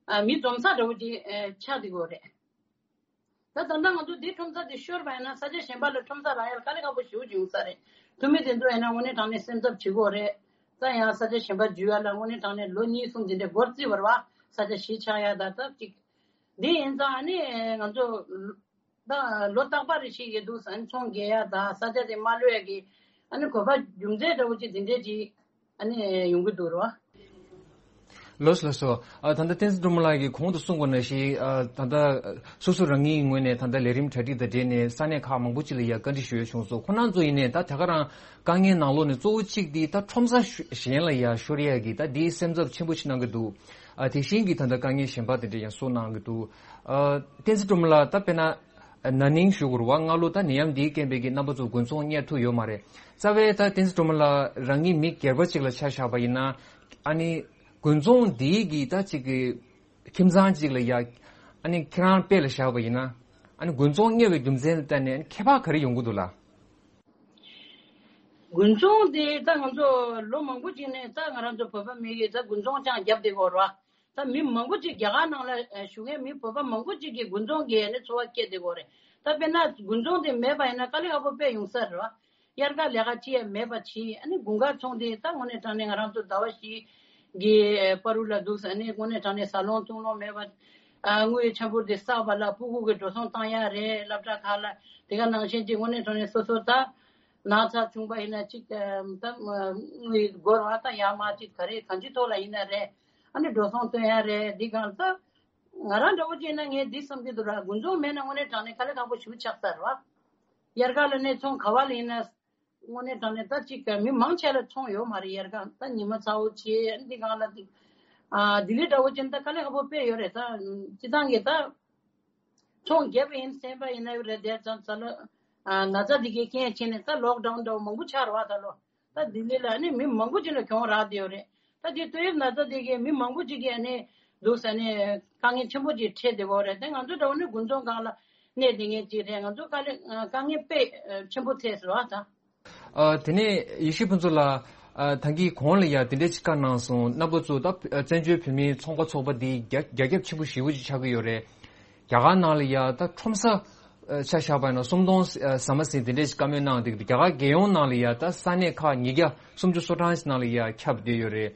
ཨ་མི་འཛོམས་ས་འདྲ་བོ་ཅིག་ཨ་ཆགས་བསྡད་ཀྱི་ཡོད་རེད། ད་ད་ལྟ་ང་ཚོ་འདི་ཁྲོམ་ས་འདི་ཤོར་བ་ཡིན་ན་ས་ཆ་གཞན་པ་ལ་ཁྲོམ་ས་རག་ཡ་ལ་དཀའ་ལས་ཁག་པོ་ཞེ་པོ་ཅིག་ཡོང་ས་རེད། ཐུ་མི་དེ་ཚོ་ཡིན་ན་དངོས་གནས་དྲང་གནས་སེམས་འཚབ་བྱེད་ཀྱི་ཡོད་རེད། ད་ཡང་ས་ཆ་གཞན་པ་འཇུ་ཡ་ལ་དངོས་གནས་དྲང་གནས་ལོ་གཉིས་གསུམ་འདི་འདྲའི་འགོར་རྩིས་བར་བ་ས་ཆ་གཞིས་ཆགས་ཡ་ད་ད་ཅིག་འདི་ཡིན་ཙང་ཨ་ནི་ང་ཚོ་ད་ལོ་རྟག་པ་རེ་ཞིག་ཡོད་འདུག་ཨ་ནི་ཚོང་རྒྱག་ཡ་ད་ས་ཆ་དེ་མ་ལྷོད་ཡ་གི་ཨ་ནི་གོ་སྐབས་རྒྱུ་མཚན་འདྲ་བོ་ཅིག་འདི་འདྲས་ཅིག་ཨ་ནི་ཡོང་གི་འདུག་རོ། ལགས་སོ་ལགས་སོ། ཨ་ད་ལྟ་བསྟན་འཛིན་སྒྲོལ་མ་ལགས་ཀྱིས་གོང་དུ་གསུངས་པ་ནང་བཞིན་ཨ་ད་ལྟ་སོ་སོ་རང་ཉིད་ངོས་ནས་ད་ལྟ་ལས་རིམ་གྲ་སྒྲིག་དང་འབྲེལ་ནས་ས་གནས་ཁག་མང་པོ་ཅིག་ལ་ཡ་བཀའ་འདྲི་ཞུ་ཡ་བྱུང་སོང་། ཁོང་རྣམ་ཚོ་ཡིན་ནའི་ད་ད་ག་རང་དཀའ་ངལ་ནང་ལོགས་ནས་གཙོ་བོ་གཅིག་འདི་ད་ཁྲོམ་ས་ཤུ་གཞན་ལ་ཡ་ཤོར་ཡ་གི་ད་འདིའི་སེམས་འཚབ་ཆེན་པོ་ཅིག་གནང་གི་འདུག་ཨ་དེ་བཞིན་གྱི་ད་ལྟ་དཀའ་ངལ་གཞན་པ་དེ་འདྲ་ཡང་གསུངས་གནང་གི་འདུག་ཨ་བསྟན་འཛིན་སྒྲོལ་མ་ལགས་ད་དཔེར་ན་ན་ནིང་ཞུ་དགོས་རེད་བ། སྔ་ལོ་ད་ནད་ཡམས་འདིའི་རྐྱེན་པས་ཀྱི་རྣམ་པ་ཚོ་དགུན་ཚོང་གཉེར་ཐུབ་ཡོད་མ་རེད། རྩ་བའི་ད་བསྟན་འཛིན་སྒྲོལ་མ་ལགས་རང་ཉིད་མི་སྒེར་པ་ཅིག་ལ་ཆ་བཞག་པ་ཡིན་ན། ཨ་ནི་དགུན་ཚོང་འདིའི་གི་ད་ཅིག་གི་ཁྱིམ་ཚང་ཅིག་ལ་ཡ། ཨ་ནི་ཁྱེད་རང་དཔེ་ལ་བཞག་པ་ཡིན་ན། ཨ་ནི་དགུན་ཚོང་གཉེར་བའི་རྒྱུ་མཚན་ལ་བརྟེན་ནས་ཁྱད་པར་ག་རེ་ཡོང་གི་འདུག་ལགས། དགུན་ཚོང་དེ་ད་ང་ཚོ་ལོ་མང་པོ་ཅིག་ནས་ད་ང་རང་ཚོ་བོད་པ་མི་གིས་ད་དགུན་ཚོང་ཅང་བརྒྱབ་བསྡད་ཀྱི་ཡོད་རེད་བ། ད་མི་མང་པོ་ཅིག་རྒྱ་གར་ནང་ལ་ཨ་བཞུགས་མཁན་མི་བོད་པ་མང་པོ་ཅིག་གིས་དགུན་ཚོང་གི་ཨ་ནི་འཚོ་བ་སྐྱེལ་བསྡད་ཀྱི་ཡོད་རེད། ད་དཔེར་ན་དགུན་ཚོང་དེ་མེད་པ་ཡིན་ན་དཀའ་ལས་ཁག་པོ་དཔེ་ཡོང་ས་རེད་བ། དབྱར་ཁ་ལས་ཀ་ཅི་ཡང་མེད་པ་བྱས། ཨ་ནི་དགུན་ཁ་ཚོང་དེ་ད་དངོས་གནས་དྲང་གནས་ང་རང་ཚོ་ཟླ་བ་བཞི་གི་པ་རུ་ལ་འདུག་ཨ་ནི་དངོས་གནས་དྲང་གནས་ཟ་ལོང་འཐུང་ལོང་མེད་པ། ཨ་དངུལ་ཆང་ཕོར་དེ་བསགས་པ་ལ་ཕྲུ་གུ་གི་འགྲོ་སོང་བཏང་ཡ་རེད། སློབ་གྲྭ་ཁག་ལ་དེ་ག་ནང་བཞིན་གྱི་དངོས་གནས་དྲང་གནས་སོ་སོ་ད་ན་ཚ་བྱུང་པ་ཡིན་ན་ཅིག་ད་དངུལ་སྒོར་བ་ད་ཡར་མར་ཅིག་ག་རེ་གང་ཅི་ཐོག་ལ་ཡིན་ན་རེད། ཨ་ནི་འགྲོ་སོང་བཏོན་ཡ་རེད། འདི་གང་ད་ང་རང་འདྲ་བོ་བྱས་ན་ངས་འདི་བསམ་གྱི་འདུག་ར། དགུན་ཚོང་མེད་ན་དངོས་གནས་དྲང་གནས་དཀའ་ལས་ཁག་པོ་ཞེ་པོ་ཆགས་ས་རེད་བ། དབྱར་ཁ་ལ་ནས་ཚོང་ག་བ་ལ་ཡིན་ན། དངོས་གནས་དྲང་གནས་ད་ཅིག་མི་མང་ཆེ་ལ་ཚོང་ཡོད་མ་རེད། དབྱར་ཁ་ད་ཉི་མ་ཚ་བོ་བྱས་འདི་གང་ལ་འདི། ཨ་ལྡི་ལི་འདྲ་བོ་བྱས་ན་ད་དཀའ་ལས་ཁག་པོ་དཔེ་ཡོད་རེད། ད་སྤྱི་བཏང་གི་ད་ཚོང་རྒྱབ་ཡིན་སེམས་པ་ཡིན་ན་ཡོད་རེད། དེ་ཙང་ཙ་ལ་ཨ་ན་ཚ་འདི་གའི་རྐྱེན་བྱས་ནས་ད་ལོག་ཌའུན་འདྲ་བོ་མང་པོ་ཆགས་རེད་བ། ད་ལོ་ད་ལྡི་ལི་ལ་ནི་མི་མང་པོ་ཅིག་ལ་གྱོང་རག་བསྡད་ཡོད་རེད། ད་དེ་ཏོག་དབྱིབས་ན་ཚ་དེ་གིས་མི་མང་པོ་ཅིག་གིས་ཨ་ནི་འདུག་ཟེར་ནས་དཀའ་ངལ་ཆེན་པོ་ཅིག་འཕྲད་བསྡད་ཡོད་རེད། དེ་ང་ཚོ་འདྲ་བོ་ནི་དགུན་ཚོང་སྒང་ལ་གནས་བསྡད་མཁན་ཅིག་རེད། ང་ཚོ་དཀའ་ལས་དཀའ་ངལ་དཔེ་ཆེན་པོ་འཕྲད་ཟེར་བ་དང་། ཨ། དེ་ནས་ཡེ་ཤེས་ཕུན་ཚོགས་ལགས། ཨ། ད་གིན་གོང་ལ་ཡ་དེ་འདྲ་ཅིག་བཀའ་གནང་སོང་། རྣམ་པ་ཚོ་ད་བཙན་བྱོལ་བོད་མིའི་ཚོང་པ་ཚོགས་པ་འདི་རྒྱ་རྒྱ་ཁྱབ་ཆེན་པོ་ཞེ་པོ་ཅིག་ཆགས་ཀྱི་ཡོད་རེད། རྒྱ་གར་ནང་ལ་ཡ་ད་ཁྲོམ་ས་ཨ་ཆ་བཞག་པ་ཡིན་ན་སུམ་སྟོང་ཨ་ཟ་མ་ཟིན་དེ་འདྲ་ཞིག་བཀའ་མོལ་གནང་འདུག་རྒྱ་གར་རྒྱལ་ཡོངས་ནང་ལ་ཡ་ད་ས་གནས་ཁག་ཉིས་བརྒྱ་སུམ་ཅུ་སོ་གྲངས་ཤིག་ནང་ལ་ཡ་ཁྱབ་བསྡད་ཡོད་རེད།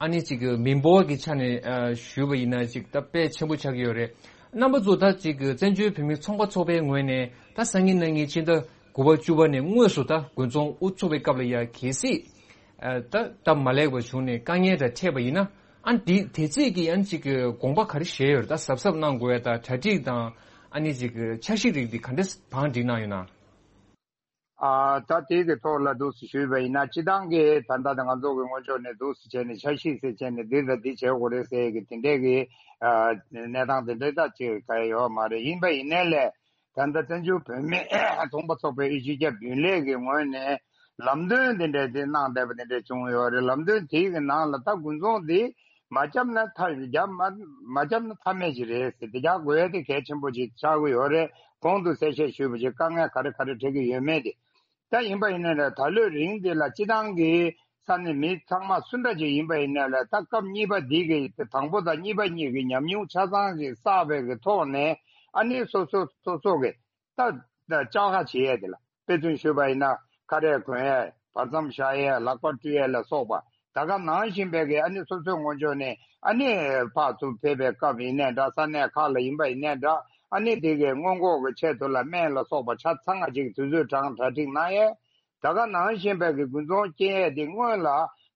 ཨ་ནི་ཅིག་མི་འབོར་གྱི་ཆ་ནས་ཨ་ཞུས་པ་ཡིན་ན་ཅིག་ད་དཔེ་ཆེན་པོ་ཆགས་ཀྱི་ཡོད་རེད། རྣམ་པ་ཚོ་ད་ཅིག་བཙན་བྱོལ་བོད་མིའི་ཚོང་པ་ཚོགས་པའི་ངོས་ནས་ད་སང་ཉིན་གནངས་ཉིན་ཕྱི་ཟླ་དགུ་པ་བཅུ་པ་ནས་དངོས་སུ་ད་དགུན་ཚོང་དབུ་ཚུགས་པའི་སྐབས་ལ་ཡ་གལ་སྲིད་ཨ་ད་ད་མ་ལེགས་པ་བྱུང་ནས་དཀའ་ངལ་འདྲ་འཕྲད་པ་ཡིན་ན། ཨ་ནི་དེ་དེ་ཚིག་གི་ཨ་ནི་ཅིག་གི་དགོངས་པ་ག་རེ་བཞེས་ཡོད་རེད། ད་གཟབ་གཟབ་གནང་དགོས་ཡ་ད་གྲ་སྒྲིག་དང་ཨ་ནི་ཅིག་གི་འཆར་གཞི་རིགས་འདི་ག་འདྲ་བང་སྒྲིག་གནང་ཡོད་ན། ཨ་ད་དེ་གི་ཐོག་ལ་འདུག་སེ་ཞུས་པ་ཡིན་ན། སྤྱི་བཏང་གི་ད་ལྟ་ང་ཚོ་གི་སྔོན་ཕྱོགས་ནས་འདུག་སེ་བྱས་ནས་འཆར་གཞི་ཟེར་བྱས་ནས་འདི་ལ་འདི་བྱེད་དགོས་རེད་ཟེར་གི་དེ་འདྲས་གི་ཨ་གནས་སྟངས་དེ་འདྲས་ད་ཅིག་ག་ཡོད་མ་རེད། ཡིན་པ་ཡིན་ནའི་ལས། ད་ལྟ་བཙན་བྱོལ་བོད་མི་ཚོང་པ་ཚོགས་པའི་དབུས་སྤྱི་ཁྱབ་རྒྱུན་ལས་ཀྱི་ངོས་ནས་ལམ་སྟོན་དེ་འདྲ་དེ་གནང་བསྡད་པ་དེ་འདྲ་བྱུང་ཡོད་རེད། ལམ་སྟོན་དེའི་གི་ནང་ལ་ད་དགུན་ཚོང་དེ་མ་བརྒྱབ་ན་ཐབས་བརྒྱབ་མ་མ་བརྒྱབ་ན་ཐབས་མེད་ཅིག་རེད་ཟེར། དེ་རྒྱག་དགོས་ཡ་དེ་གལ་ཆེན་པོ་ཅིག་ཆགས་ཀྱི་ཡོད་རེད། གོང་དུ་གསལ་བཤད་ཞུས་པ་ཅིག་དཀའ་ངལ་ག་རེ་ག་རེ་འཕྲད་ཀྱི་ཡོད་མེད་དེ། ད་ཡིན་པ་ཡིན་ན་ར་ད་ལོའི་རིང་འདི་ལ་སྤྱི་བཏང་གི་ས་གནས་མི་ཚང་མ་སུ་འདྲ་ཅིག་ཡིན་པ་ཡིན་ན་ལ་ད་སྐབས་གཉིས་པ་འདི་གི་དང་པོ་དང་གཉིས་པ་གཉིས་ཀྱི་ཉམས་མྱོང་ཆ་ཚང་ཞིག་བསགས་པའི་གི་ཐོག་ནས་ཨ་ནི་སོ་སོ་སོ་སོ་གི་ད་ད་བཅག་ཁ་བྱེད་ཡས་དེ་ལ་དཔེ་མཚོན་ཞུས་པ་ཡིན་ན་ཁ་རས་གོན་ཡས་བར་མཚམས་བཞག་ཡས་ལག་པ་བཀྲུ་ཡས་ལ་སོགས་པ་ད་ག་ནང་བཞིན་པའི་གི་ཨ་ནི་སོ་སོའི་ངོས་ཕྱོགས་ནས་ཨ་ནི་ཕར་ཚུར་ཕེབས་པའི་སྐབས་ཡིན་ནའི་འདྲ་ས་གནས་ཁག་ལ་ཡིན་པ་ཡིན་ནའི་འདྲ་ཨ་ནི་དེ་གི་སྔོན་འགོག་གི་ཆེད་དུ་ལ་སྨན་ལ་སོགས་པ་ཆ་ཚང་ང་ཅིག་དུས་ཚོད་གྲངས་གྲ་སྒྲིག་གནང་ཡས། ད་ག་ནང་བཞིན་པའི་གི་དགུན་ཚོང་སྐྱེལ་ཡས་དེ་སྔོན་ལ་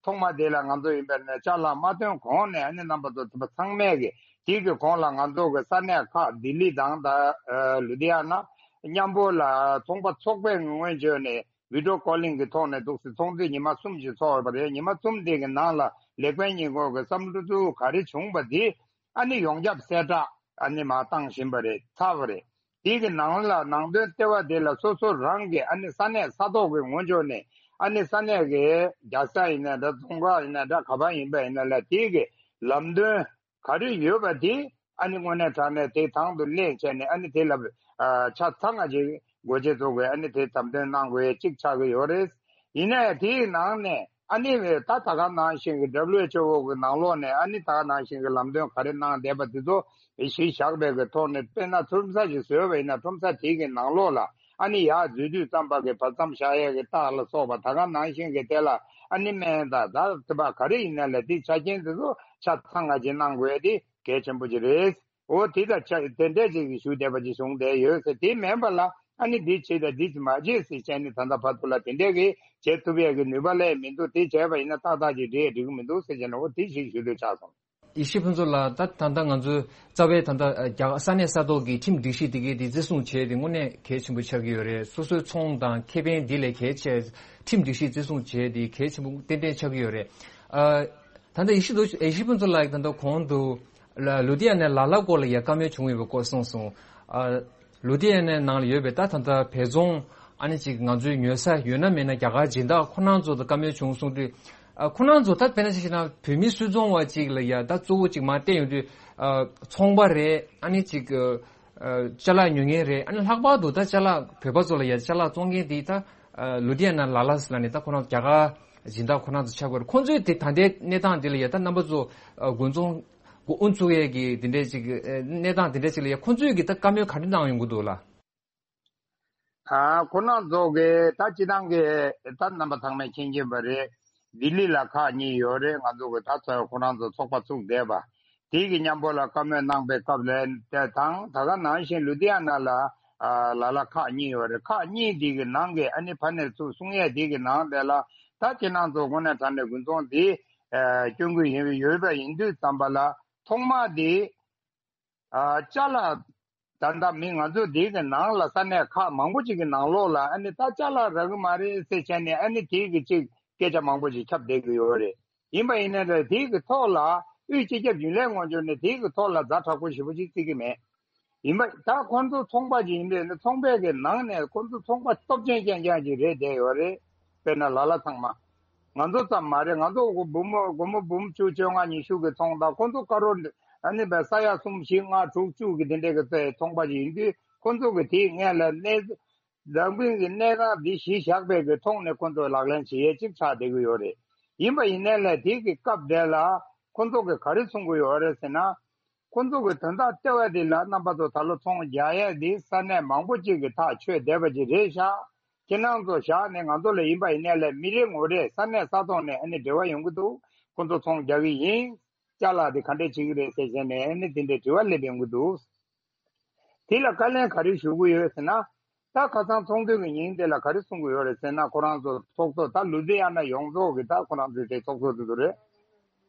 ཐོག་མ་དེ་ལ་ང་ཚོ་ཡིན་པའི་ནས་ཅ་ལག་མ་ཐོན་གོང་ནས་ཨ་ནི་རྣམ་པ་ཚོ་དེ་པ་ཚང་མས་གི་དེ་གི་གོང་ལ་ང་ཚོ་གི་ས་གནས་ཁག་ལྡི་ལི་དང་ད་ལུ་དྷི་ཡ་ན་མཉམ་པོ་ལ་ཚོང་པ་ཚོགས་པའི་ངོས་བྱོས་ནས་བི་ཌི་ཡོ་ཀོ་ལིང་གི་ཐོག་ནས་འདུག་སེ་ཚོང་རྩིས་ཉི་མ་གསུམ་ཞིག་ཚོགས་ཡོད་པ་རེད། ཉི་མ་གསུམ་དེ་གི་ནང་ལ་ལེགས་སྤེལ་ཉིན་གོང་གི་བསམ་བློ་ག་རེ་བྱུང་པ་དེ་ཨ་ནི་ཡོངས་ཁྱབ་གསལ་བསྒྲགས་ཨ་ནི་མ་བཏང་བཞིན་པ་རེད། ཚར་བ་རེད། དེ་གི་ནང་ལ་ནང་དོན་ལྟེ་བ་དེ་ལ་སོ་སོ་རང་གི་ཨ་ནི་ས་གནས་ས་ཐོག་གི་ངོས་ཕྱོགས་ནས་ཨ་ནི་ས་གནས་ཀྱི་རྒྱལ་ས་ཡིན་ན་འདྲ་རྫོང་ཁག་ཡིན་ན་འདྲ་ག་པར་ཡིན་པ་ཡིན་ན་ལ་དེ་གི་ལམ་སྟོན་ག་རེ་ཡོད་པ་དེ་ཨ་ནི་དངོས་གནས་དྲང་གནས་དེ་དང་དུ་ལེན་བྱས་ནས་ཨ་ནི་དེ་ལ་ཆ་ཚང་ང་ཅིག་སྒོ་འབྱེད་ཚོགས་དགོས། ཨ་ནི་དེ་དམ་དོན་གནང་དགོས་ཡས་གཅིག་ཆགས་ཀྱི་ཡོད་རེད། ཡིན་ན་ཡང་དེའི་ནང་ནས་ཨ་ནི་ད་ད་ག་ནང་བཞིན་གྱི་W H O གི་ནང་ལོགས་ནས་ཨ་ནི་ད་ག་ནང་བཞིན་གྱི་ལམ་སྟོན་ག་རེ་གནང་བསྡད་པ་དེ་ཚོ་གཞི་བཞག་པའི་གི་ཐོག་ནས་དཔེར་ན་ཁྲོམ་ས་ཞིག་བཟོས་པ་ཡིན་ན་ཁྲོམ་ས་དེའི་གི་ནང་ལོགས་ལ་ཨ་ནི་ཡར་འཛུལ་དུས་ཙམ་པ་གི་བར་མཚམས་བཞག་ཡས་ཀྱི་རྟགས་ལ་སོགས་པ་ད་ག་ནང་བཞིན་གྱི་དེ་ལ་ཨ་ནི་སྨན་དང་ད་དེ་པ་ག་རེ་ཡིན་ན་ལ་དེ་ཆ་རྐྱེན་དེ་ཚོ་ཆ་ཚང་ང་ཅིག་གནང་དགོས་ཡས་དེ་གལ་ཆེན་པོ་ཅིག་རེད། འོ་དེ་དང་ཆ་དེ་འདྲས་ཅིག་ཞུ་བསྡད་པ་ཅིག་བྱུང་བསྡད་ཡོད་ཟེར། དེ་མིན་པ་ལ་ཨ་ནི་འདི་བྱེད་དང་འདི་མ་བྱེད་ཟེར་བྱས་ནས་ད་ལྟ་བར་དུ་ལ་དེ་འདྲས་ཀྱི་བྱེད་ཐུབ་ཡས་ཀྱི་ནུས་པ་སླེབས་མི་འདུག་དེ་བྱས་པ་ཡིན་ན་ཏག་ཏག་ཅིག་འགྲིག་འགྲིག་གི་མི་འདུག་ཟེར་བྱས་ནས་འོ་དེ་ཞིག་ཞུ་འདོད་ཆགས་སོང་། ཡེ་ཤེས་ཕུན་ཚོགས་ལགས། ད་ད་ལྟ་ང་ཚོའི་རྩ་བའི་ད་ལྟ་རྒྱ་གར་ས་གནས་ས་ཐོག་གི་ཁྲིམས་སྒྲིག་གཞི་དེ་གའི་དེ་བརྩི་སྲུང་བྱས་ཏེ་དངོས་གནས་གལ་ཆེན་པོ་ཆགས་ཀྱི་ཡོད་རེད། སོ་སོའི་ཚོང་དང་ཁེ་ཕན་འདི་ལས་གལ་ཆེ་ཁྲིམས་སྒྲིག་གཞི་བརྩི་སྲུང་བྱས་ཏེ་གལ་ཆེན་པོ་ཏན་ཏན་ཆགས་ཀྱི་ཡོད་རེད། ཨ། ད་ལྟ་ཡེ་ཤེས་དུ་ཡེ་ཤེས་ཕུན་ཚོགས་ལགས་ད་ལྟ་གོང་དུ་ལ་ལུ་དྷི་ཡ་ནའི་ལ་ལ་སྐོར་ལ་ཡ་བཀའ་མོལ་བྱུང་ཡོད་པའི་སྐོར་གསུངས་སོང་། ཨ། ལུ་དྷི་ཡ་ནའི་ནང་ལ་ཡོད་པའི་ད་ད་ལྟ་བལ་རྫོང་ཨ་ནི་ཅིག་ང་ཚོའི་ཉོ་ས་ཡོད་ན་མེད་ན་རྒྱ་གར་སྦྱིན་བདག་ཁོ་རང་ཚོ་དང་བཀའ་མོལ་བྱུང་གསུངས་དུས། ཨ། ཁོ་རང་ཚོ་ད་དཔེར་ན་ཆ་བཞག་ན་བོད་མི་སུད་ཚོང་བ་ཅིག་ལ་ཡ་ད་གཙོ་བོ་ཅིག་མར་བསྟན་ཡོང་དུས། ཨ། ཚོང་པ་རེད། ཨ་ནི་ཅིག་ཨ། ཅ་ལག་ཉོ་མཁན་རེད། ཨ་ནི་ལྷག་པར་དུ་ད་ཅ་ལག་བོད་པ་ཚོ་ལ་ཡ་ཅ་ལག་བཙོང་མཁན་དེ་ད། ཨ། ལུ་དྷི་ཡ་ན་ལ་ལ་ཟེར་ལ་ནི་ད་ཁོ་རང་རྒྱ་གར་སྦྱིན་བདག་ཁོ་རང་ཚོ་ཆགས་ཀྱི་ཡོད་རེད། ཁོང་ཚོས་དེ་ད་ལྟའི་གནས་སྟངས་འདི་ལ་ཡ་ད་རྣམ་པ་ཚོ། ཨ། དགུན་ཚོང་དབུ་བཙུགས་ཡས་ཀྱི་དེ་འདྲས་ཅིག་ཨ། གནས་སྟངས་དེ་འདྲས་ཅིག་ལ་ཡ་ཁོང་ཚོས་ཀྱི་ད་བཀའ་མོལ་ག་རེ་གནང་ཡོང་གི་འདུག་ལ། ཨ། ཁོ་རང་ཚོ་གི་ད་སྤྱི་བཏང་གི་ད་རྣམ་པ་ཚང་མས་མཁྱེན་གྱིན་པ་རེད། ལྡི་ལི་ལ་ཁག་གཉིས་ཡོད་རེད། ང་ཚོ་གི་ད་ཚོ་ཁོ་རང་ཚོ་ཚོགས་པ་བཙུགས་བསྡད་པ། དེ་གི་མཉམ་པོ་ལ་བཀའ་མོལ་གནང་པའི་སྐབས་ལ་དེ་དང་ད་ག་ནང་བཞིན་ལུ་དྷི་ཡ་ན་ལ་ཨ། ལ་ལ་ཁག་གཉིས་ཡོད་རེད། ཁག་གཉིས་དེ་གི་ནང་གི་ཨ་ནི་ཕ་ནས་ཚུར་གསུང་ཡས་དེ་གི་ནང་དེ་ལ་ད་ཁྱེད་རང་ཚོ་དངོས་གནས་དྲང་གནས་དགུན་ཚོང་དེ་ཨ། སྐྱོན་གི་ཡིན་ཡོད་པ་ཡིན་དུས་ཙམ་པ་ལ་ཐོག་མ་དེ། ཨ། ཅ་ལག་ད་ལྟ་མི་ང་ཚོ་འདི་གི་ནང་ལ་ས་གནས་ཁག་མང་པོ་ཅིག་གི་ནང་ལོགས་ལ་ཨ་ནི་ད་ཅ་ལག་རག་གི་མ་རེད་ཟེར་བྱས་ནས་ཨ་ནི་དེ་གི་ཅིག་སྐད་ཆ་མང་པོ་ཅིག་ཁྱབ་བསྡད་ཀྱི་ཡོད་རེད། ཡིན་པ་ཡིན་ན་རེད་དེ་གི་ཐོག་ལ་དབུས་སྤྱི་ཁྱབ་རྒྱུན་ལས་ངོས་ཕྱོགས་ནས་དེ་གི་ཐོག་ལ་ཛ་དྲག་པོ་ཞེ་པོ་ཅིག་བརྩི་གི་མེད། ཡིན་པ་ད་ཁོང་ཚོ་ཚོང་པ་ཅིག་ཡིན་པས་ན་ཚོང་པའི་གི་ནང་ནས་ཁོང་ཚོ་ཚོང་པ་སྟོབས་ཆེན་རྐྱང་རྐྱང་ཅིག་རེད་བསྡད་ཡོད་རེད། དཔེར་ན་ལ་ལ་ཚང་མ། ང་ཚོ་ཙམ་མ་རེད། ང་ཚོ་སྒོར་མོ་སྒོར་མོ་འབུམ་བཅུ་བཅོ་ལྔ་ཉི་ཤུ་གི་ཚོང་དང་། ཁོ་ཚོ་ཀ་རོར་ཨ་ནི་བས་ས་ཡ་གསུམ་བཞི་ལྔ་དྲུག་བཅུ་གི་དེ་འདྲས་ཀྱི་ཚོང་པ་ཞིག་ཡིན་དུས། ཁོ་ཚོ་གི་དེའི་སྔོན་ལ་གནས་འཛམ་བུའི་གི་གནས་སྟངས་འདི་གཞི་བཞག་པའི་གི་ཐོག་ནས་ཁོ་ཚོ་ལག་ལེན་བྱེད་ཡས་ཅིག་ཆགས་བསྡད་ཀྱི་ཡོད་རེད། ཡིན་པ་ཡིན་ནའི་ལས་དེ་གི་སྐབས་དེ་ལ་ཁོ་ཚོ་གི་ག་རེ་གསུང་གི་ཡོད་རེད་ཟེར་ན། ཁོ་ཚོ་གི་དོན་དག་ལྟེ་བ་དེ་ལ་རྣམ་པ་ཚོ་ད་ལོ་ཚོང་རྒྱག་ཡས་དེ་ས་གནས་མང་པོ་ཅིག་གི་ཐག་ཆོད་བསྡད་པ་ཅིག་རེད་ཤག་ཁྱེད་རང་ཚོ་བཞག་ནས་ང་ཚོ་ལ་ཡིན་པ་ཡིན་ནའི་ལས་མི་རེ་ངོ་རེ་ས་གནས་ས་ཐོག་ནས་ཨ་ནི་འབྲེལ་བ་ཡོང་གི་འདུག་ཁོ་ཚོ་ཚོང་རྒྱག་གི་ཡིན། ཅ་ལག་དེ་ག་འདྲས་བྱེད་ཀྱི་རེད་ཟེར་བྱས་ནས་ཨ་ནི་དེ་འདྲའི་དྲི་བ་སླེབས་ཡོང་གི་འདུག་དེ་ལ་བཀའ་ལན་ག་རེ་ཞུ་གི་ཡོད་ཟེར་ན། ད་ཁ་སང་ཚོགས་འདུ་གི་ཉིན་དེ་ལ་ག་རེ་གསུང་གི་ཡོད་རེད་ཟེར་ན། ཁོ་རང་ཚོ་ཚོགས་གཙོ་ད་ལུ་ཛི་ཡ་ན་ཡོངས་རྫོགས་ཀྱི་ད་ཁོ་རང་ཚོའི་དེ་ཚོགས་གཙོ་དེ་ཚོ་རེད།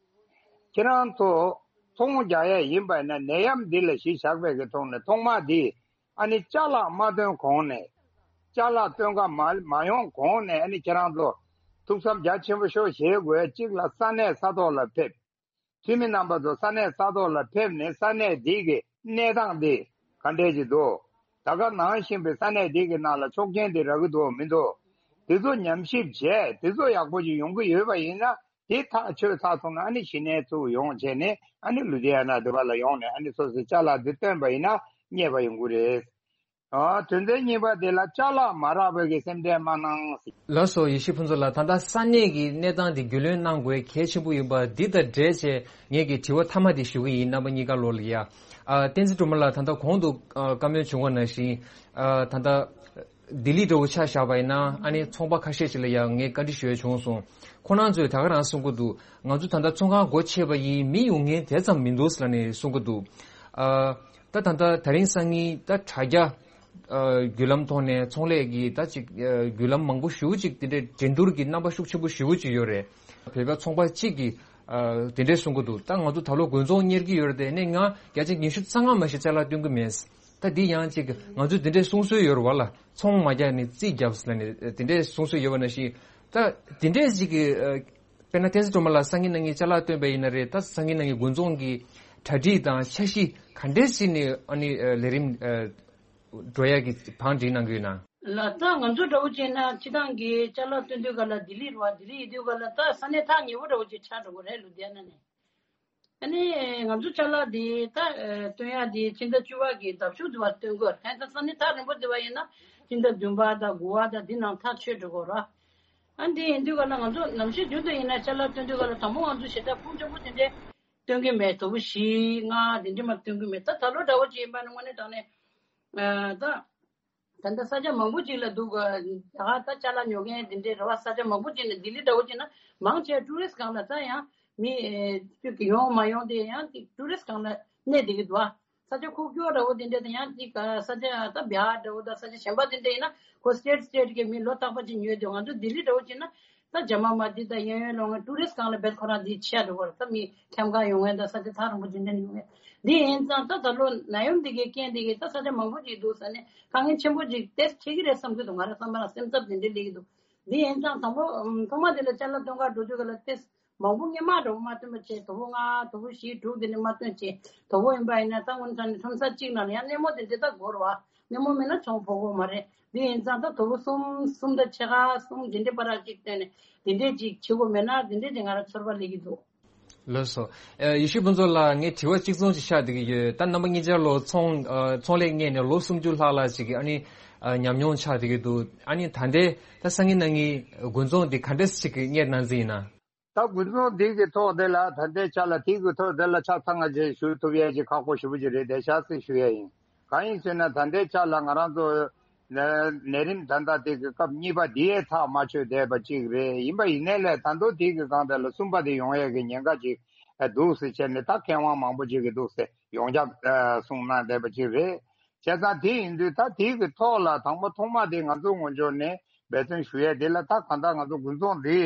ཁྱེད་རང་ཚོ་ཚོང་རྒྱག་ཡས་ཡིན་པ་ཡིན་ན་ནད་ཡམས་འདི་ལ་གཞི་བཞག་པའི་གི་ཐོག་ནས་ཐོག་མ་དེ་ཨ་ནི་ཅ་ལག་མ་བཏོན་གོང་ནས། ཅ་ལག་བཏོན་ག་མ་མ་ཡོང་གོང་ནས་ཨ་ནི་ཁྱེད་རང་ཚོ་ཐུགས་བསམ་རྒྱ་ཆེན་པོ་ཤོག་བཞེས་དགོས། གཅིག་ལ་ས་གནས་ས་ཐོག་ལ་ཕེབས། འཐུས་མི་རྣམ་པ་ཚོ་ས་གནས་ས་ཐོག་ལ་ཕེབས་ནས་ས་གནས་འདི་གི་གནས་སྟངས་འདི་ག་འདྲས་ཅིག་འདུག་ད་ག་ནང་བཞིན་པའི་ས་གནས་འདི་གི་ནང་ལ་ཆོག་མཆན་འདི་རག་གི་འདུག་མི་འདུག་དེ་ཚོ་ཉམས་ཞིབ་བྱས། དེ་ཚོ་ཡག་པོ་ཅིག་ཡོང་གི་ཡོད་པ་ཡིན་ན། དེ་ཐག་ཆོད་ཚར་སོང་ན་ཨ་ནི་གཞི་ནས་ཚུར་ཡོང་བྱས་ནས་ཨ་ནི་ལུ་དྷི་ཡ་ན་འདི་པ་ལ་ཡོང་ནས་ཨ་ནི་སོ་སོའི་ཅ་ལག་འདི་བཏོན་པ་ཡིན་ན་རྙེད་པ་ཡོང་གི་རེད། ཨ། དོན་ཚན་གཉིས་པ་དེ་ལ་ཅ་ལག་མ་རག་པའི་གི་སེམས་ཁྲལ་མ་གནང་། ལགས་སོ། ཡེ་ཤེས་ཕུན་ཚོགས་ལགས། ད་ལྟ་ས་གནས་ཀྱི་གནས་སྟངས་འདི་རྒྱུས་ལོན་གནང་དགོས་གལ་ཆེན་པོ་ཡིན་པ་འདི་དང་འབྲེལ་བྱས་ངེད་ཀྱི་དྲི་བ་མཐའ་མ་འདི་ཞུ་གི་ཡིན། རྣམ་པ་གཉིས་ཀ་ལོག་ལ་ཡ། ཨ། བསྟན་འཛིན་སྒྲོལ་མ་ལགས། ད་ལྟ་གོང་དུ་ཨ་བཀའ་མོལ་བྱུང་བ་ནང་བཞིན། ཨ། ད་ལྟ་ལྡི་ལི་འདྲ་བོ་ཆ་བཞག་པ་ཡིན་ན་ཨ་ནི་ཚོང་པ་ཁ་ཤས་ཤིག་ལ་ཡང་ངས་བཀའ་འདྲི་ཞུ་ཡ་བྱུང་སོང་། ཁོ་རང་ཚོས་ད་ག་རང་གསུང་གི་འདུག་ང་ཚོ་ད་ལྟ་ཚོང་ཁང་སྒོ་ཕྱེ་བ་ཡིན། མི་ཡོང་མཁན་དེ་ཙམ་མི་འདུག་ཟེར་ནས་གསུང་གི་འདུག་ཨ། ད་ད་ལྟ་དེ་རིང་སང་ཉིན་ད་དྲ་རྒྱ་ཨ་བརྒྱུད་ལམ་ཐོག་ནས་ཚོང་ལས་ཀྱི་ད་ཅིག་ཨ་བརྒྱུད་ལམ་མང་པོ་ཞེ་པོ་ཅིག་དེ་འདྲའི་འགྲན་བསྡུར་གྱི་རྣམ་པ་ཤུགས་ཆེན་པོ་ཞེ་པོ་ཅིག་ཡོད་རེད། བོད་པ་ཚོང་པ་གཅིག་གིས་ཨ་དེ་འདྲའི་གསུང་གི་འདུག་ད་ང་ཚོ་ད་ལོ་དགུན་ཚོང་གཉེར་གྱི་ཡོད་རེད་དེ། ནས་ང་བརྒྱ་ཆ་ཉི་ཤུ་རྩ་ལྔ་མ་ཞིག་ཅ་ལག་སྟོན་གྱི་མེད། ད་འདི་ཡང་ཅིག་ང་ཚོས་དེ་འདྲའི་གསུང་སྲོལ་ཡོད་རེད་བ་ལ། ཚོང་མ་རྒྱག་ནས་རྩིས་རྒྱབ་ཟེར་ནས་དེ་འདྲའི་གསུང་སྲོལ་ཡོད་པ་ནང་བཞིན། ད་དེ་འདྲའི་ཅིག་གི་ཨ་དཔེར་ན་བསྟན་འཛིན་སྒྲོལ་མ་ལགས་སང་ཉིན་གནངས་ཉིན་ཅ་ལག་སྟོན་པ་ཡིན་ན་རེད། ད་སང་ཉིན་གནངས་ཉིན་དགུན་ཚོང་གི་གྲ་སྒྲིག་དང་འཆར་གཞི་ག་འདྲས་བྱས་ནས་ཨ་ནི་ཨ་ལས་རིམ་ཨ་འགྲོ་ཡག་གི་བང་སྒྲིག་གནང་གི་ཡོད་ན། ལགས། ད་ང་ཚོ་འདྲ་བོ་བྱས་ན་སྤྱིར་བཏང་གི་ཅ་ལག་སྟོན་དུས་ག་ལ་ལྡི་ལི་རེད་བ། ལྡི་ལི་ཡིན་དུས་ག་ལ་ད་ས་གནས་ཐག་ཉེ་བོ་འདྲ་བོ་ཅིག་ཆགས་འགྲོ་གི་རེད། ལུ་དྷི་ཡ་ན་ནས། ཨ་ནི་ང་ཚོ་ཅ་ལག་འདི་ད་ཨ་སྟོན་ཡག་འདི་ཕྱི་ཟླ་བཅུ་པ་གི་ཟླ་མཇུག་འདི་བར་སྟོན་དགོས། ཧན། ད་ས་གནས་ཐག་རིང་པོ་འདི་བ་ཡིན་ན་ཕྱི་ཟླ་བདུན་པ་དང་དགུ་པ་དང་འདི་ནང་ཐག་ཆོད་འགྲོ་དགོས་ར། ཨ་འདི་ཡིན་དུས་ག་ལ་ང་ཚོ་ནམ་ཞིག་རྒྱུན་དུ་ཡིན་ན་ཅ་ལག་སྟོན་དུས་ག་ལ་དང་པོ་ང་ཚོ་ཞེ་དྲག་ཕུང་ཆེན་པོ་དེ་འདྲས་སྟོན་གྱི་མེད། དོ་པོ་བཞི་ལྔ་དེ་འདྲས་མ་སྟོན་གྱི་མེད། ད་ད་ལོ་འདྲ་བོ་ཅིག་ཡིན་པ་ནི་དངོས་གནས་དྲང་གནས་ཨ་ད། ད་ལྟ་ས་ཆ་མང་པོ་ཅིག་ལ་འདུག་ག་ད་ད་ཅ་ལག་ཉོ་མཁན་དེ་འདྲའི་རེད་བ། ས་ཆ་མང་པོ་ཅིག་ནས་ལྡི་ལི་འདྲ་བོ་ཅིག་ན་མང་ཆེ་ཊུ་རི་སི་སྒང་ལ་ད་ཡང་མི་ཨེ་ཡོང་མ་ཡོང་དེ་ཡང་ཊུ་རི་སི་སྒང་ལ་གནས་བསྡད་ཀྱི་འདུག་ཨ། ས་ཆ་ཁུག་ཀྱོག་འདྲ་བོ་དེ་འདྲ་དང་ཡང་ཅིག་ས་ཆ་ད་བྱཱར་འདྲ་བོ་དང་ས་ཆ་གཞན་པ་དེ་འདྲ་ཡིན་ན་ཁོ་སི་ཊེཊ་སི་ཊེཊ་གི་མི་ལོ་རྟག་པ་ཅིག་ཉོས་འདུག་ང་ཚོ་ལྡི་ལི་འདྲ་བོ་ཅིག་ན། ད་རྒྱ་མ་མ་འདི་ད་ཡང་ཡང་ལོང་ང་ཊུ་རི་སི་སྒང་ལ་རྦད་ཁོ་རང་འདི་ཆེ་འགྲོ་བར་ད་མི་ཁྱམས་ཁ་ཡོང་མཁན་ད་ས་ཆ་ཐག་རིང་པོ་འདི་འདྲ་ཡོང་མཁན་འདི་ཡིན་ཙང་ད་ད་ལོ་ནད་ཡམས་འདི་གའི་རྐྱེན་འདི་གིས་ད་ས་ཆ་མང་པོ་ཅིག་འདུག་ས་ནས་དཀའ་ངལ་ཆེན་པོ་ཅིག་དེ་འཕྲད་ཀྱི་རེད་བསམ་གྱི་འདུག་ང་རང་བསམ་པ་ལ་སེམས་འཚབ་འདི་འདྲ་སླེབས་ཀྱི་འདུག་འདི་ཡིན་ཙང་དང་པོ་ཐོག་མ་འདི་ལ་ཅ་ལག་སྟོན་ག་འགྲོ་དུས་ག་ལ་ཏེ་མང་པོ་སྔོན་མ་འདྲ་བོ་མ་སྟོན་པ་བྱས། དོ་པོ་ལྔ་དོ་པོ་བཞི་དྲུག་འདི་འདྲ་མ་སྟོན་བྱས། དོ་པོ་ཡིན་པ་ཡིན་ན་ད་སྔོན་ས་ནས་ཁྲོམ་ས་གཅིག་ནང་ལ་ཡང་སྣེ་མོ་འདི་འདྲ་ད་དགོས་རེད་བ། སྣེ་མོ་མེད་ན་ཚོང་ཕོག་གི་མ་རེད། འདི་ཡིན་ཙང་ད་དོ་པོ་གསུམ་གསུམ་དང་ཕྱེད་ཀ་གསུམ་འདི་འདྲའི་བར་གཅིག་བཏོན་ནས་འདི་འདྲའི་ཅིག་བྱེད་དགོས་མེད་ན་འདི་འདྲའི་ཅིག་ང་རང་ཚོར་བ་སླེབས་ཀྱི་འདུག་ལགས་སོ། ཨ། ཡེ་ཤེས་ཕུན་ཚོགས་ལགས། ངས་དྲི་བ་གཅིག་མཚུངས་ཅིག་ཆགས་བསྡད་ཀྱི་ཡོད། ད་རྣམ་པ་གཉིས་ཆར་ལོ་ཚོང་ཨ། ཚོང་ལས་གཉེར་ནས་ལོ་སུམ་ཅུ་ལྷག་ལྷག་ཅིག་གི་ཨ་ནི་ཨ། ཉམས་མྱོང་ཆགས་བསྡད་ཀྱི་འདུག་ཨ་ནི་ད་ལྟའི་ད་སང་ཉིན་གནངས་ཉིན་དགུན་ཚོང་འདི་ག་འདྲས་ཅིག་གཉེར་གནང་རྩིས་ཡིན་ན། ད་དགུན་ཚོང་འདི་གི་ཐོག་དེ་ལ་ད་ལྟའི་ཆ་ལ་དེ་གི་ཐོག་དེ་ལ་ཆ་ཚང་ང་ཅིག་ཞུ་ཐུབ་ཡས་ཅིག་ཁག་པོ་ཞེ་པོ་ཅིག་རེད་བསྡད་ཤག་ཟེར་ཞུ་ཡས་ཡིན། གང་ཡིན་ཟེར་ན་ད་ལྟའི་ཆ་ལ་ང་རང་ཚོ་ནད་རིམས་ད་ལྟ་དེ་གི་སྐབས་གཉིས་པ་དེའི་ཐག་མ་ཆོད་བསྡད་པ་ཅིག་རེད། ཡིན་པ་ཡིན་ནའི་ལས་ད་དུང་དེ་གི་སྒང་དེ་ལ་གསུམ་པ་དེ་ཡོང་ཡས་ཀྱི་ཉེན་ཁ་ཅིག་འདུག་ཟེར་བྱས་ནས་ད་མཁས་དབང་མང་པོ་ཅིག་གིས་འདུག་ཟེར་ཡོངས་ཁྱབ་གསུངས་གནང་བསྡད་པ་ཅིག་རེད། བྱས་ཙང་དེ་ཡིན་དུས་ད་དེ་གི་ཐོག་ལ་དང་པོ་ཐོག་མ་དེ་ང་ཚོ་ངོས་ཕྱོགས་ནས་འབད་བརྩོན་ཞུ་ཡས་དེ་ལ་ད་གང་ལྟར་ང་ཚོ་དགུན་ཚོང་འདི།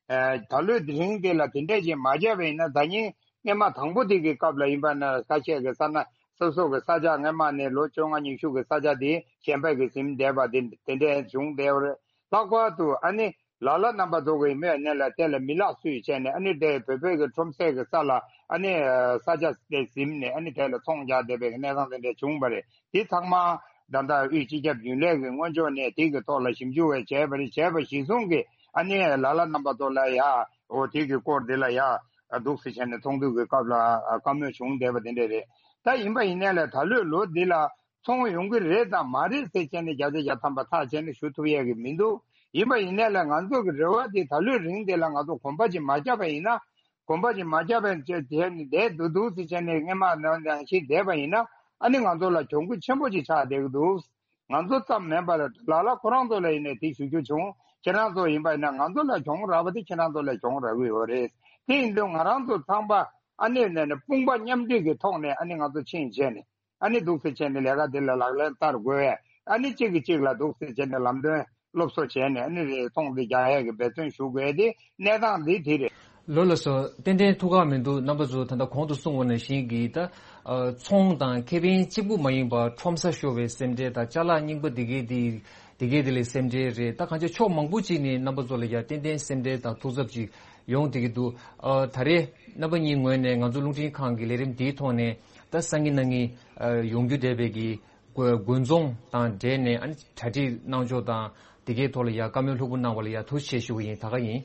ཨ། ད་ལོའི་དེ་རིང་དེ་ལ་དེ་འདྲས་ཅིག་མ་བརྒྱབ་པ་ཡིན་ན་ད་ཉིན་སྔོན་མ་དང་པོ་དེ་གི་སྐབས་ལ་ཡིན་པ་ན་ཁ་ཤས་ཀྱི་ས་ན་སོ་སོ་གི་ས་ཆ་སྔོན་མ་ནས་ལོ་བཅོ་ལྔ་ཉི་ཤུ་གི་ས་ཆ་དེ་གཞན་པ་གི་ཟིན་བསྡད་པ་དེ་དེ་འདྲས་བྱུང་བསྡད་པ་རེད། ལྷག་པར་དུ་ཨ་ནི་ལ་ལ་རྣམ་པ་ཚོ་གི་མོས་གནས་ལ་དེ་ལ་མི་ལག་སུས་བྱས་ནས་ཨ་ནི་དེ་བོད་པའི་གི་ཁྲོམ་སའི་གི་ས་ལ་ཨ་ནི་ས་ཆ་དེ་ཟིན་ནས་ཨ་ནི་དེ་ལ་ཚོང་རྒྱག་བསྡད་པའི་གི་གནས་སྟངས་དེ་འདྲས་བྱུང་བ་རེད། དེ་ཚང་མ་ད་ལྟ་དབུས་སྤྱི་ཁྱབ་རྒྱུན་ལས་ཀྱི་སྔོན་ཕྱོགས་ནས་དེ་གི་ཐོག་ལ་ཞིབ་འཇུག་བས་བྱས་པ་རེད། བྱས་པ་གཞིར་བཟུང་གི་ ཨ་ནི་ལ་ལ་རྣམ་པ་ཚོ་ལ་ཡ་འོ་དེ་གི་སྐོར་དེ་ལ་ཡ་འདུག་སེ་བྱས་ནས་ཚོགས་འདུ་གི་སྐབས་ལ་བཀའ་མོལ་བྱུང་བསྡད་པ་དེ་འདྲ་རེད། ད་ཡིན་པ་ཡིན་ནའི་ལ་ད་ལོའི་ལོ་འདི་ལ་ཚོང་ཡོང་གི་རེད་དང་མ་རེད་ཟེར་བྱས་ནས་བརྒྱ་ཆ་བརྒྱ་ཐམ་པ་ཐག་བཅད་ནས་ཞུ་ཐུབ་ཡས་ཀྱི་མི་འདུག་ཡིན་པ་ཡིན་ནའི་ལ་ང་ཚོ་གི་རེ་བ་དེ་ད་ལོའི་རིང་དེ་ལ་ང་ཚོ་གོམ་པ་ཅིག་མ་བརྒྱབ་པ་ཡིན་ན། གོམ་པ་ཅིག་མ་བརྒྱབ་པ་བྱས་བྱས་ནས་བསྡད་འདུག་འདུག་ཟེར་བྱས་ནས་སྔས་མ་ནང་ནང་བཞིན་བསྡད་པ་ཡིན་ན་ཨ་ནི་ང་ཚོ་ལ་གྱོང་གུད་ཆེན་པོ་ཅིག་ཆགས་བསྡད་ཀྱི་འདུག་ང་ཚོ་ཙམ་མིན་པར་ལ་ལ་ཁོ་རང་ཚོ་ལ་ཡིན་ནས་དེ་ཞུ་རྒྱུ་བྱུང་། ཁྱེད་རང་ཚོ་ཡིན་པ་ཡིན་ན་ང་ཚོ་ལ་གྱོང་རག་པ་དེ་ཁྱེད་རང་ཚོ་ལ་གྱོང་རག་གི་ཡོད་རེད། དེ་ཡིན་དུས་ང་རང་ཚོ་ཚང་མ་ཨ་ནི་ནས་ནས་དཔུང་པ་མཉམ་འབྲེལ་གྱི་ཐོག་ནས་ཨ་ནི་ང་ཚོ་ཕྱིན་བྱས་ནས། ཨ་ནི་འདུག་སེ་བྱས་ནས་ལས་ཀ་འདི་ལ་ལག་ལེན་བསྟར་དགོས། ཨ་ནི་གཅིག་གིས་གཅིག་ལ་འདུག་སེ་བྱས་ནས་ལམ་སྟོན་སློབ་གསོ་བྱས་ནས་ཨ་ནི་རེད་ཚོང་འདི་རྒྱག་ཡས་ཀྱི་འབད་བརྩོན་ཞུ་དགོས་ཏེ་གནས་སྟངས་འདི་དེ་རེད། ལོ་ལ་སོ་ཏན་ཏན་ཐུགས་ཁག་མི་འདུག་རྣམ་པ་ཚོ་ད་ལྟ་གོང་དུ་གསུངས་པ་ནང་བཞིན་གྱི་ད་ཚོང་དང་ཁེ་ཕན་གཅིག་པུ་མ་ཡིན་པར་ཁྲོམ་ས་ཤོར་བའི་སེམས་ཁྲལ་དང་ཅ་ལག་རྙིང་པ་འདི་གས་འདི་འདི་གས་འདི་ལས་སེམས་ཁྲལ་རེད། ད་གང་ཅི་ཕྱོགས་མང་པོ་ཅིག་ནས་རྣམ་པ་ཚོ་ལ་ཡ་ཏན་ཏན་སེམས་ཁྲལ་དང་ཐུགས་འཚབ་ཅིག་ཡོང་བསྡད་ཀྱི་འདུག་ཨ་ད་རེས་རྣམ་པ་གཉིས་ངོས་ནས་ང་ཚོ་རླུང་འཕྲིན་ཁང་གི་ལས་རིམ་འདིའི་ཐོག་ནས་ད་སང་ཉིན་གནངས་ཉིན་ཨ་ཡོང་རྒྱུ་བསྡད་པའི་གི་དགོས་དགོས་འཛོང་དང་འབྲེལ་ནས་ཨ་ནི་གྲ་སྒྲིག་གནང་ཕྱོགས་དང་དེ་གའི་ཐོག་ལ་ཡ་བཀའ་མོལ་ལྷུག་པོ་གནང་བ་ལ་ཡ་ཐུགས་རྗེ་ཆེ་ཞུ་གི་ཡིན། ད་ག་ཡིན།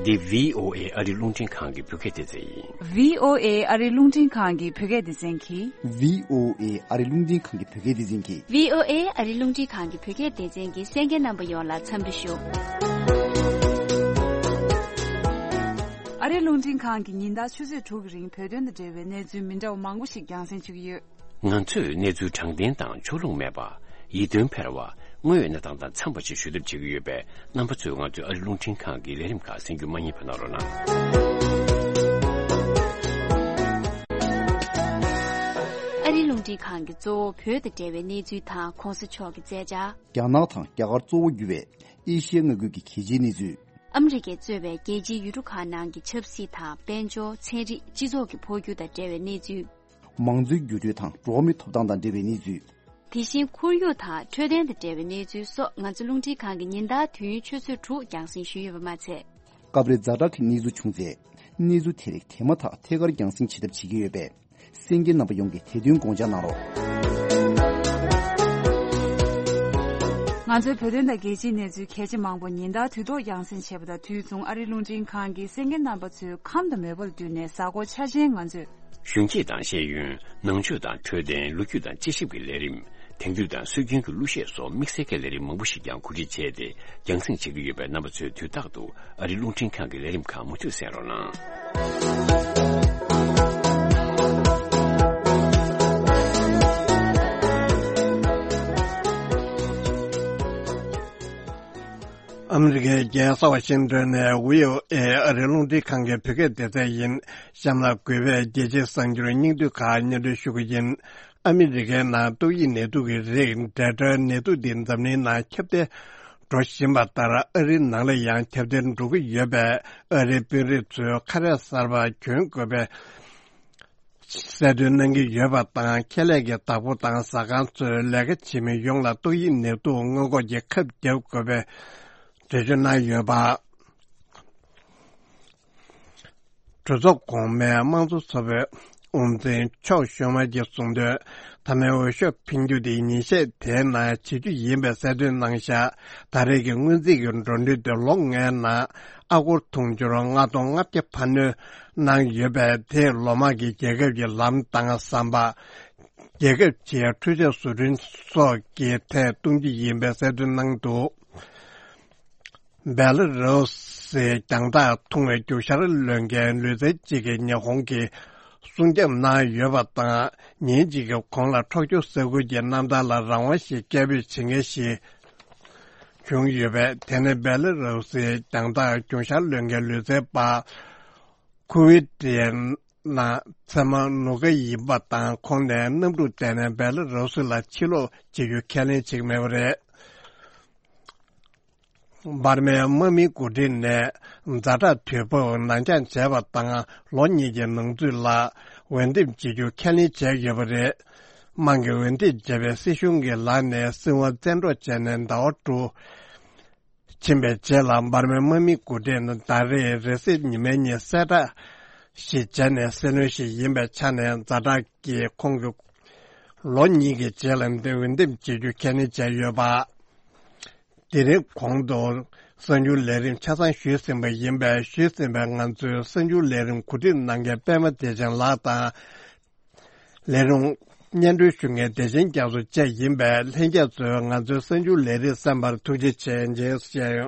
འདི་བྷི་ཨོ་ཨེ་ཨ་རི་རླུང་འཕྲིན་ཁང་གི་བོད་སྐད་སྡེ་ཚན་ཡིན། བྷི་ཨོ་ཨེ་ཨ་རི་རླུང་འཕྲིན་ཁང་གི་བོད་སྐད་སྡེ་ཚན་གྱིས། བྷི་ཨོ་ཨེ་ཨ་རི་རླུང་འཕྲིན་ཁང་གི་བོད་སྐད་སྡེ་ཚན་གྱིས། བྷི་ཨོ་ཨེ་ཨ་རི་རླུང་འཕྲིན་ཁང་གི་བོད་སྐད་སྡེ་ཚན་གྱི་གསན་མཁན་རྣམ་པ་ཡོངས་ལ་འཚམས་འདྲི་ཞུ། ཨ་རི་རླུང་འཕྲིན་ཁང་གིས་ཉིན་ལྟར་ཆུ་ཚོད་དྲུག་གི་རིང་བོད་དོན་དང་འབྲེལ་བའི་གནས་ཚུལ་མི་འདྲ་བ་མང་པོ་ཞིག་རྒྱང་སྲིང་ཞུ་གི་ཡོད། ང་ཚོས་གནས་ཚུལ་དྲང་བདེན་དང་ཕྱོགས་ལྷུང་མེད་པ། ཡིད་རྟོན་འཕེར་བ། དངོས་ཡོད་གནས་སྟངས་དང་འཚམས་པ་ཞིག་ཞུ་ཐབས་བྱེད་ཀྱི་ཡོད་པས་རྣམ་པ་ཚོས་ང་ཚོའི་ཨ་རི་རླུང་འཕྲིན་ཁང་གི་ལས་རིམ་ཁག་གསན་རྒྱུ་མ་བསྙེལ་བ་གནང་རོགས་གནང་། ཨ་རི་རླུང་འཕྲིན་ཁང་གི་གཙོ་བོ་བོད་དང་འབྲེལ་བའི་གནས་ཚུལ་དང་གོང་ས་མཆོག་གི་མཛད་འཆར། རྒྱ་ནག་དང་རྒྱ་གར་གཙོ་བོ་གྱུར་བའི་ཨེ་ཤི་ཡའི་མངའ་ཁུལ་གྱི་གལ་ཆེའི་གནས་ཚུལ། ཨ་མི་རི་ཀས་གཙོས་པའི་རྒྱལ་སྤྱིའི་ཡུལ་གྲུ་ཁག་ནང་གི་ཆབ་སྲིད་དང་དཔལ་འབྱོར། ཚན་རིག་སྤྱི་ཚོགས་ཀྱི་འཕོ་འགྱུར་དང་འབྲེལ་བའི་གནས་ཚུལ། མང་གཙོའི་འགྱུར་འགྲོས་དང་འགྲོ་བ་མིའི་ཐོབ་ཐང་དང་འབྲེལ་བའི་གནས་ཚུལ། དེ་བཞིན་ཁོར་ཡུག་དང་འཕྲོད་བསྟེན་དང་འབྲེལ་བའི་གནས་ཚུལ་སོགས་ང་ཚོ་རླུང་འཕྲིན་ཁང་གིས་ཉིན་ལྟར་དུས་ཡུན་ཆུ་ཚོད་དྲུག་རྒྱང་སྲིང་ཞུས་ཡོད་པ་མ་ཚད། སྐབས་རེ་ཛ་དྲག་གི་གནས་ཚུལ་བྱུང་ཚེ། གནས་ཚུལ་དེ་རིགས་དེ་མ་ཐག་ཐད་ཀར་རྒྱང་སྲིང་བྱེད་ཐབས་བྱེད་ཀྱི་ཡོད་པས། གསན་མཁན་རྣམ་པ་ཡོངས་ཀྱིས་དེ་དོན་དགོངས་འཇགས་གནང་རོགས། ང་ཚོའི་བོད་དོན་དང་རྒྱལ་སྤྱིའི་གནས་ཚུལ་གལ་ཆེ་མང་པོ་ཉིན་ལྟར་དུས་ཐོག་རྒྱང་སྲིང་བྱེད་པ་དང་དུས་མཚུངས་ཨ་རིའི་རླུང་འཕྲིན་ཁང་གིས་གསན་མཁན་རྣམ་པ་ཚོའི་ཁམས་དང་མོས་པ་ལ་བསྟུན་ནས་གཟའ་འཁོར་འཆར་ཅན་ང་ཚོས། གཞོན་སྐྱེས་དང་ཤེས་ཡོན། ནང་ཆོས་དང་འཕྲོད་བསྟེན། ལོ་རྒྱུས་དང་དཔྱད་ཞིབ་ཀྱི་ལས་རིམ། དེང་དུས་དང་སྲོལ་རྒྱུན་གྱི་གླུ་གཞས་སོགས་དམིགས་བསལ་གྱི་ལས་རིམ་མང་པོ་ཞིག་ཀྱང་གོ་སྒྲིག་བྱས་ཏེ་རྒྱང་སྲིང་བྱེད་ཀྱི་ཡོད་པས་རྣམ་པ་ཚོས་དུས་རྟག་ཏུ་ཨ་རིའི་རླུང་འཕྲིན་ཁང་གི་ལས་རིམ་ཁག་མུ་མཐུད་གསན་རོགས་གནང་། ཨ་མི་རི་ཀའི་རྒྱལ་ས་ཝ་ཤིང་ཏོན་ནས་བྷི་ཨོ་ཨེ་ཨ་རིའི་རླུང་འཕྲིན་ཁང་གི་བོད་སྐད་སྡེ་ཚན་ཡིན། གཤམ་ལ་གུས་པས་རྒྱལ་སྤྱིའི་གསར་འགྱུར་སྙིང་བསྡུས་ཁག་སྙན་སྒྲོན་ཞུ་གི་ཡིན། ཨ་མི་རི་ཀའི་ནང་ཏོག་དབྱིབས་ནད་དུག་གི་རིགས་ཌེལ་ཊ་ནད་དུག་འདི་འཛམ་གླིང་ནང་ཁྱབ་གདལ་འགྲོ་བཞིན་པ་ལྟར་ཨ་རིའི་ནང་ལ་ཡང་ཁྱབ་གདལ་འགྲོ་གི་ཡོད་པས་ཨ་རིའི་དཔོན་རིགས་ཚོས་ཁ་རས་གསར་པ་གྱོན་དགོས་པའི་གསལ་སྟོན་གནང་གི་ཡོད་པ་དང་། ཁེ་ལས་ཀྱི་བདག་པོ་དང་ཟ་ཁང་ཚོས་ལས་ཀ་བྱེད་མི་ཡོངས་ལ་ཏོག་དབྱིབས་ནད་དུག་སྔོན་འགོག་གི་ཁབ་བརྒྱབ་དགོས་པའི་འགྲེལ་བརྗོད་གནང་ཡོད་པ། གྲོས་ཚོགས་གོང་མའི་དམངས་གཙོ་ཚོགས་པའི་དབུ་འཛིན་ཆོག་ཤུ་མ་གྱིས་གསུངས་དོན། མཐའ་མའི་འོས་ཤོག་འཕེན་རྒྱུ་དེ་ཉིན་ཤས་དེའི་ནང་བྱེད་རྒྱུ་ཡིན་པའི་གསལ་སྟོན་གནང་བཞག་ད་རེས་ཀྱི་སྔོན་རྩིས་ཀྱི་འགྲོ་གྲོན་དེ་ལོ་ལྔའི་ནང་ཨ་སྒོར་དུང་ཕྱུར་ལྔ་སྟོང་ལྔ་བརྒྱ་འཕར་སྣོན་གནང་ཡོད་པས། དེས་ལོ་མང་གི་རྒྱལ་ཁབ་ཀྱི་ལམ་དང་ཟམ་པ། རྒྱལ་ཁབ་ཀྱི་འཕྲུལ་ཆས་བཟོ་སྐྲུན་སོགས་ཀྱི་ཐད་གཏོང་རྒྱུ་ཡིན་པའི་གསལ་སྟོན་གནང་འདུག་བེ་ལ་རུ་སིའི་རྒྱང་ཐག་ཐུང་བའི་རྒྱུག་ཤར་ལོན་མཁན་ལུས་རྩལ་ཅིག་གིས་ཉི་ཧོང་གི་སྲུང་སྐྱོབ་གནང་ཡོད་པ་དང་། ཉིན་གཅིག་གི་གོང་ལ་ཁྲོ་ཆུ་ས་ཁུལ་གྱི་གནམ་ཐང་ལ་རང་དབང་ཞིག་སྐད་འབོད་བྱེད་མཁན་ཞིག་བྱུང་ཡོད་པས། དེ་ནི་བེ་ལ་རུ་སིའི་རྒྱང་ཐག་རྒྱུག་ཤར་ལོན་མཁན་ལུས་རྩལ་པ་ཁུ་ཝི་ཏི་ཡན་ན་ཚེ་མ་ནུ་ཀ་ཡིན་པ་དང་། ཁོང་ནས་གནམ་གྲུ་བསྡད་ནས་བེ་ལ་རུ་སི་ལ་ཕྱིར་ལོག་བྱེད་རྒྱུ་ཁས་ལེན་བྱེད་ཀྱི་མེད་པ་རེད། འབར་མའི་དམག་མིའི་འགོ་ཁྲིད་ནས་ཛ་དྲག་དུས་བབ་ནང་འགྱངས་བྱས་པ་དང་། ལོ་གཉིས་ཀྱི་ནང་ཚུད་ལ་འོས་འདེམས་བྱེད་རྒྱུ་ཁས་ལེན་བྱས་ཡོད་པ་རེད། དམངས་ཀྱི་འོས་འདེམས་བྱས་པའི་སྲིད་གཞུང་གི་ལག་ནས་སྲིད་དབང་བཙན་འཕྲོག་བྱས་ནས་ཟླ་བ་དྲུག་ཕྱིན་པའི་རྗེས་ལ། འབར་མའི་དམག་མིའི་འགོ་ཁྲིད་ནི་ཟླ་རེའི་རེས་གཟའ་ཉི་མའི་ཉིན་གསལ་བསྒྲགས་ཤིག་བྱས་ནས་གསལ་ལོས་ཤིག་ཡིན་པའི་ཆ་ནས། ཛ་དྲག་གིས་ཁོང་གི་ལོ་གཉིས་ཀྱི་རྗེས་ལ་འདི་འོས་འདེམས་བྱེད་རྒྱུ་ཁས་ལེན་བྱས་ཡོད་པ། དེ་རིང་གོང་དུ་གསར་འགྱུར་ལས་རིམ་ཆ་ཚང་ཞུས་ཟིན་པ་ཡིན་པས། ཞུས་ཟིན་པའི་ང་ཚོའི་གསར་འགྱུར་ལས་རིམ་གོ་སྒྲིག་གནང་མཁན་པད་མ་བདེ་ཆེན་ལགས་དང་། ལས་རིམ་སྙན་སྒྲོན་ཞུ་མཁན་བདེ་ཆེན་རྒྱ་མཚོ་བཅས་ཡིན་པས། ལྷན་རྒྱས་ཚོས་ང་ཚོའི་གསར་འགྱུར་ལས་རིམ་གསན་པར་ཐུགས་རྗེ་ཆེ། རྗེས་སུ་མཇལ་ཡོང་།